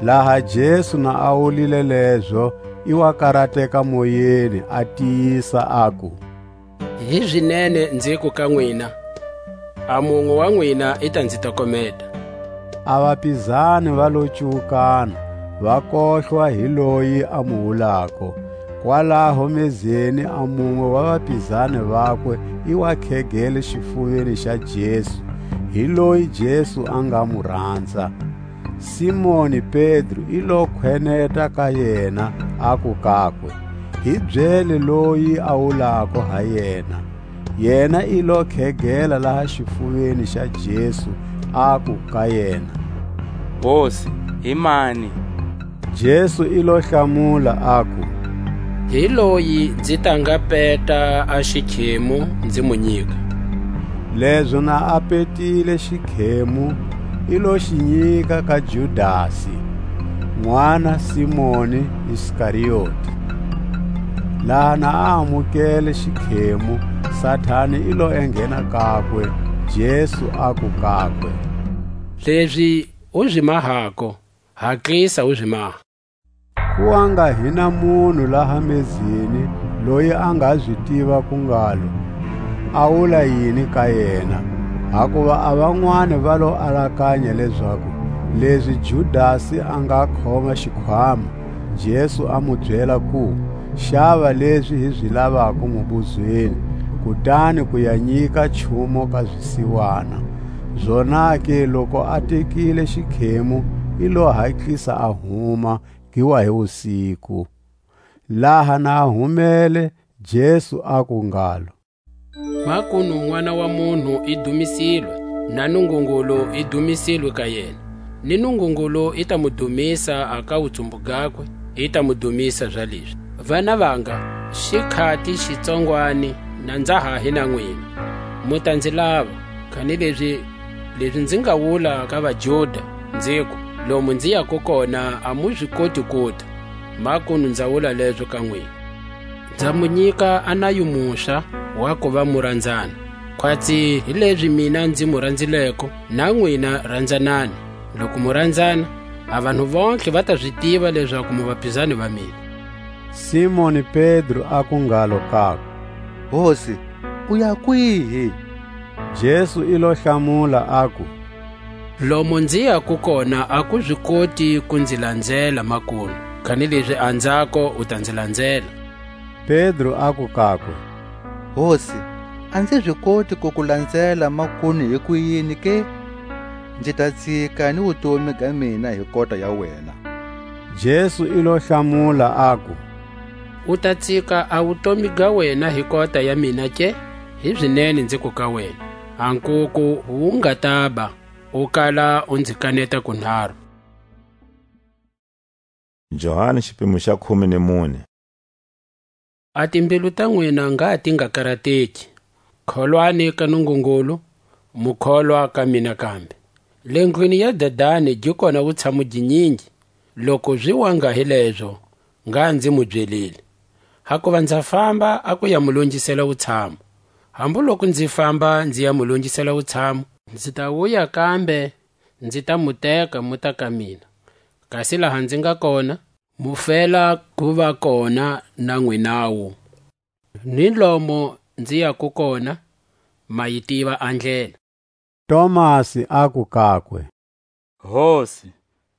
Laha Jesu na a wulile lezo, i wa karateka moyeni, a tiyisa, aku: Hi zinene nziku ka nwina, a munwe wa nwina i ta nzi tokometa. A vapizani va lo cuwukana, va kohlwa hi loyi a mu wulako. Kwalaho mezeni a munwe wa vapizani vakwe i wa khegele xifuveni xa Jesu, hi loyi Jesu a nga mu ranza. Simoni Pedro i lo khweneta ka yena, aku kakwe: Hi byele loyi a wulako ha yena. Yena i lo khegela laha xifuveni xa Jesu, aku ka yena: Hosi, hi mani? Jesu i lo hlamula, aku: Hi loyi nzi ta nga peta a xikhemu, nzi mu nyika. Lezo na a petile xikhemu, i lo xi nyika ka Judasi, n'wana Simoni Iskarioti. Laha na a amukele xikhemu, Satani i lo enghena kakwe. Jesu aku kakwe: Lezi u zi mahako, hatlisa u zi maha. Ku wa nga hi na munhu laha mezeni loyi a nga zi tiva ku ngalo a wula yini ka yena. Hakuva a vanwani va lo alakanya lezaku lezi Judasi a nga khoma xikhwama, Jesu a mu byela ku, xava lezi hi zi lavako mubuzweni, kutani ku ya nyika nchumu ka zisiwana. Zonake loku a tekile xikhemu, i lo hatlisa a huma, ki wa hi wusiku. Laha na a humele, Jesu aku ngalo: Makunu N'wana wa munhu i dumisilwe, na Nungungulu i dumisilwe ka yena. Ni Nungungulu i ta mu dumisa a ka wutsumbu gakwe, i ta mu dumisa zalezi. Vana vanga, xikhati xitsongwani na nza ha hi na nwina. Mu ta nzi lava, kanilezi lezi nzi nga wula ka vaJuda, nziku, lomu nzi yako kona a mu zi koti kuta. Makunu nza wula lezo ka nwina. Nza mu nyika a nayo muswa wa kuva mu ranzana. Khwatsi hilezi mina nzi mu ranzileko, na nwina ranzanani. Loku mu ranzana, a vanhu vontlhe va ta zi tiva lezaku mu vapizani va mina. Simoni Pedro aku ngalo kakwe: Hosi, u ya kwihi? Jesu i lo hlamula, aku: Lomu nzi yako kona a ku zi koti ku nzi lanzela, makunu, kanilezi anzhako u ta nzi lanzela. Pedro aku kakwe: Hosi, a nzi zi koti ku ku lanzela makunu hi kuyini ke? Nzi ta tsika ni wutomi ga mina hi kota ya wena. Jesu i lo hlamula, aku: U ta tsika a wutomi ga wena hi kota ya mina ke? Hizinene nziku ka wena, a nkuku wu nga taba, u kala u nzi kaneta kunharu. Johani, xipimo xa khume ni mune. A timbilu ta nwina ngha ti nga karateki. Kholwani ka Nungungulu, mu kholwa ka mina kambe. Le ndlwini ya Dadani gi kona wutshamu ginyingi, loku zi wa ngha hi lezo, ngha nzi mu byelile. Hakuva nza famba a ku ya mu longisela wutshamu. Hambu loku nzi famba nzi ya mu longisela wutshamu, nzi ta wuya kambe, nzi ta mu teka mu ta ka mina. Kasi laha nzi nga kona, mu fela ku va kona na nwinawu. Ni lomo nzi yako kona, ma yi tiva a ndlela. Tomasi aku kakwe: Hosi,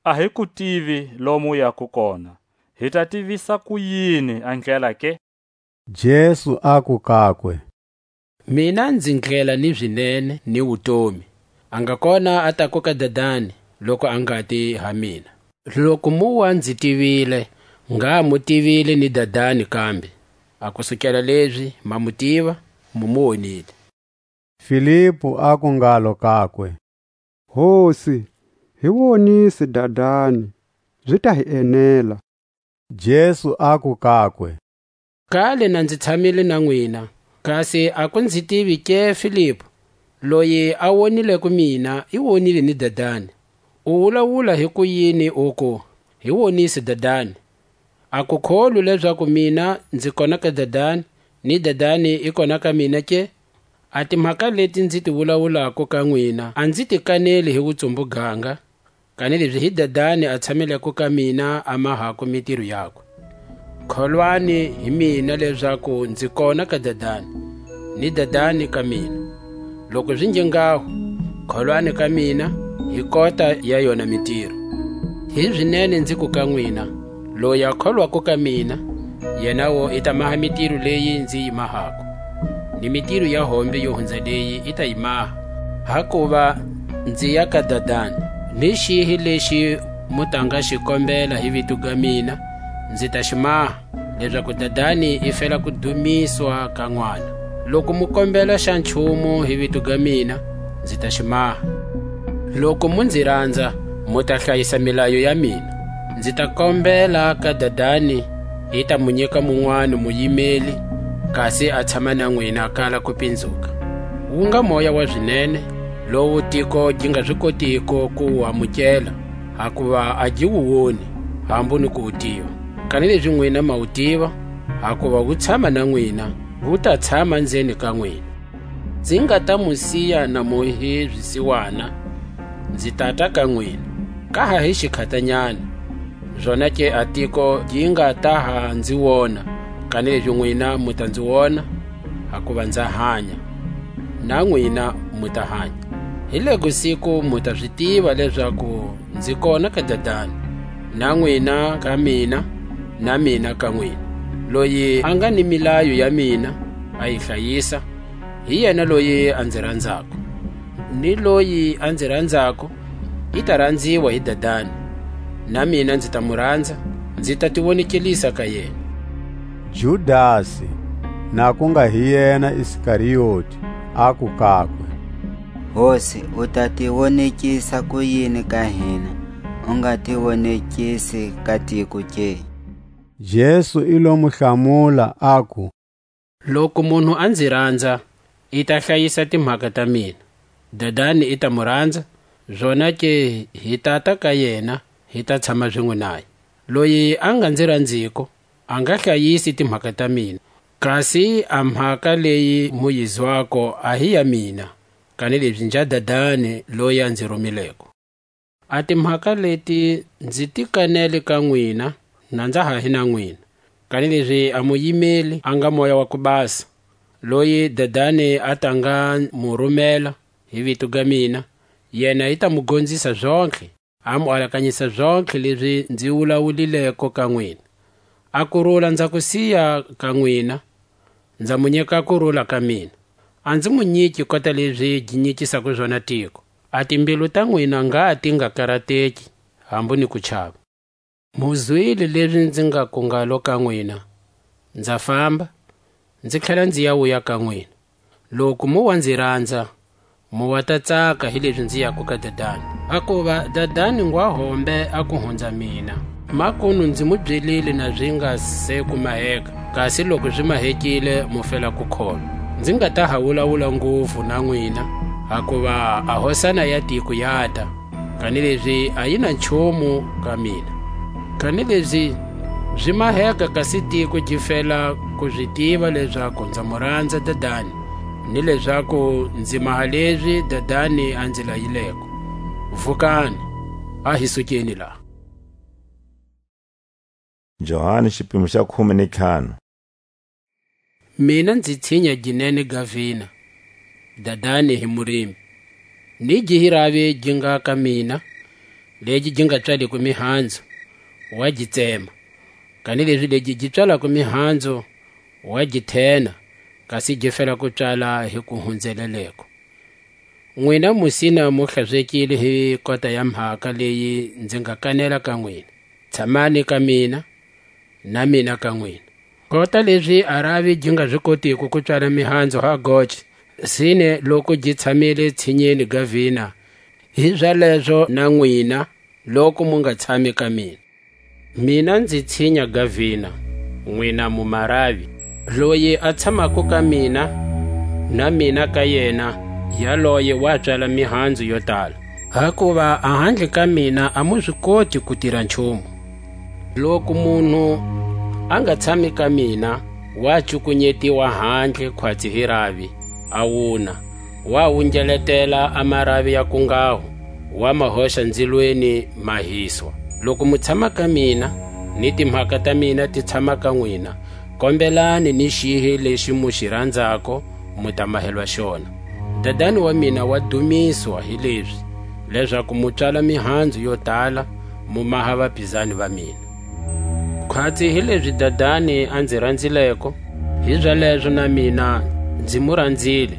a hi ku tivi lomu u yako kona, hi ta tivisa kuyini a ndlela ke? Jesu aku kakwe: Mina nzi ndlela ni zinene ni wutomi. A nga kona a tako ka Dadani, loku a nga ti ha mina. Loku mu wa nzi tivile, ngha mu tivile ni Dadani kambe. A kusukela lezi ma mu tiva, mu mu wonile. Filipu aku ngalo kakwe: Hosi, hi wonise Dadani, zi ta hi enela. Jesu aku kakwe: Kale na nzi tshamile na nwina, kasi a ku nzi tivi ke Filipu? Loyi a wonileko mina, i wonile ni Dadani. U wulawula hi kuyini uku: Hi wonise Dadani? A ku kholwi lezaku mina nzi kona ka Dadani, ni Dadani i kona ka mina ke? A timhaka leti nzi ti wulawulako ka nwina, a nzi ti kaneli hi wutsumbu ganga, kanilezi hi Dadani a tshameleko ka mina a mahako mitiro yakwe. Kholwani hi mina lezaku nzi kona ka Dadani, ni Dadani ka mina. Loku zi nge nghaho, kholwani ka mina hi kota ya yona mitiro. Hizinene nziku ka nwina, loyi a kholwako ka mina, yenawo i ta maha mitiro leyi nzi yi mahako, ni mitiro ya hombe yo hunza leyi i ta yi maha. Hakuva nzi ya ka Dadani, ni xihi lexi mu ta nga xi kombela hi vito ga mina, nzi ta xi maha, lezaku Dadani i fela ku dumiswa ka N'wana. Loku mu kombela xa nchumu hi vito ga mina, nzi ta xi maha. Loku mu nzi ranza, mu ta hlayisa milayo ya mina. Nzi ta kombela ka Dadani, i ta mu nyika munwani muyimeli, kasi a tshama na nwina kala ku pinzuka. Wu nga Moya wa zinene, lowu tiko gi nga zi kotiko ku wu amukela, hakuva a gi wu woni, hambu ni ku wu tiva. Kanilezi nwina ma wu tiva, hakuva wu tshama na nwina, wu ta tshama nzeni ka nwina. Nzi nga ta mu siya na mu hi zisiwana, nzi tata ka nwina, ka ha hi xikhatanyana. Zonake a tiko gi nga ta ha nzi wona, kanilezi nwina mu ta nzi wona, hakuva nza hanya, na nwina mu ta hanya. Hi lego siku mu ta zi tiva lezaku nzi kona ka Dadani, na nwina ka mina, na mina ka nwina. Loyi a nga ni milayo ya mina, a yi hlayisa, hi yena loyi a nzi ranzako. Ni loyi a nzi ranzako, i ta ranziwa hi Dadani, na mina nzi ta mu ranza, nzi ta ti wonekelisa ka yena. Judasi, na ku nga hi yena Iskarioti, aku kakwe: Hosi, u ta ti wonekisa kuyini ka hina, u nga ti wonekisi ka tiko ke? Jesu i lo mu hlamula, aku: Loku munhu a nzi ranza, i ta hlayisa timhaka ta mina. Dadani i ta mu ranza, zonake hi tata ka yena, hi ta tshama zinwe naye. Loyi a nga nzi ranziko, a nga hlayisi timhaka ta mina. Kasi a mhaka leyi mu yi zwako a hi ya mina, kanilezi nja Dadani loyi a nzi rumileko. A timhaka leti nzi ti kanele ka nwina, na nza ha hi na nwina, kanilezi a muyimeli a nga Moya wa ku Basa, loyi Dadani a ta nga mu rumela hi vito ga mina, yena i ta mu gonzisa zontlhe, a mu alakanyisa zontlhe lezi nzi wulawulileko ka nwina. A kurula nza ku siya ka nwina, nza mu nyika kurula ka mina. A nzi mu nyiki kota lezi gi nyikisako zona tiko. A timbilu ta nwina ngha ti nga karateki, hambu ni ku chava. Mu zwile lezi nzi ngaku ngalo ka nwina: Nza famba, nzi tlhela nzi ya wuya ka nwina. Loku mu wa nzi ranza, mu wa ta tsaka hilezi nzi yako ka Dadani. Hakuva Dadani ngwa hombe a ku hunza mina. Makunu nzi mu byelile na zi nga se ku maheka, kasi loku zi mahekile, mu fela ku kholwa. Nzi nga ta ha wulawula nguvu na nwina, hakuva a hosana ya tiko yata, kanilezi a yi na nchumu ka mina. Kanilezi zi maheka, kasi tiko gi fela ku zi tiva lezaku nza mu ranza Dadani, ni lezaku nzi maha lezi Dadani a nzi layileko. Vukani, a hi sukeni laha. Johani, xipimo xa khume ni ntlhanu. Mina nzi tshinya ginene ga vina, Dadani hi murimi. Ni gi hi ravi gi nga ka mina, legi gi nga tswaleko mihanzu, wa gi tsema, kanilezi legi gi tswalako mihanzu, wa gi thena, kasi gi fela ku tswala hi ku hunzeleleko. Nwina mu sina mu hlazekile hi kota ya mhaka leyi nzi nga kanela ka nwina. Tshamani ka mina, na mina ka nwina. Kota lezi a ravi gi nga zi kotiko ku tswala mihanzu ha goce, sine loku gi tshamile tshinyeni ga vina, hi zalezo na nwina, loku mu nga tshami ka mina. Mina nzi tshinya ga vina, nwina mu maravi. Loyi a tshamako ka mina, na mina ka yena, yaloye wa tswala mihanzu yo tala. Hakuva a handle ka mina a mu zi koti ku tira nchumu. Loku munhu a nga tshami ka mina, wa cukunyetiwa handle khwatsi hi ravi, a wuna, wa wungeletela a maravi ya kungaho, wa ma hoxa nzilweni ma hiswa. Loku mu tshama ka mina, ni timhaka ta mina ti tshama ka nwina, kombelani ni xihi lexi mu xi ranzako, mu ta mahelwa xona. Dadani wa mina wa dumiswa hi lezi, lezaku mu tswala mihanzu yo tala, mu maha vapizani va mina. Khwatsi hi lezi Dadani a nzi ranzileko, hi zalezo na mina nzi mu ranzile.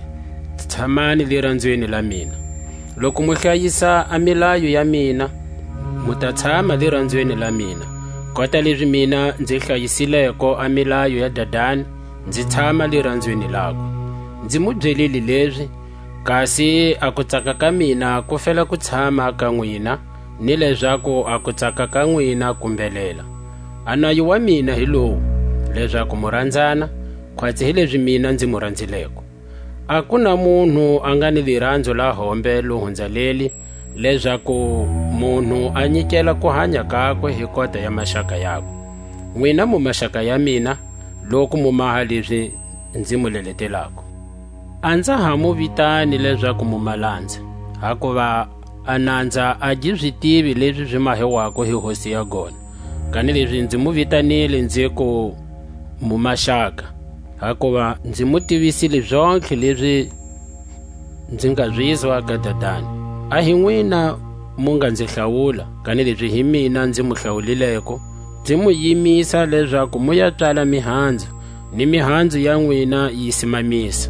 Tshamani liranzweni la mina. Loku mu hlayisa a milayo ya mina, mu ta tshama liranzweni la mina. Kota lezi mina nzi hlayisileko a milayo ya Dadani, nzi tshama liranzweni lakwe. Nzi mu byelile lezi, kasi a kutsaka ka mina ku fela ku tshama ka nwina, ni lezaku a kutsaka ka nwina ku mbelela. A nayo wa mina hi lowu, lezaku mu ranzana, khwatsi hi lezi mina nzi mu ranzileko. A ku na munhu a nga ni liranzo la hombe lo hunza leli, lezaku munhu a nyikela ku hanya kakwe hi kota ya maxaka yakwe. Nwina mu maxaka ya mina, loku mu maha lezi nzi mu leletelako. A nza ha mu vitani lezaku mu ma lanza, hakuva a nanza a gi zi tivi lezi zi mahiwako hi hosi ya gona. Kanilezi nzi mu vitanile, nziku, mu maxaka, hakuva nzi mu tivisile zontlhe lezi nzi nga zizwa ka Dadani. A hi nwina mu nga nzi hlawula, kanilezi hi mina nzi mu hlawulileko, nzi mu yimisa lezaku mu ya psala mihanzu, ni mihanzu ya nwina yi simamisa.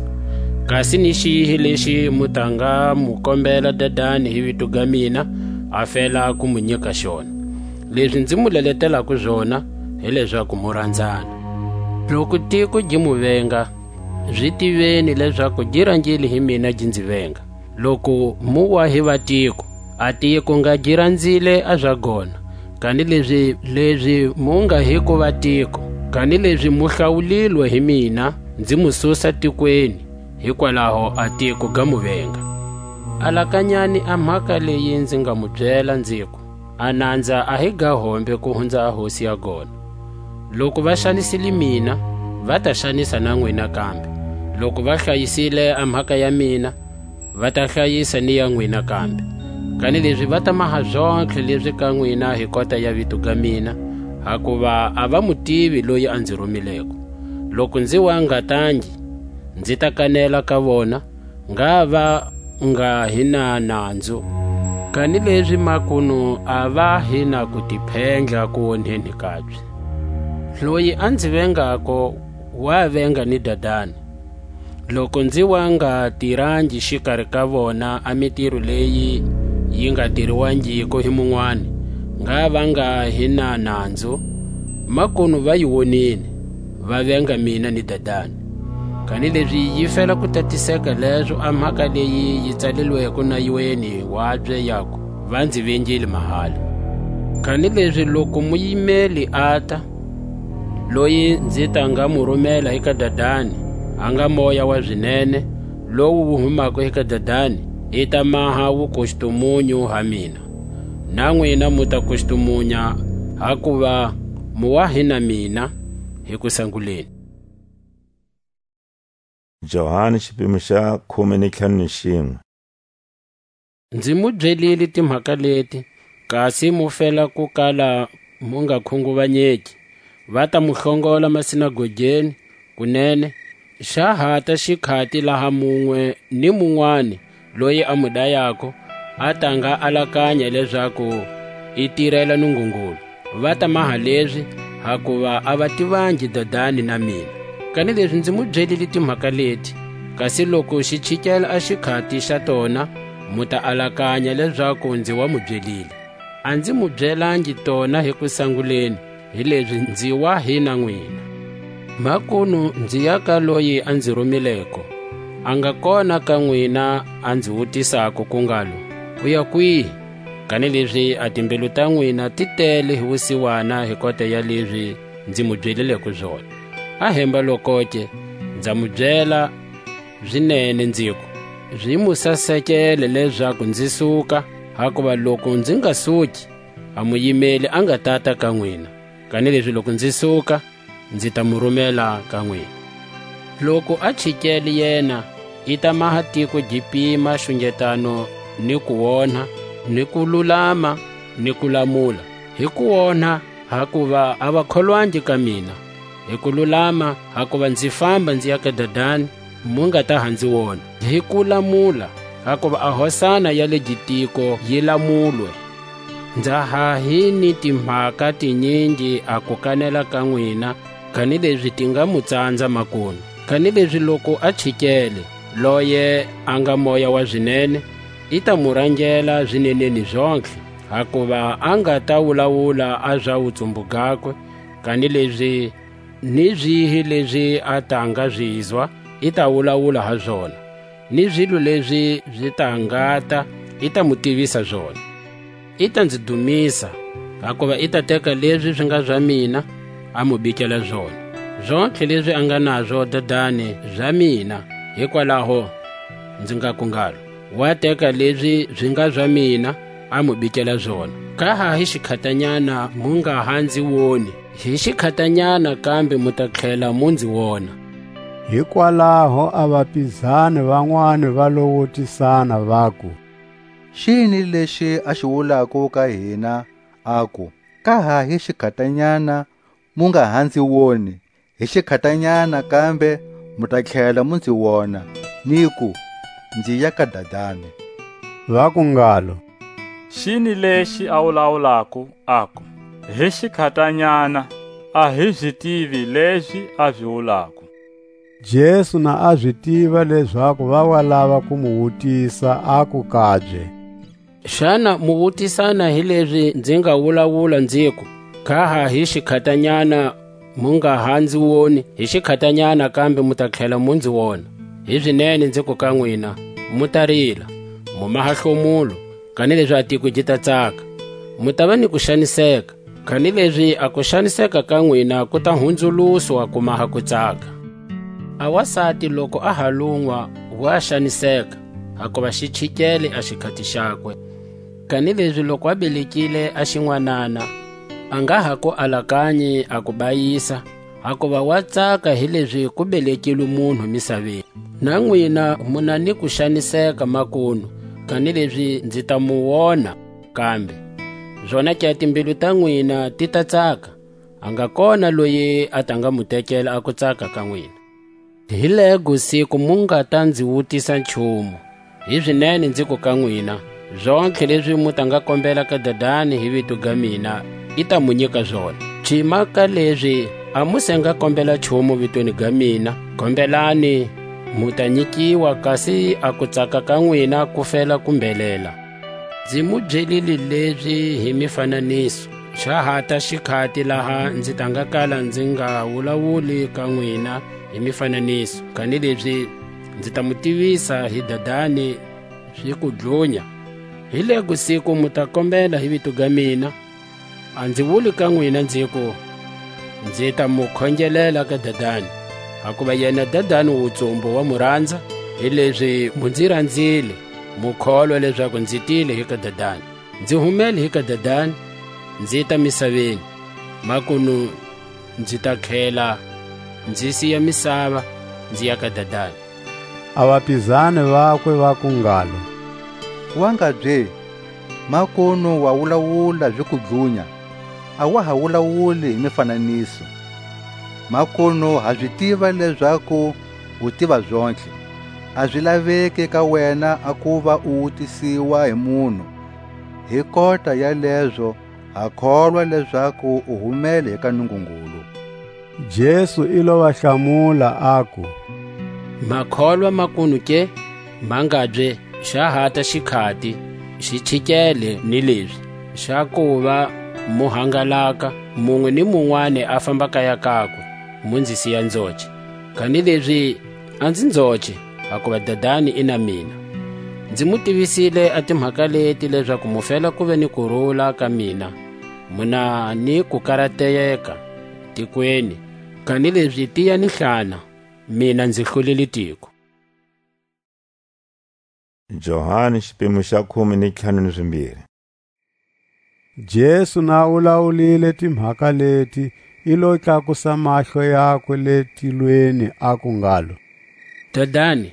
Kasi ni xihi lexi mu ta nga mu kombela Dadani hi vito ga mina, a fela ku mu nyika xona? Lezi nzi mu leletelako zona, hi lezaku mu ranzana. Loku tiko gi mu venga, zi tiveni lezaku gi rangile hi mina gi nzi venga. Loku mu wa hi vatiko, a tiko nga gi ranzile a za gona, kanilezi lezi mu nga hiko vatiko, kanilezi mu hlawulilwe hi mina, nzi mu susa tikweni, hikwalaho a tiko ga mu venga. Alakanyani a mhaka leyi nzi nga mu byela, nziku: A nanza a hi ga hombe ku hunza a hosi ya gona. Loku va xanisile mina, va ta xanisa na nwina kambe. Loku va hlayisile a mhaka ya mina, va ta hlayisa ni ya nwina kambe. Kanilezi va ta maha zontlhe lezi ka nwina hi kota ya vito ga mina, hakuva a va mu tivi loyi a nzi rumileko. Loku nzi wa ngatangi, nzi ta kanela ka vona, ngha va nga hi na nanzu, kanilezi makunu a va hi na ku tiphendla ku wonheni kabye. Loyi a nzi vengako, wa venga ni Dadani. Loku nzi wa nga tirangi xikari ka vona a mitiro leyi yi nga tiriwangiko hi munwani, ngha va nga hi na nanzu, makunu va yi wonile, va venga mina ni Dadani. Kanilezi yi fela ku tatiseka lezo a mhaka leyi yi tsalilweko nayweni wabye yaku: Va nzi vengile mahala. Kanilezi loku muyimeli ata, loyi nzi ta nga mu rumela hi ka Dadani, a nga Moya wa zinene, lowu wu humako hi ka Dadani, i ta maha wukustumunyu ha mina. Na nwina mu ta kustumunya, hakuva mu wa hi na mina hi kusanguleni. Johani, xipimo xa khume ni ntlhanu ni xinwe. Nzi mu byelile timhaka leti, kasi mu fela ku kala mu nga khunguvanyeki. Va ta mu hlongola masinagogeni, kunene, xa hata xikhati laha munwe ni munwani loyi a mu dayako a ta nga alakanya lezaku i tirela Nungungulu. Va ta maha lezi, hakuva a va tivangi Dadani na mina. Kanilezi nzi mu byelile timhaka leti, kasi loku xi chikela a xikhati xa tona, mu ta alakanya lezaku nzi wa mu byelile. A nzi mu byelangi tona hi kusanguleni, hilezi nzi wa hi na nwina. Makunu nzi ya ka loyi a nzi rumileko, a nga kona ka nwina a nzi wutisako ku ngalo: U ya kwihi? Kanilezi a timbilu ta nwina ti tele hi wusiwana hi kota ya lezi nzi mu byelileko zona. A hemba lokoke, nza mu byela zinene, nziku: Zi mu sasekele lezaku nzi suka, hakuva loku nzi nga suki, a muyimeli a nga tata ka nwina. Kanilezi loku nzi suka, nzi ta mu rumela ka nwina. Loku a chikele yena, i ta maha tiko gi pima xungetano ni kuonha, ni kululama, ni kulamula. Hi kuonha, hakuva a va kholwangi ka mina; hi kululama, hakuva nzi famba nzi ya ka Dadani, mu nga ta ha nzi wona; hi kulamula, hakuva a hosana ya le gitiko yi lamulwe. Nza ha hi ni timhaka tinyingi a ku kanela ka nwina, kanilezi ti nga mu tsanza makunu. Kanilezi loku a chikele, loye a nga Moya wa zinene, i ta mu rangela zineneni zontlhe, hakuva a nga ta wulawula a za wutsumbu gakwe, kanilezi ni zihi lezi a ta nga zizwa, i ta wulawula ha zona, ni zilo lezi zi ta ngata, i ta mu tivisa zona. I ta nzi dumisa, hakuva i ta teka lezi zi nga za mina, a mu bikela zona. Zontlhe lezi a nga nazo Dadani za mina, hikwalaho nzi ngaku ngalo: Wa teka lezi zi nga za mina, a mu bikela zona. Ka ha hi xikhatanyana mu nga ha nzi woni, hi xikhatanyana kambe mu ta tlhela mu nzi wona. Hikwalaho a vapizani vanwani va lo wutisana, vaku: Xini lexi a xi wulako ka hina, aku: Ka ha hi xikhatanyana mu nga ha nzi woni, hi xikhatanyana kambe mu ta tlhela mu nzi wona, niku: Nzi ya ka Dadani. Vaku ngalo: Xini lexi a wulawulako, aku: Hi xikhatanyana, a hi zi tivi lezi a zi wulako? Jesu na a zi tiva lezaku va wa lava ku mu wutisa, aku kabye: Xana mu wutisana hi lezi nzi nga wulawula, nziku: Ka ha hi xikhatanyana mu nga ha nzi woni, hi xikhatanyana kambe mu ta tlhela mu nzi wona? Hizinene nziku ka nwina, mu ta rila, mu maha hlomulo, kanilezi a tiko gi ta tsaka. Mu tava ni kuxaniseka, kanilezi a kuxaniseka ka nwina ku ta hunzuluswa ku maha kutsaka. A wasati loku a ha lunwa, wa xaniseka, hakuva xi chikele a xikhati xakwe. Kanilezi loku a belekile a xinwanana, a nga ha ku alakanyi a ku bayisa, hakuva wa tsaka hilezi ku belekilwe munhu misaveni. Na nwina mu na ni kuxaniseka makunu, kanilezi nzi ta mu wona kambe. Zonake a timbilu ta nwina ti ta tsaka, a nga kona loyi a ta nga mu tekela a kutsaka ka nwina. Hi lego siku mu nga ta nzi wutisa nchumu. Hizinene nziku ka nwina, zontlhe lezi mu ta nga kombela ka Dadani hi vito ga mina, i ta mu nyika zona. Cima ka lezi a mu se nga kombela nchumu vitweni ga mina, kombelani, mu ta nyikiwa, kasi a kutsaka ka nwina ku fela ku mbelela. Nzi mu byelile lezi hi mifananiso. Xa hata xikhati laha nzi ta nga kala nzi nga wulawuli ka nwina hi mifananiso, kanilezi nzi ta mu tivisa hi Dadani zi ku dlunya. Hi lego siku mu ta kombela hi vito ga mina, a nzi wuli ka nwina, nziku: Nzi ta mu khongelela ka Dadani, hakuva yena Dadani wutsumbu wa mu ranza, hilezi mu nzi ranzile, mu kholwa lezaku nzi tile hi ka Dadani. Nzi humele hi ka Dadani, nzi ta misaveni, makunu nzi ta tlhela nzi siya misava, nzi ya ka Dadani. A vapizani vakwe vaku ngalo: Wa ngabye, makunu wa wulawula zi ku dlunya, a wa ha wulawuli hi mifananiso. Makunu ha zi tiva lezaku u tiva zontlhe, a zi laveki ka wena a kuva u wutisiwa hi munhu. Hi kota ya lezo, ha kholwa lezaku u humele hi ka Nungungulu. Jesu i lo va hlamula, aku: Ma kholwa makunu ke? Ma ngabye, xa hata xikhati, xi chikele ni lezi, xa kuva mu hangalaka, munwe ni munwani a famba kaya kakwe, mu nzi siya nzoce. Kanilezi a nzi nzoce, hakuva Dadani i na mina. Nzi mu tivisile a timhaka leti lezaku mu fela ku ve ni kurula ka mina, mu na ni kukarateka tikweni, kanilezi tiyani hlana, mina nzi hlulile tiko. Johani xipimo xa khume ni ntlhanu ni zimbiri. Jesu na wulawulile timhaka leti, i lo tlakusa mahlo yakwe le tilweni, aku ngalo: Dadani,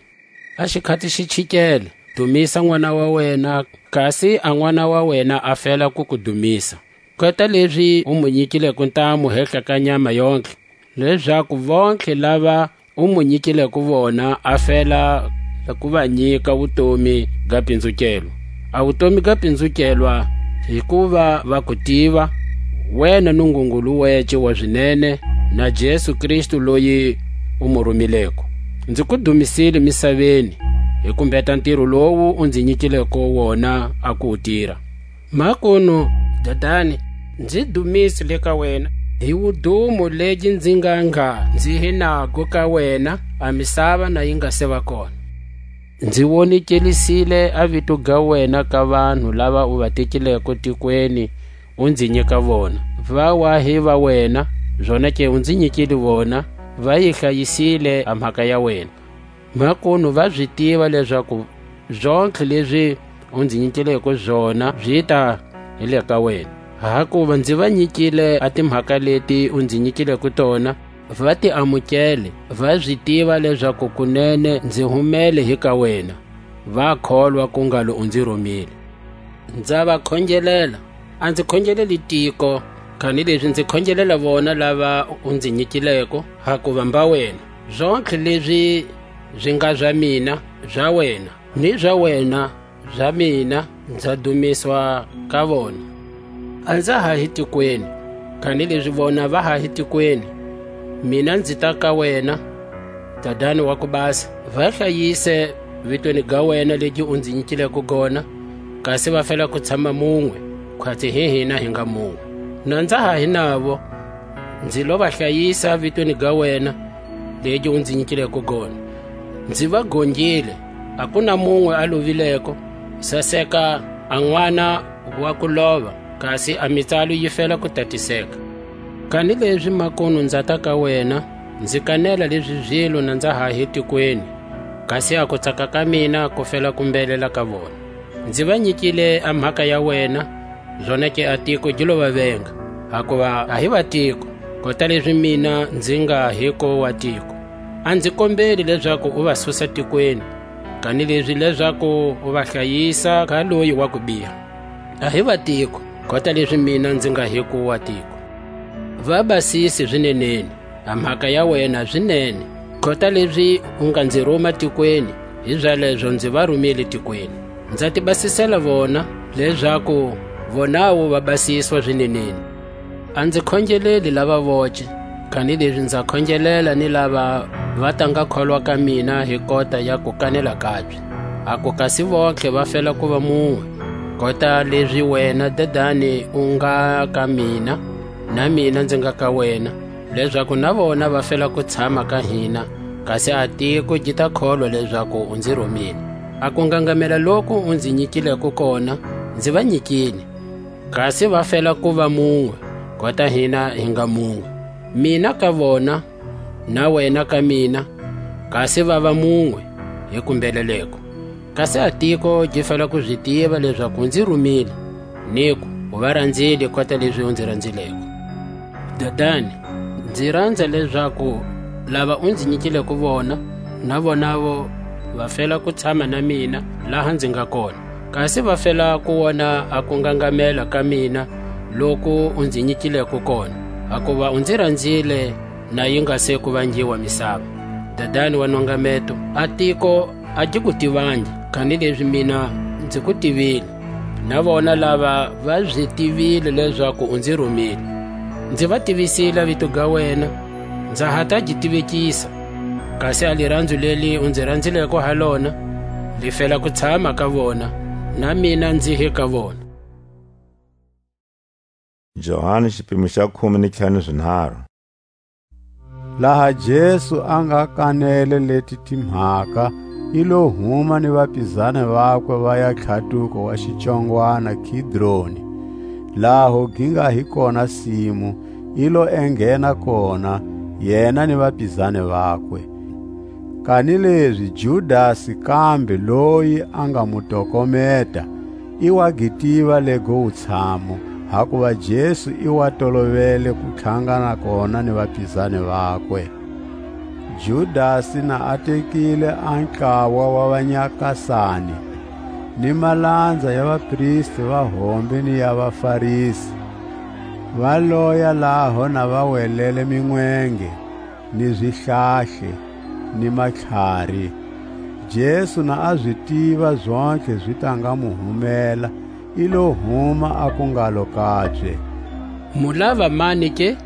a xikhati xi chikele, dumisa n'wana wa wena, kasi a n'wana wa wena a fela ku ku dumisa. Kota lezi u mu nyikileko ntamu hehla ka nyama yontlhe, lezaku vontlhe lava u mu nyikileko vona a fela ku va nyika wutomi ga pinzukelwa. A wutomi ga pinzukelwa hi ku va va ku tiva, wena Nungungulu wece wa zinene, na Jesu Kristu loyi u mu rumileko. Nzi ku dumisile misaveni hi ku mbheta ntiro lowu u nzi nyikileko wona a ku wu tira. Makunu, Dadani, nzi dumisi le ka wena, hi wudumo legi nzi nga ngha nzi hi nago ka wena, a misava na yi nga se va kona. Nzi wonekelisile a vito ga wena ka vanhu lava u va tekileko tikweni, u nzi nyika vona. Va wa hi va wena, zonake u nzi nyikile vona, va yi hlayisile a mhaka ya wena. Makunu va zi tiva lezaku zontlhe lezi u nzi nyikileko zona zi ta hi le ka wena. Hakuva nzi va nyikile a timhaka leti u nzi nyikileko tona, va ti amukele, va zi tiva lezaku kunene nzi humele hi ka wena, va kholwa ku ngalo u nzi rumile. Nza va khongelela, a nzi khongeleli tiko, Kanilezi nzi khongelela vona lava u nzi nyikileko, hakuva mba wena, zontlhe lezi zi nga za mina za wena, ni za wena za mina nza dumiswa ka vona. A nza ha hi tikweni, kanilezi vona va ha hi tikweni, mina nzi ta ka wena. Dadani wa ku basa, va hlayise vitweni ga wena legi u nzi nyikileko gona, kasi va fela ku tshama munwe, khwatsi hi hina hi nga munwe. Na nza ha hi navo, nzi lo va hlayisa vitweni ga wena, legi u nzi nyikileko gona. Nzi va gongile, a ku na munwe a lovileko, saseka a n'wana wa ku lova, kasi a mitsalo yi fela ku tatiseka. Kanilezi makunu nza ta ka wena, nzi kanela lezi zilo na nza ha hi tikweni, kasi a kutsaka ka mina ku fela ku mbelela ka vona. Nzi va nyikile a mhaka ya wena, zonake a tiko gi lo va venga, hakuva a hi va tiko, kota lezi mina nzi nga hiko wa tiko. A nzi kombeli lezaku u va susa tikweni, kanilezi lezaku u va hlayisa ka loyi wa kubiha. A hi va tiko, kota lezi mina nzi nga hiko wa tiko. Va basisi zineneni, a mhaka ya wena zinene, kota lezi u nga nzi ruma tikweni, hi zalezo nzi va rumile tikweni. Nza ti basisela vona, lezaku vonawu va basiswa zineneni. A nzi khongeleli lava voce, kanilezi nza khongelela ni lava va ta nga kholwa ka mina hi kota ya kukanela kabye. A ku kasi vontlhe va fela ku va munwe, kota lezi wena Dadani u nga ka mina, na mina nzi nga ka wena, lezaku na vona va fela ku tshama ka hina, kasi a tiko gi ta kholwa lezaku u nzi rumile. A kungangamela loku u nzi nyikileko kona, nzi va nyikile, kasi va fela ku va munwe, kota hina hi nga munwe. Mina ka vona, na wena ka mina, kasi va va munwe hi kumbeleleko. Kasi a tiko gi fela ku zi tiva lezaku u nzi rumile, niku u va ranzile kota lezi u nzi ranzileko. Dadani, nzi ranza lezaku lava u nzi nyikileko vona, na vonavo va fela ku tshama na mina laha nzi nga kona. Kasi va fela ku wona a kungangamela ka mina loku u nzi nyikileko kona, hakuva u nzi ranzile na yi nga se ku vangiwa misava. Dadani wa nongameto, a tiko a gi ku tivangi, kanilezi mina nzi ku tivile, na vona lava va zi tivile lezaku u nzi rumile. Nzi va tivisile a vito ga wena, nza ha ta gi tivekisa, kasi a liranzo leli u nzi ranzileko ha lona, li fela ku tshama ka vona, na mina nzi hi ka vona. Johani xipimo xa khume ni ntlhanu zinharhu. Laha Jesu a nga kanele leti timhaka, i lo huma ni vapizani vakwe va ya tlhatuko wa xitsongwana Kidroni, laho gi nga hi kona simu, i lo enghena kona, yena ni vapizani vakwe. Kanilezi Judasi kambe loyi a nga mu tokometa, i wa gi tiva lego wutshamu, hakuva Jesu i wa tolovele ku tlhangana kona ni vapizani vakwe. Judasi na a tekile a ntlawa wa vanyakasani, ni malanza ya vapristi va hombe ni ya vaFarisi, va loya laho na va welele minwenge, ni zihlahle, ni matlhari. Jesu na a zi tiva zontlhe zi ta nga mu humela, i lo huma, aku ngalo kabye: "Mu lava mani ke?"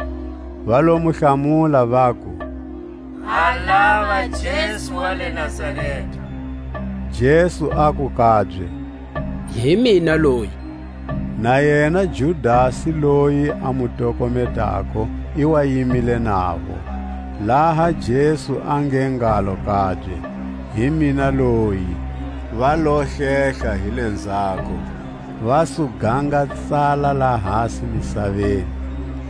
Va lo mu hlamula, vaku: "Ha lava Jesu wa le Nazareta." Jesu aku kabye: "Hi mina loyi." Na yena Judasi loyi a mu tokometako i wa yimile navo. Laha Jesu a nge ngalo kabye: "Hi mina loyi," va lo hlehla hi lenzhako, va su ganga tsala lahasi misaveni.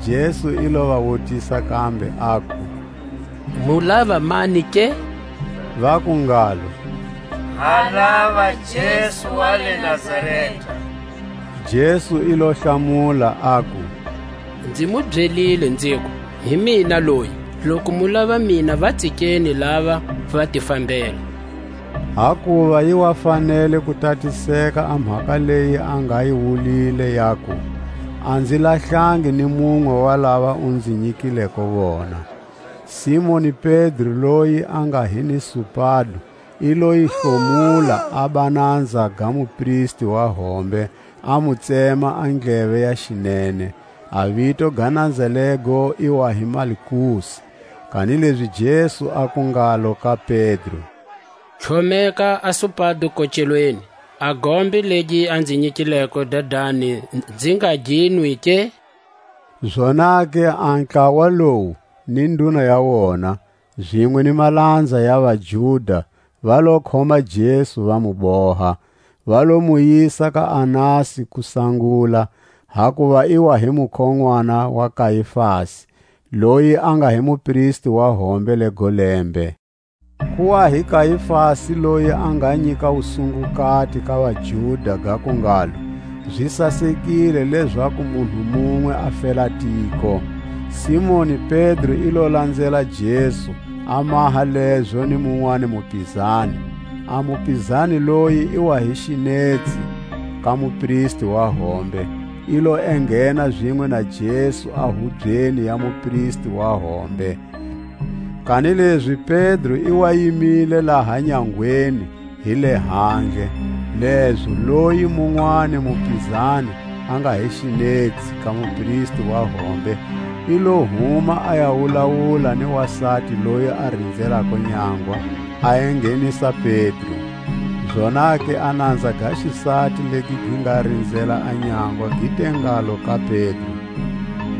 Jesu i lo va wutisa kambe, aku: "Mu lava mani ke?" Vaku ngalo: "Ha lava Jesu wa le Nazareta." Jesu i lo hlamula, aku: "Nzi mu byelile, nziku: Hi mina loyi. Loku mu lava mina, va tsikeni lava, va ti fambela." Hakuva yi wa fanele ku tatiseka a mhaka leyi a nga yi wulile, yaku: A nzi lahlangi ni munwe wa lava u nzi nyikileko vona. Simoni Pedro, loyi a nga hi ni supado, i lo yi hlomula a bananza ga mupristi wa hombe, a mu tsema a ndleve ya xinene. A vito ga nanza lego i wa hi Malkusi. Kanilezi Jesu aku ngalo ka Pedro: Tlhomeka a supado kocelweni, a gombe legi a nzi nyikileko Dadani, nzi nga gi nwi ke? Zonake a ntlawa lowu ni nduna ya wona, zinwe ni malanza ya vaJuda, va lo khoma Jesu, va mu boha, va lo mu yisa ka Anasi ku sangula, hakuva i wa hi mukhon'wana wa Kaifasi, loyi a nga hi mupristi wa hombe le go lembe. Ku wa hi Kaifasi, loyi a nga nyika wusungukati ka vaJuda, gaku ngalo: Zi sasekile lezaku munhu munwe a fela tiko. Simoni Pedro i lo lanzela Jesu, a maha lezo ni munwani mupizani. A mupizani loyi i wa hi xinetsi ka mupristi wa hombe, i lo enghena zinwe na Jesu a hubyeni ya mupristi wa hombe. Kanilezi Pedro i wa yimile laha nyangweni hi le handle, lezo loyi munwani mupizani, a nga hi xinetsi ka mupristi wa hombe, i lo huma a ya wulawula ni wasati loyi a rinzelako nyangwa, a enghenisa Pedro. Zonake a nanza ga xisati legi gi nga rinzela a nyangwa gi te ngalo ka Pedro: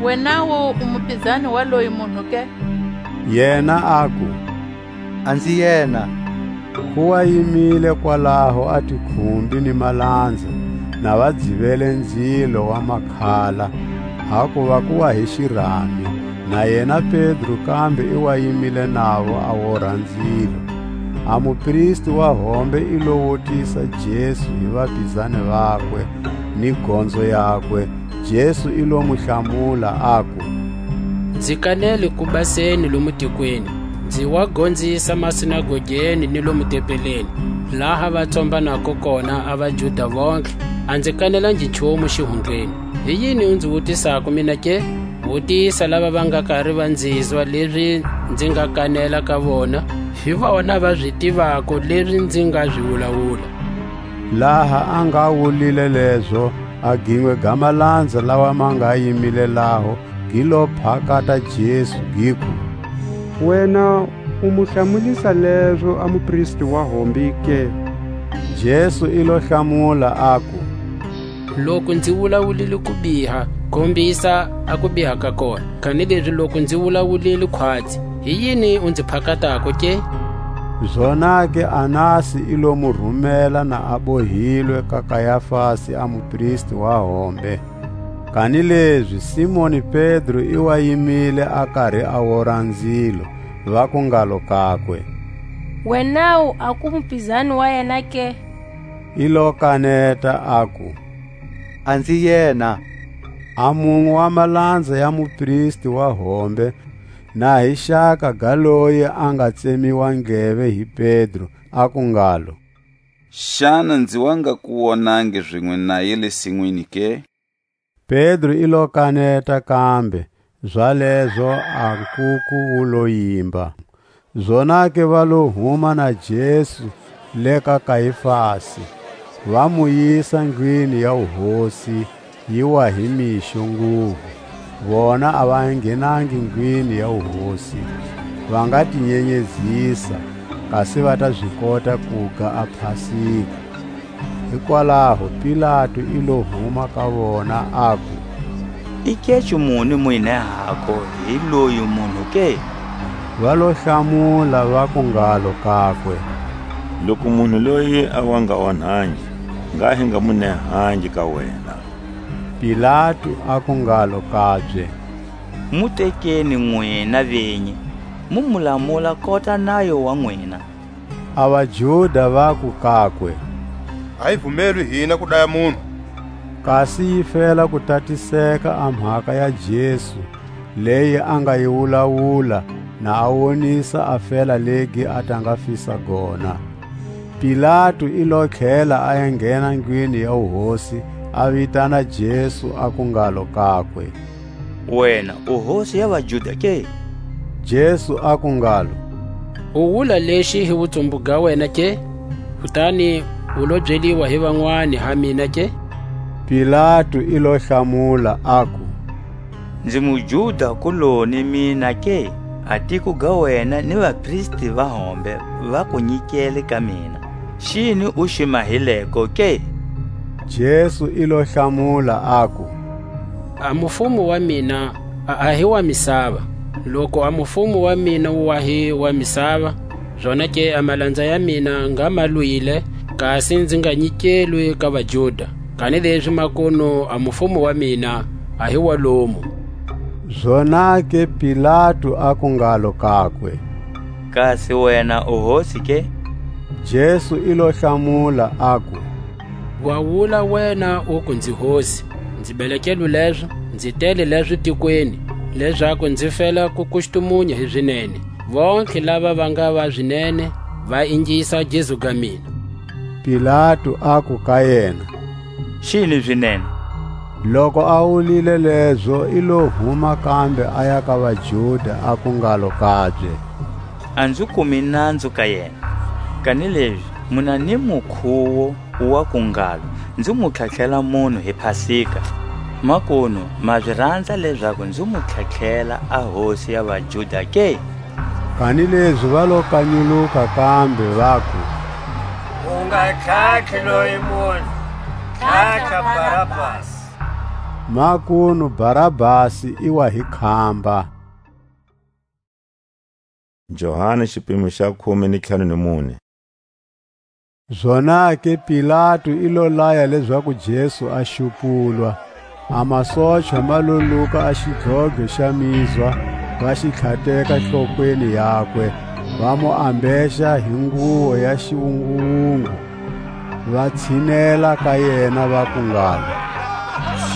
Wenawu u mupizani wa loyi munhu ke? Yena aku: A nzi yena. Ku wa yimile kwalaho a tikhumbi ni malanza, na va dzivele nzilo wa makhala, hakuva ku wa hi xirami, na yena Pedro kambe i wa yimile navo a wora nzilo. A mupristi wa hombe i lo wutisa Jesu hi vapizani vakwe ni gonzo yakwe. Jesu i lo mu hlamula, aku: Nzi kanele ku baseni lomu tikweni, nzi wa gonzisa masinagogeni ni lomu tempeleni, laha va tsombanako kona a vaJuda vontlhe, a nzi kanelangi nchumu xihundlweni. Hi yini u nzi wutisako mina ke? Wutisa lava va nga kari va nzizwa lezi nzi nga kanela ka vona, hi vona va zi tivako lezi nzi nga zi wulawula. Laha a nga wulile lezo, a ginwe ga malanza lawa ma nga yimile laho, gi lo phakata Jesu, giku: Wena u mu hlamulisa lezo a mupristi wa hombe ke? Jesu i lo hlamula, aku: Loku nzi wulawulile ku biha, kombisa a kubiha ka kona; kanilezi loku nzi wulawulile khwatsi, hi yini u nzi phakatako ke? Zonake Anasi i lo mu rumela na a bohilwe ka Kayafasi a mupristi wa hombe. Kanilezi Simoni Pedro i wa yimile a kari a wora nzilo, vaku ngalo kakwe: Wenawu a ku mupizani wa yena ke? I lo kaneta, aku: A nzi yena. A munwe wa malanza ya mupristi wa hombe, na hi xaka ga loyi a nga tsemiwa ndleve hi Pedro, aku ngalo: Xana nzi wa nga ku wonangi zinwe naye le sinwini ke? Pedro i lo kaneta kambe, zalezo a nkuku wu lo yimba. Zonake va lo huma na Jesu le ka Kaifasi, va mu yisa ndlwini ya wuhosi, yi wa hi mixo nguvu. Vona a va nghenangi ndlwini ya wuhosi, va nga ti nyenyezisa, kasi va ta zi kota kuga a Pasika. Hikwalaho Pilatu i lo huma ka vona, aku: I kecu muni mu yi nehako hi loyi munhu ke? Va lo hlamula, vaku ngalo kakwe: Loku munhu loyi a wa nga onhangi, ngha hi nga mu nehangi ka wena. Pilatu aku ngalo kabye: Mu tekeni nwina vinyi, mu mu lamula kota nayo wa nwina. A vaJuda vaku kakwe: A yi vumelwi hina ku daya munhu. Kasi yi fela ku tatiseka a mhaka ya Jesu, leyi a nga yi wulawula, na a wonisa a fela legi a ta nga fisa gona. Pilatu i lo tlhela a ya nghena ndlwini ya wuhosi, a vitana Jesu, aku ngalo kakwe: Wena u hosi ya vaJuda ke? Jesu aku ngalo: U wula lexi hi wutsumbu ga wena ke? Kutani u lo byeliwa hi vanwani ha mina ke? Pilatu i lo hlamula, aku: Nzi muJuda kuloni mina ke? A tiko ga wena ni vapristi va hombe va ku nyikele ka mina. Xini u xi mahileko ke? Jesu i lo hlamula, aku: A mufumo wa mina a, a hi wa misava. Loku a mufumo wa mina wu wa hi wa misava, zonake a malanza ya mina nga ma lwile, kasi nzi nga nyikelwi ka vaJuda. Kanilezi makunu a mufumo wa mina a hi wa lomu. Zonake Pilatu aku ngalo kakwe: Kasi wena u hosi ke? Jesu i lo hlamula, aku: Wa wula wena uku nzi hosi. Nzi belekelwe lezo, nzi tele lezo tikweni, lezaku nzi fela ku kustumunya hi zinene. Vontlhe lava va nga va zinene va ingisa gezu ga mina. Pilatu aku ka yena: Xini zinene? Loku a wulile lezo, i lo huma kambe aya ka vaJuda, aku ngalo kabye: A nzi kumi nanzu ka yena. Kanilezi mu na ni mukhuwo wa ku ngalo, nzi mu tlhatlhela munhu hi Pasika. Makunu ma zi ranza lezaku nzi mu tlhatlhela a hosi ya vaJuda ke? Kanilezi va lo kanyuluka kambe, vaku: U nga tlhatlhi loyi munhu, tlhatlha Barabasi. Makunu Barabasi i wa hi khamba. Johani xipimo xa khume ni ntlhanu ni mune. Zonake Pilatu i lo laya lezaku Jesu a xupulwa. A masochwa ma lo luka a xidlodlo xa mizwa, va xi tlhateka hlokweni yakwe, va mu ambexa hi nguwo ya xiwunguwungu, va tshinela ka yena, vaku ngalo: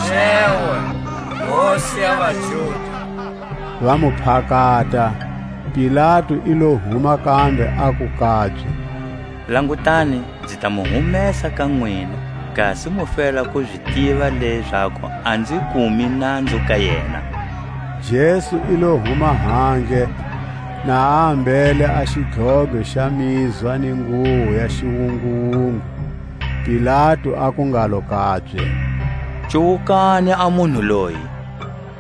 Xewe, Hosi ya vaJuda! Va mu phakata. Pilatu i lo huma kambe, aku kabye: Langutani, nzi ta mu humesa ka nwina, kasi mu fela ku zi tiva lezaku a nzi kumi nanzu ka yena. Jesu i lo huma handle, na a ambele a xidlodlo xa mizwa ni nguwo ya xiwunguwungu. Pilatu aku ngalo kabye: Cuwukani a munhu loyi!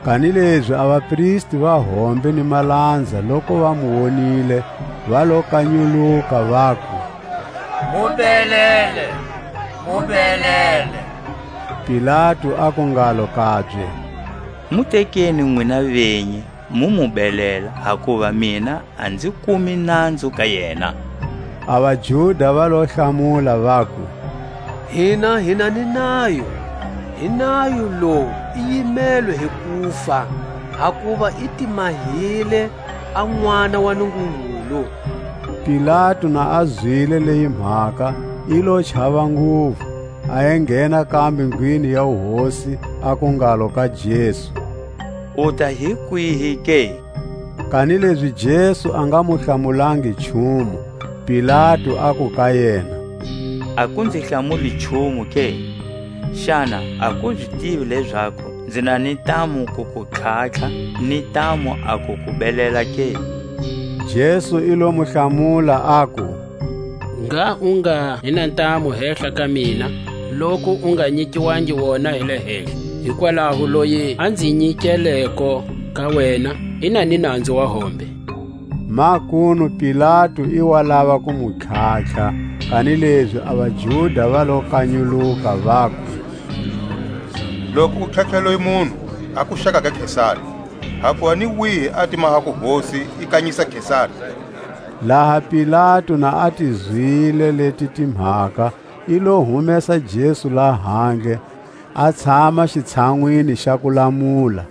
Kanilezi a vapristi va hombe ni malanza, loku va mu wonile, va lo kanyuluka, vaku: Mu belele, mu belele! Pilatu aku ngalo kabye: Mu tekeni nwina vinyi, mu mu belela, hakuva mina a nzi kumi nanzu ka yena. A vaJuda va lo hlamula, vaku: Hina hi na ni nayo, hi nayo lowu i yimelwe hi kufa, hakuva i timahile a N'wana wa Nungungulu. Pilatu na a zwile leyi mhaka, i lo chava nguvu, a enghena kambe ndlwini ya wuhosi, aku ngalo ka Jesu: U ta hi kwihi ke? Kanilezi Jesu a nga mu hlamulangi nchumu, Pilatu aku ka yena: A ku nzi hlamuli nchumu ke? Xana a ku zi tivi lezaku nzi na ni ntamu ku ku tlhatlha, ni ntamu a ku ku belela ke? Jesu i lo mu hlamula, aku: Ngha u nga hi na ntamu hehla ka mina, loku u nga nyikiwangi wona hi le henhla. Hikwalaho loyi a nzi nyikeleko ka wena, i na ni nanzu wa hombe. Makunu Pilatu i wa lava ku mu tlhatlha, kanilezi a vaJuda va lo kanyuluka, vaku: Loku u tlhatlha loyi munhu, a ku xaka ga Kesari, hakuva ni wihi a ti mahako hosi i kanyisa Kesari. Laha Pilatu na a ti zwile leti timhaka, i lo humesa Jesu lahandle, a tshama xitshanwini xa ku lamula,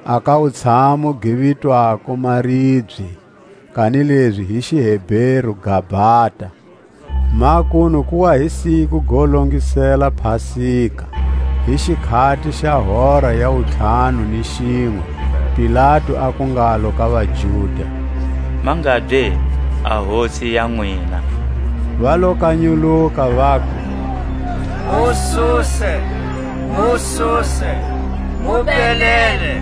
a ka wutshamo gi vitwako Maribye, kanilezi hi xiHeberu Gabata. Makunu ku wa hi siku go longisela Pasika, hi xikhati xa hora ya wutlhanu ni xinwe, Pilatu aku ngalo ka vaJuda: Mangabye a hosi ya nwina? Va lo kanyuluka, vaku: U suse, "Mu suse, mu belele."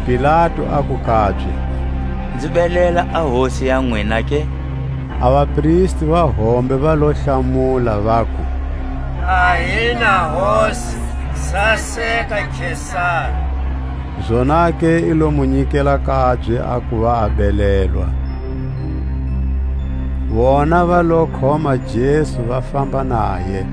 Pilatu aku kabye: "Nzi belela a hosi ya nwina ke?" A vapristi va hombe va lo hlamula, vaku: "A hi na hosi, saseka Kesari." Zonake i lo mu nyikela kabye a kuva a belelwa. Vona va lo khoma Jesu, va famba naye.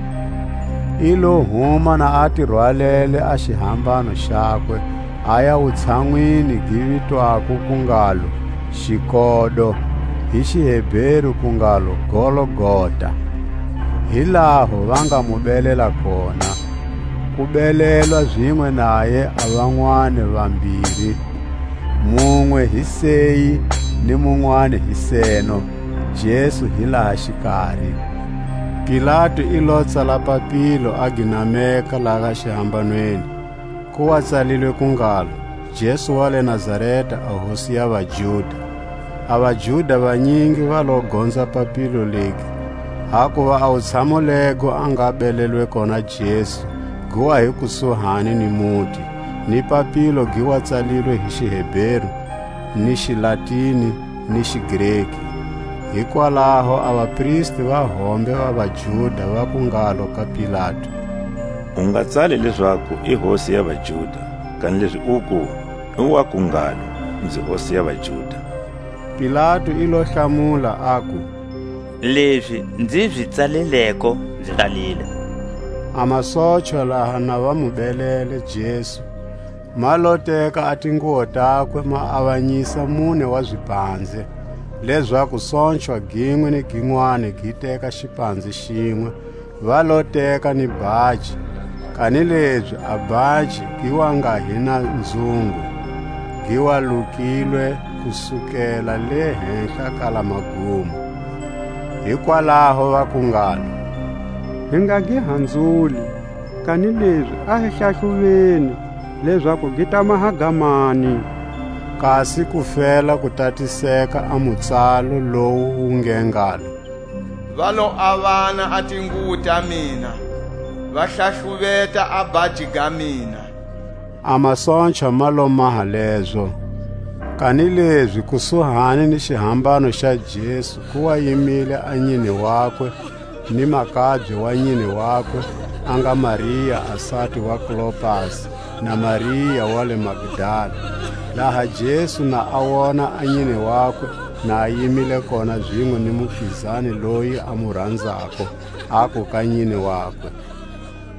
I lo huma na a ti rwalele a xihambano xakwe, a ya wutshanwini gi vitwako ku ngalo Xikodo, hi xiHeberu ku ngalo Golgota. Hi laho va nga mu belela kona. Ku belelwa zinwe naye a vanwani vambiri, munwe hi seyi ni munwani hi seno, Jesu hi laha xikari. Pilatu i lo tsala papilo, a gi nameka laha xihambanweni. Ku wa tsalilwe ku ngalo: "Jesu wa le Nazareta, a Hosi ya vaJuda." A vaJuda vanyingi va lo gonza papilo legi, hakuva a wutshamo lego a nga belelwe kona Jesu, gi wa hi kusuhani ni muti, ni papilo gi wa tsalilwe hi xiHeberu, ni xiLatini, ni xiGreki. Hikwalaho a vapristi va hombe va vaJuda vaku ngalo ka Pilatu: "U nga tsali lezaku i Hosi ya vaJuda, kanilezi uku, i waku ngalo: Nzi Hosi ya vaJuda." Pilatu i lo hlamula, aku: "Lezi nzi zi tsalileko, nzi tsalile." A masochwa laha na va mu belele Jesu, ma lo teka a tinguwo takwe, ma avanyisa mune wa zipanze, lezaku sochwa ginwe ni ginwani gi teka xipanze xinwe. Va lo teka ni bhaji, kanilezi a bhaji gi wa nga hi na nzungu, gi wa lukilwe ku sukela le henhla kala magumo. Hikwalaho vaku ngalo: "Hi nga gi hanzuli, kanilezi a hi hlahluveni, lezaku gi ta maha ga mani." Kasi ku fela ku tatiseka a mutsalo lowu wu nge ngalo: "Va lo avana a tinguwo ta mina, va hlahluveta a bhaji ga mina." A masochwa ma lo maha lezo. Kanilezi kusuhani ni xihambano xa Jesu ku wa yimile a nyine wakwe, ni makabye wa nyine wakwe, a nga Maria a sati wa Klopasi, na Maria wa le Magdala. Laha Jesu na a wona a nyine wakwe, na a yimile kona zinwe ni mupizani loyi a mu ranzako, aku ka nyine wakwe: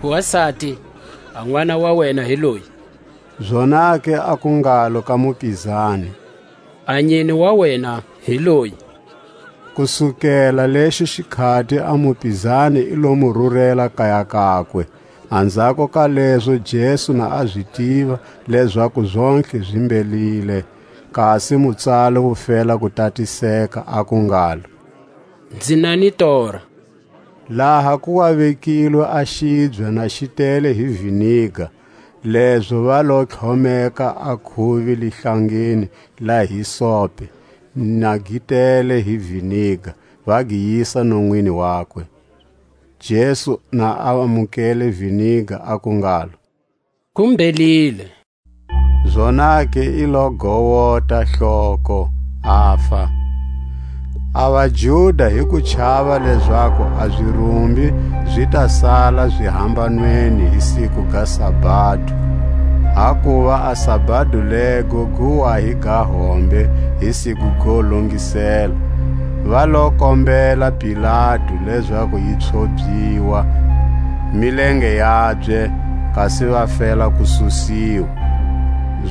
"Wasati, a n'wana wa wena hi loyi." Zonake aku ngalo ka mupizani: "A nyine wa wena hi loyi." Kusukela lexo xikhati a mupizani i lo mu rurela kaya kakwe. Anzhako ka lezo Jesu na a zi tiva lezaku zontlhe zi mbelile, kasi mutsalo wu fela ku tatiseka, aku ngalo: "Nzi na ni tora." Laha ku wa vekilwe a xibya na xi tele hi viniga, lezo va lo tlhomeka a khuvi lihlangeni la hisope, na gi tele hi viniga, va gi yisa nonwini wakwe. Jesu na a amukele viniga, aku ngalo: "Ku mbelile." Zonake i lo gowota hloko, afa. A vaJuda, hi ku chava lezaku a zirumbi zi ta sala zihambanweni hi siku ga sabado, hakuva a sabado lego gu wa hi ga hombe hi siku go longisela, va lo kombela Pilatu lezaku yi tshovyiwa milenge yabye, kasi va fela ku susiwa.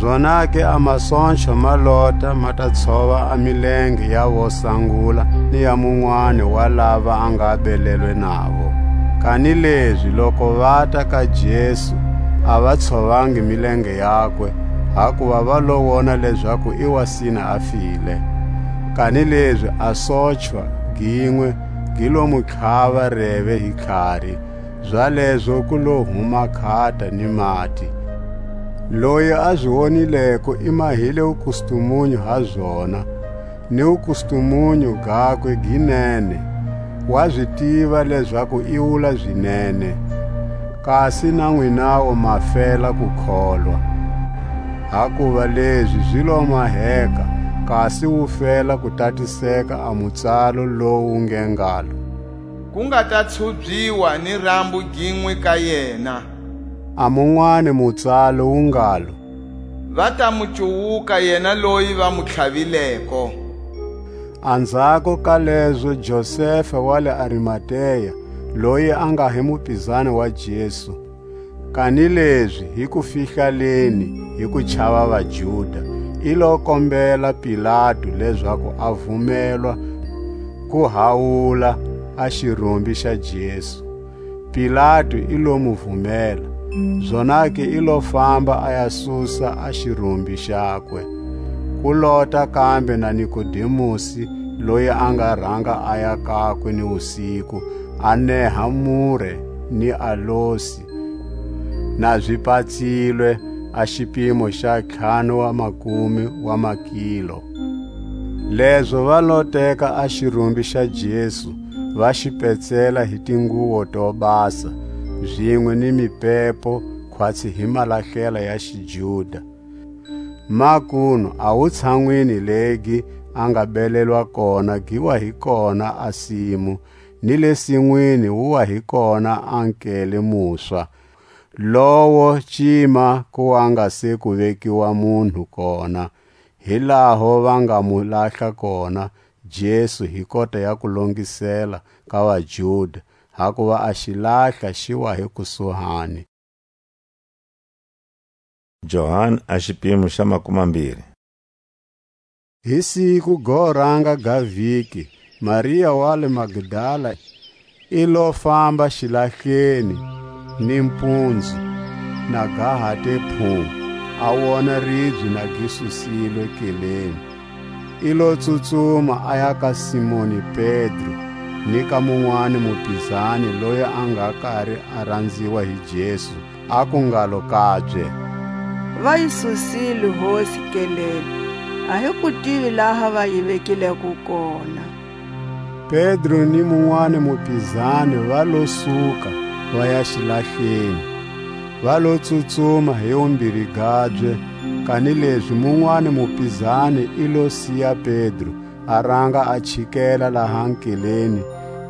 Zonake a masochwa ma lota ma ta tshova a milenge ya vo sangula ni ya munwani wa lava a nga belelwe navo. Kanilezi loko vata ka Jesu, a va tshovangi milenge yakwe, hakuva va lo wona lezaku i wa sina a file. Kanilezi a sochwa ginwe gi lo mu tlhava reve hi tlhari, zalezo ku lo huma khata ni mati. Loyi a zi wonileko i mahile wukustumunyu ha zona, ni wukustumunyu gakwe gi nene, wa zi tiva lezaku i wula zinene. Kasi na nwinawu ma fela ku kholwa, hakuva lezi zi lo maheka, kasi wu fela ku tatiseka a mutsalo lowu nge ngalo: Ku nga ta tshubyiwa ni rambu ginwe ka yena. A munwani mutsalo wu ngalo: Va ta mu cuwuka yena loyi va mu tlhavileko. Anzhako ka lezo Josefa wa le Arimatea, loyi a nga hi mupizani wa Jesu, kanilezi hi kufihlaleni hi kuchava vaJuda, i lo kombela Pilatu lezaku a vumelwa ku hawula a xirumbi xa Jesu. Pilatu i lo mu vumela, zonake i lo famba a ya susa a xirumbi xakwe. Ku lota kambe na Nikodemusi, loyi a nga ranga a ya kakwe ni wusiku, a neha mure ni alosi, na zi patsilwe a xipimo xa ntlhanu wa makumi wa makilo. Lezo va lo teka a xirumbi xa Jesu, va xi petsela hi tinguwo to basa, zinwe ni mipepo, khwatsi hi malahlela ya xiJuda. Makunu a wutshanwini legi a nga belelwa kona gi wa hi kona a simu, ni le sinwini wu wa hi kona a nkele muswa, lowo cima ku wa nga se ku vekiwa munhu kona, hi laho va nga mu lahla kona Jesu hi kota ya kulongisela ka vaJuda, hakuva a xilahla xi wa hi kusuhani. Johani a xipimo xa makumambiri. Hi siku go ranga ga vhiki, Maria wa le Magdala i lo famba xilahleni ni mpunzu, na ga ha te phu, a wona ribye na gi susilwe keleni. I lo tsutsuma a ya ka Simoni Pedro ni ka munwani mupizani loyi a nga kari a ranziwa hi Jesu, aku ngalo kabye: Va yi susile Hosi keleni, a hi ku tivi laha va yi vekileko kona. Pedro ni munwani mupizani va lo suka, va ya xilahleni, va lo tsutsuma hi wumbiri gabye, kanilezi munwani mupizani i lo siya Pedro, a ranga a chikela laha nkeleni,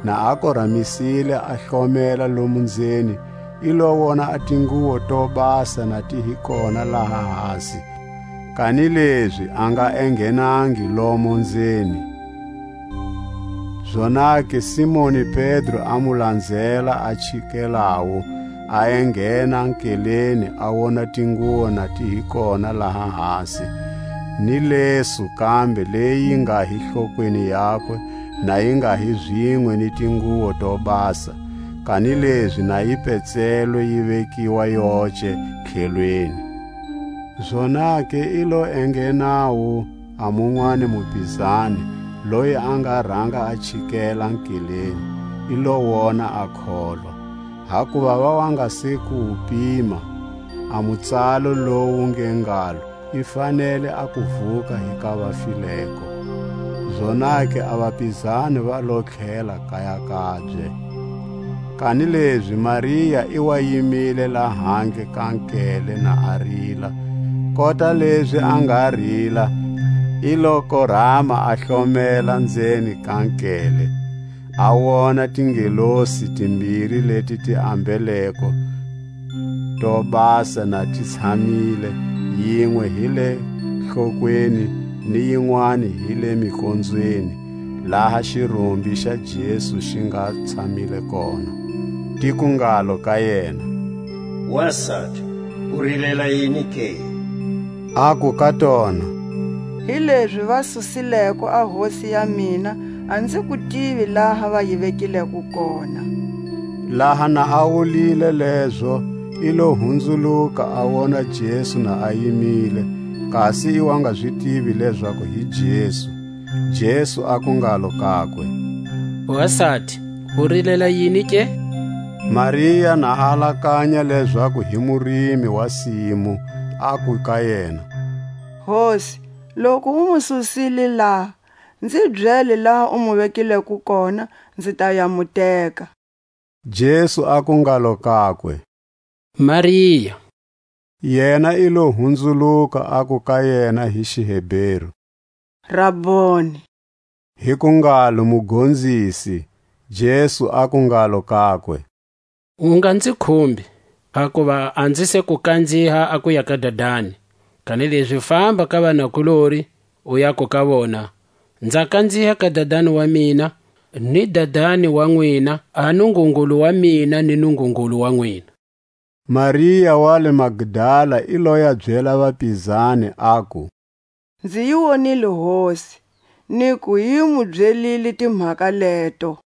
na a koramisile a hlomela lomu nzeni, i lo wona a tinguwo to basa na ti hi kona laha hasi, kanilezi a nga enghenangi lomo nzeni. Zonake Simoni Pedro a mu lanzela a chikelawu, a enghena nkeleni, a wona tinguwo na ti hi kona laha hasi, ni lesu kambe leyi nga hi hlokweni yakwe, na yi nga hi zinwe ni tinguwo to basa, kanilezi na yi petselwe yi vekiwa yoce tlhelweni. Zonake i lo enghenawu a munwani mupizani, loyi a nga ranga a chikela nkeleni, i lo wona a kholwa. Hakuva va wa nga se ku wu pima, a mutsalo lowu nge ngalo, i fanele a ku vuka hi ka vafileko. Zonake a vapizani va lo tlhela kaya kabye. Kanilezi Maria i wa yimile lahandle ka nkele na a rila. Kota lezi a nga rila, i lo korama a hlomela nzeni ka nkele, a wona tingelosi timbiri leti ti ambeleko to basa na ti tshamile, yinwe hi le nhlokweni ni yinwani hi le mikonzweni, laha xirumbi xa Jesu xi nga tshamile kona. Tiku ngalo ka yena: Wasati, u rilela yini ke? Aku ka tona: Hilezi va susileko a Hosi ya mina, a nzi ku tivi laha va yi vekileko kona. Laha na a wulile lezo, i lo hunzuluka a wona Jesu na a yimile, kasi i wa nga zi tivi lezaku hi Jesu. Jesu aku ngalo kakwe: Wasati, u rilela yini ke? Maria na alakanya lezaku hi murimi wa simu, aku ka yena: Hosi, loku u mu susile laha, nzi byele laha u mu vekileko kona, nzi ta ya mu teka. Jesu aku ngalo kakwe: Maria. Yena i lo hunzuluka, aku ka yena hi Xiheberu: Raboni! Hi ku ngalo: Mugonzisi. Jesu aku ngalo kakwe: U nga nzi khumbi, hakuva a nzi se ku kanziha a ku ya ka Dadani; kanilezi famba ka vanakulori, u yaku ka vona: Nza kanziha ka Dadani wa mina, ni Dadani wa nwina, a Nungungulu wa mina ni Nungungulu wa nwina. Maria wa le Magdala i lo ya byela vapizani, aku: Nzi yi wonile Hosi, ni ku yi mu byelile timhaka leto.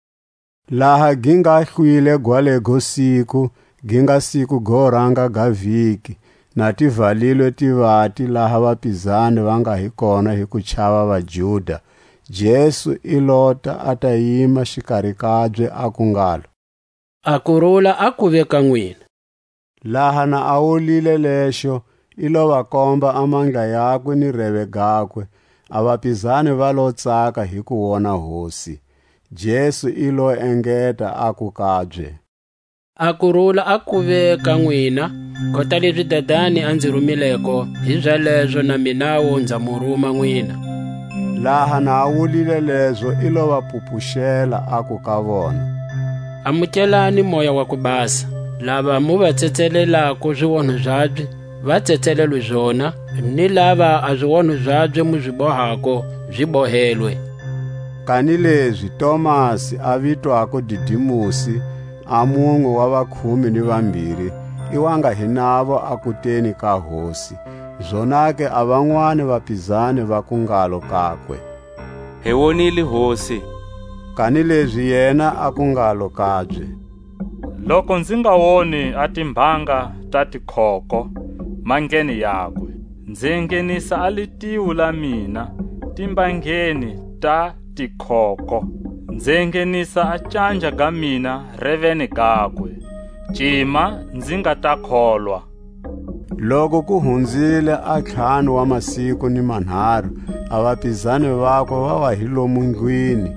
Laha gi nga hlwile gwalego siku, gi nga siku go ranga ga viki, na ti valilwe tivati laha vapizani va nga hi kona hi ku chava vaJuda, Jesu i lota a ta yima xikari kabye, aku ngalo: A kurula a kuve ka nwina. Laha na a wulile lexo, i lo va komba a mandla yakwe ni reve gakwe, a vapizani va lo tsaka hi ku wona Hosi. Jesu i lo engeta, aku kabye: A kurula a kuve ka nwina, kota lezi Dadani a nzi rumileko, hizalezo na minawu nza mu ruma nwina. Laha na a wulile lezo, i lo va pupuxela, aku ka vona: Amukelani Moya wa ku Basa. Lava mu va tsetselelako zionho zabye, va tsetselelwe zona, ni lava a zionho zabye mu zi bohako, zi bohelwe. Kanilezi Tomasi, a vitwako Didimusi, a munwe wa vakhume ni vambiri, i wa nga hi navo a kuteni ka Hosi. Zonake a vanwani vapizani vaku ngalo kakwe: Hi wonile Hosi. Kanilezi yena aku ngalo kabye: Loku nzi nga woni a timbanga ta tikhoko mandleni yakwe, nzi enghenisa a litiwu la mina timbangeni ta tikhoko, nzi enghenisa a canja ga mina reveni gakwe, cima nzi nga ta kholwa. Loku ku hunzile a ntlhanu wa masiku ni manharu, a vapizani vakwe va wa hi lomu ndlwini,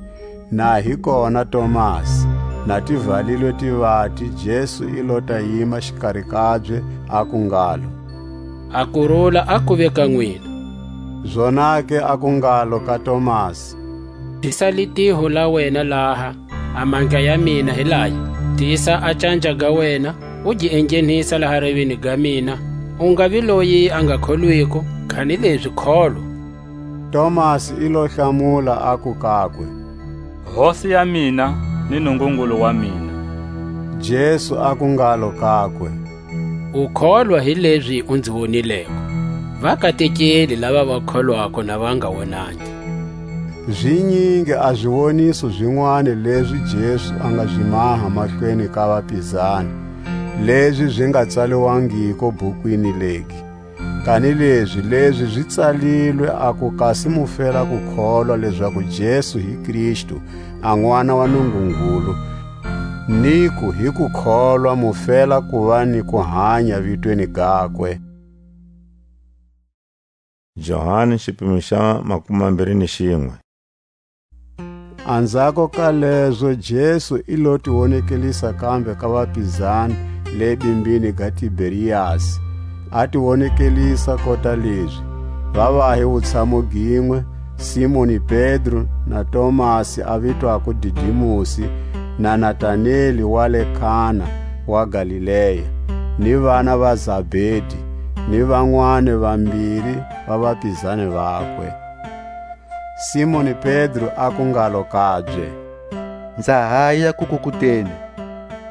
na hi kona Tomasi. Na ti valilwe tivati, Jesu i lo ta yima xikari kabye, aku ngalo: A kurula a kuve ka nwina. Zonake aku ngalo ka Tomasi: Tisa litiho la wena laha, a mandla ya mina hi laya, tisa a canja ga wena, u gi enghenisa laha revini ga mina, u nga vi loyi a nga kholwiko, kanilezi kholwa. Tomasi i lo hlamula, aku kakwe: Hosi ya mina ni Nungungulu wa mina. Jesu aku ngalo kakwe: U kholwa hi lezi u nzi wonileko; va katekile lava va kholwako na va nga wonangi. Zinyingi a ziwoniso zinwani lezi Jesu a nga zi maha mahlweni ka vapizani, lezi zi nga tsaliwangiko bukwini legi. Kanilezi lezi zi tsalilwe, aku kasi mu fela ku kholwa lezaku Jesu hi Kristu, a N'wana wa Nungungulu, ni ku hi ku kholwa mu fela ku va ni kuhanya vitweni gakwe. Johani, xipimo xa makumambiri ni xinwe. Anzhako ka lezo Jesu i lo ti wonekelisa kambe ka vapizani le bimbini ga Tiberiasi, a ti wonekelisa kota lezi: va va hi wutshamu ginwe, Simoni Pedro, na Tomasi a vitwako Didimusi, na Nataneli wa le Kana wa Galilea, ni vana va Zabedi, ni vanwani vambiri va vapizani vakwe. Simoni Pedro aku ngalo kabye: Nza haya kukukuteni.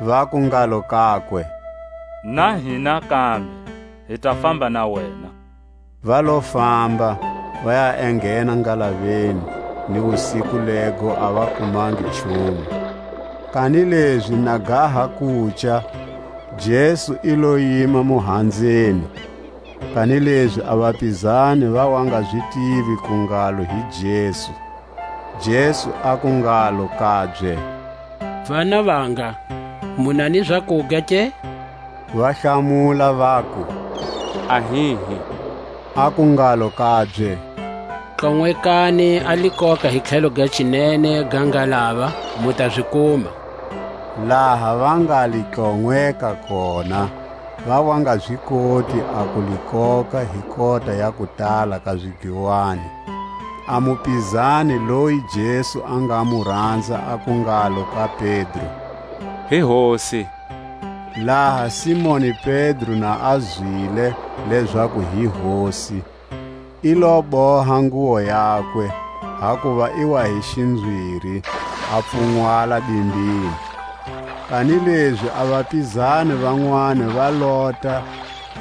Vaku ngalo kakwe: Na hina kambe, hi ta famba na wena. Va lo famba, va ya enghena ngalaveni, ni wusiku lego a va kumangi nchumu. Kanilezi na ga ha kuca, Jesu i lo yima muhanzeni, kanilezi a vapizani va wa nga zi tivi ku ngalo hi Jesu. Jesu aku ngalo kabye: Vana vanga, mu na ni zakuga ke? Va hlamula, vaku: A hihi. Aku ngalo kabye: Tlonwekani a likoka hi tlhelo ga xinene ga ngalava, mu ta zi kuma. Laha va nga li tlonweka kona, va wa nga zi koti a ku li koka hi kota ya kutala ka zidliwani. A mupizani loyi Jesu a nga mu ranza aku ngalo ka Pedro: "Hi Hosi." Laha Simoni Pedro na a zwile lezaku hi Hosi, i lo boha nguwo yakwe, hakuva i wa hi xinzwiri, a pfunwala bimbini. Kanilezi a vapizani vanwani va lota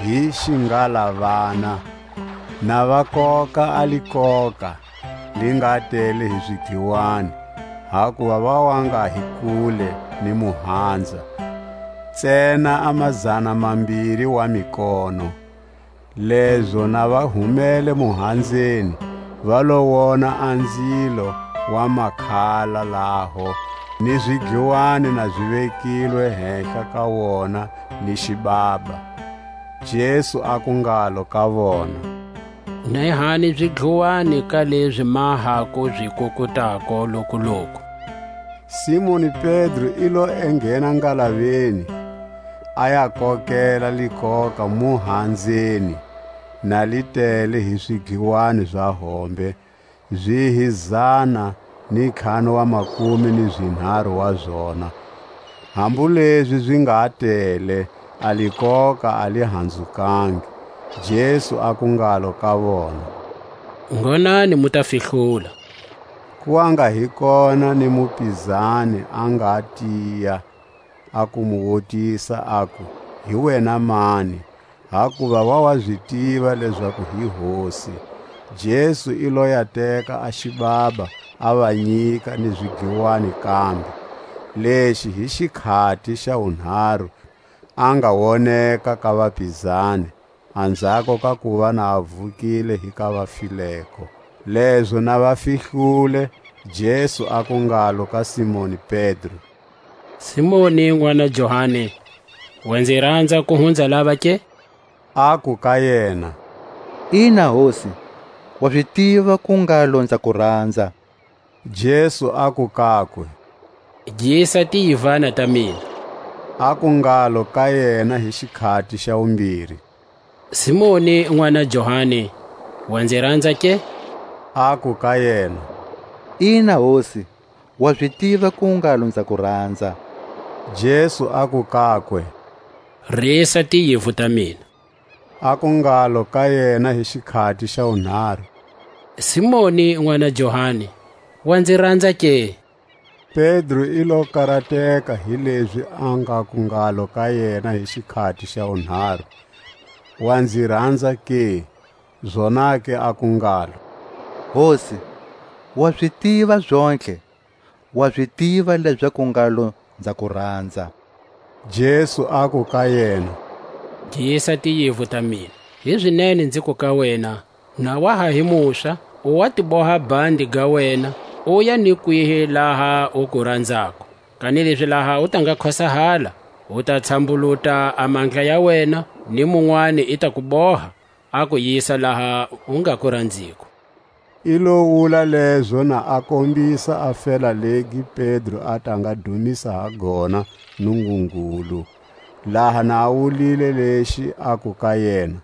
hi xingalavana, na va koka a likoka li nga tele hi zidliwani, hakuva va wa nga hi kule ni muhanza, ntsena a mazana mambiri wa mikono. Lezo na va humele muhanzeni, va lo wona a nzilo wa makhala laho, ni zidliwani na zi vekilwe hehla ka wona, ni xibaba. Jesu aku ngalo ka vona: "Nehani zidluwani ka lezi maha ku zi kukutako lokuloku." Simoni Pedro i lo enghena ngalaveni, a ya kokela likoka muhanzeni, na li tele hi swidliwani za hombe, zi hi zana ni ntlhanu wa makume ni zinharu wa zona. Hambu lezi zi nga tele, a likoka a li hanzukangi. Jesu aku ngalo ka vona: "Ngonani, mu ta fihlula." Ku wa nga hi kona ni mupizani a nga tiya, a ku mu wutisa, aku: "Hi wena mani?" Hakuva wa wa zi tiva lezaku hi Hosi. Jesu i lo ya teka a xibaba, a va nyika ni zidliwani kambe. Lexi hi xikhati xa wunharu a nga woneka ka vapizani, anzhako ka kuva na a vukile hi ka vafileko. Lezo na va fihlule, Jesu aku ngalo ka Simoni Pedro: "Simoni, n'wana Johani, wa nzi ranza ku hunza lava ke?" Aku ka yena: "Ina, Hosi, wa zi tiva ku ngalo nza ku ranza." Jesu aku kakwe: "Gisa tiyivana ta mina." Aku ngalo ka yena hi xikhati xa wumbiri: "Simoni, n'wana Johani, wa nzi ranza ke?" Aku ka yena: "Ina, Hosi, wa zi tiva ku ngalo nza ku ranza." Jesu aku kakwe: "Risa tiyivu ta mina." Aku ngalo ka yena hi xikhati xa wunharu: "Simoni, n'wana Johani, wa nzi ranza ke?" Pedro i lo karateka hi lezi a nga ku ngalo ka yena hi xikhati xa wunharu: "Wa nzi ranza ke?" Zonake aku ngalo: "Hosi, wa zi tiva zontlhe, wa zi tiva lezaku ngalo nza ku ranza." Jesu aku ka yena: "Gisa tiyivu ta mina. Hizinene nziku ka wena, na wa ha hi muswa, u wa ti boha bandi ga wena, u ya ni kwihi laha u ku ranzako. Kanilezi laha u ta nga khosahala, u ta tshambuluta a mandla ya wena, ni munwani i ta ku boha, a ku yisa laha u nga ku ranziko." I lo wula lezo na a kombisa a fela legi Pedro a ta nga dumisa ha gona Nungungulu. Laha na a wulile lexi, aku ka yena: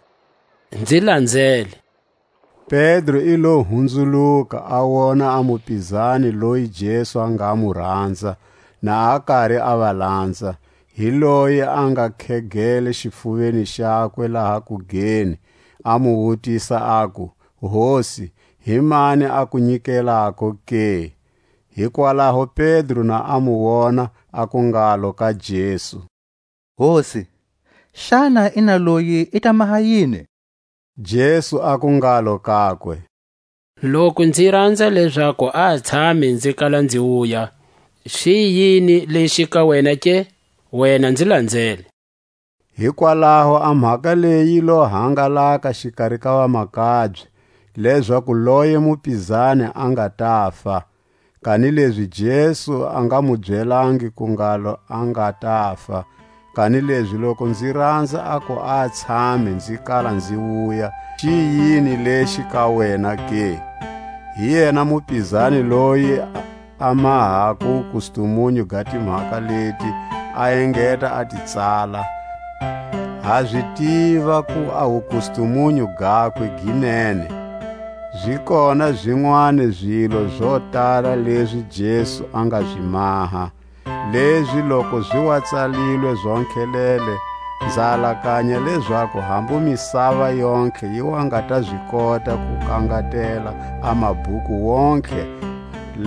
"Nzi lanzele." Pedro i lo hunzuluka, a wona a mupizani loyi Jesu a nga mu ranza, na a kari a va lanza. Hi loyi a nga khegele xifuveni xakwe laha kugeni, a mu wutisa, aku: "Hosi, hi mani a ku nyikelako ke?" Hikwalaho Pedro na a mu wona, aku ngalo ka Jesu: "Hosi, xana i na loyi i ta maha yini?" Jesu aku ngalo kakwe: "Loku nzi ranza lezaku a tshame nzi kala nzi wuya, xi yini lexi ka wena ke? Wena nzi lanzele." Hikwalaho a mhaka leyi yi lo hangalaka xikari ka vamakabye, lezaku loye mupizani a nga ta fa. Kanilezi Jesu a nga mu byelangi ku ngalo a nga ta fa, kanilezi loku nzi ranza a ku a tshame nzi kala nzi wuya, xi yini lexi ka wena ke? Hi yena mupizani loyi a mahako kustumunyu ga timhaka leti, a engeta a ti tsala. Ha zi tiva ku a wukustumunyu gakwe gi nene. Zi kona zinwani zilo zo tala lezi Jesu a nga zi maha, lezi loku zi wa tsalilwe zontlhelele, nza alakanya lezaku hambu misava yontlhe yi wa nga ta zi kota ku kangatela a mabhuku wontlhe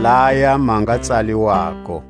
laya ma nga tsaliwako.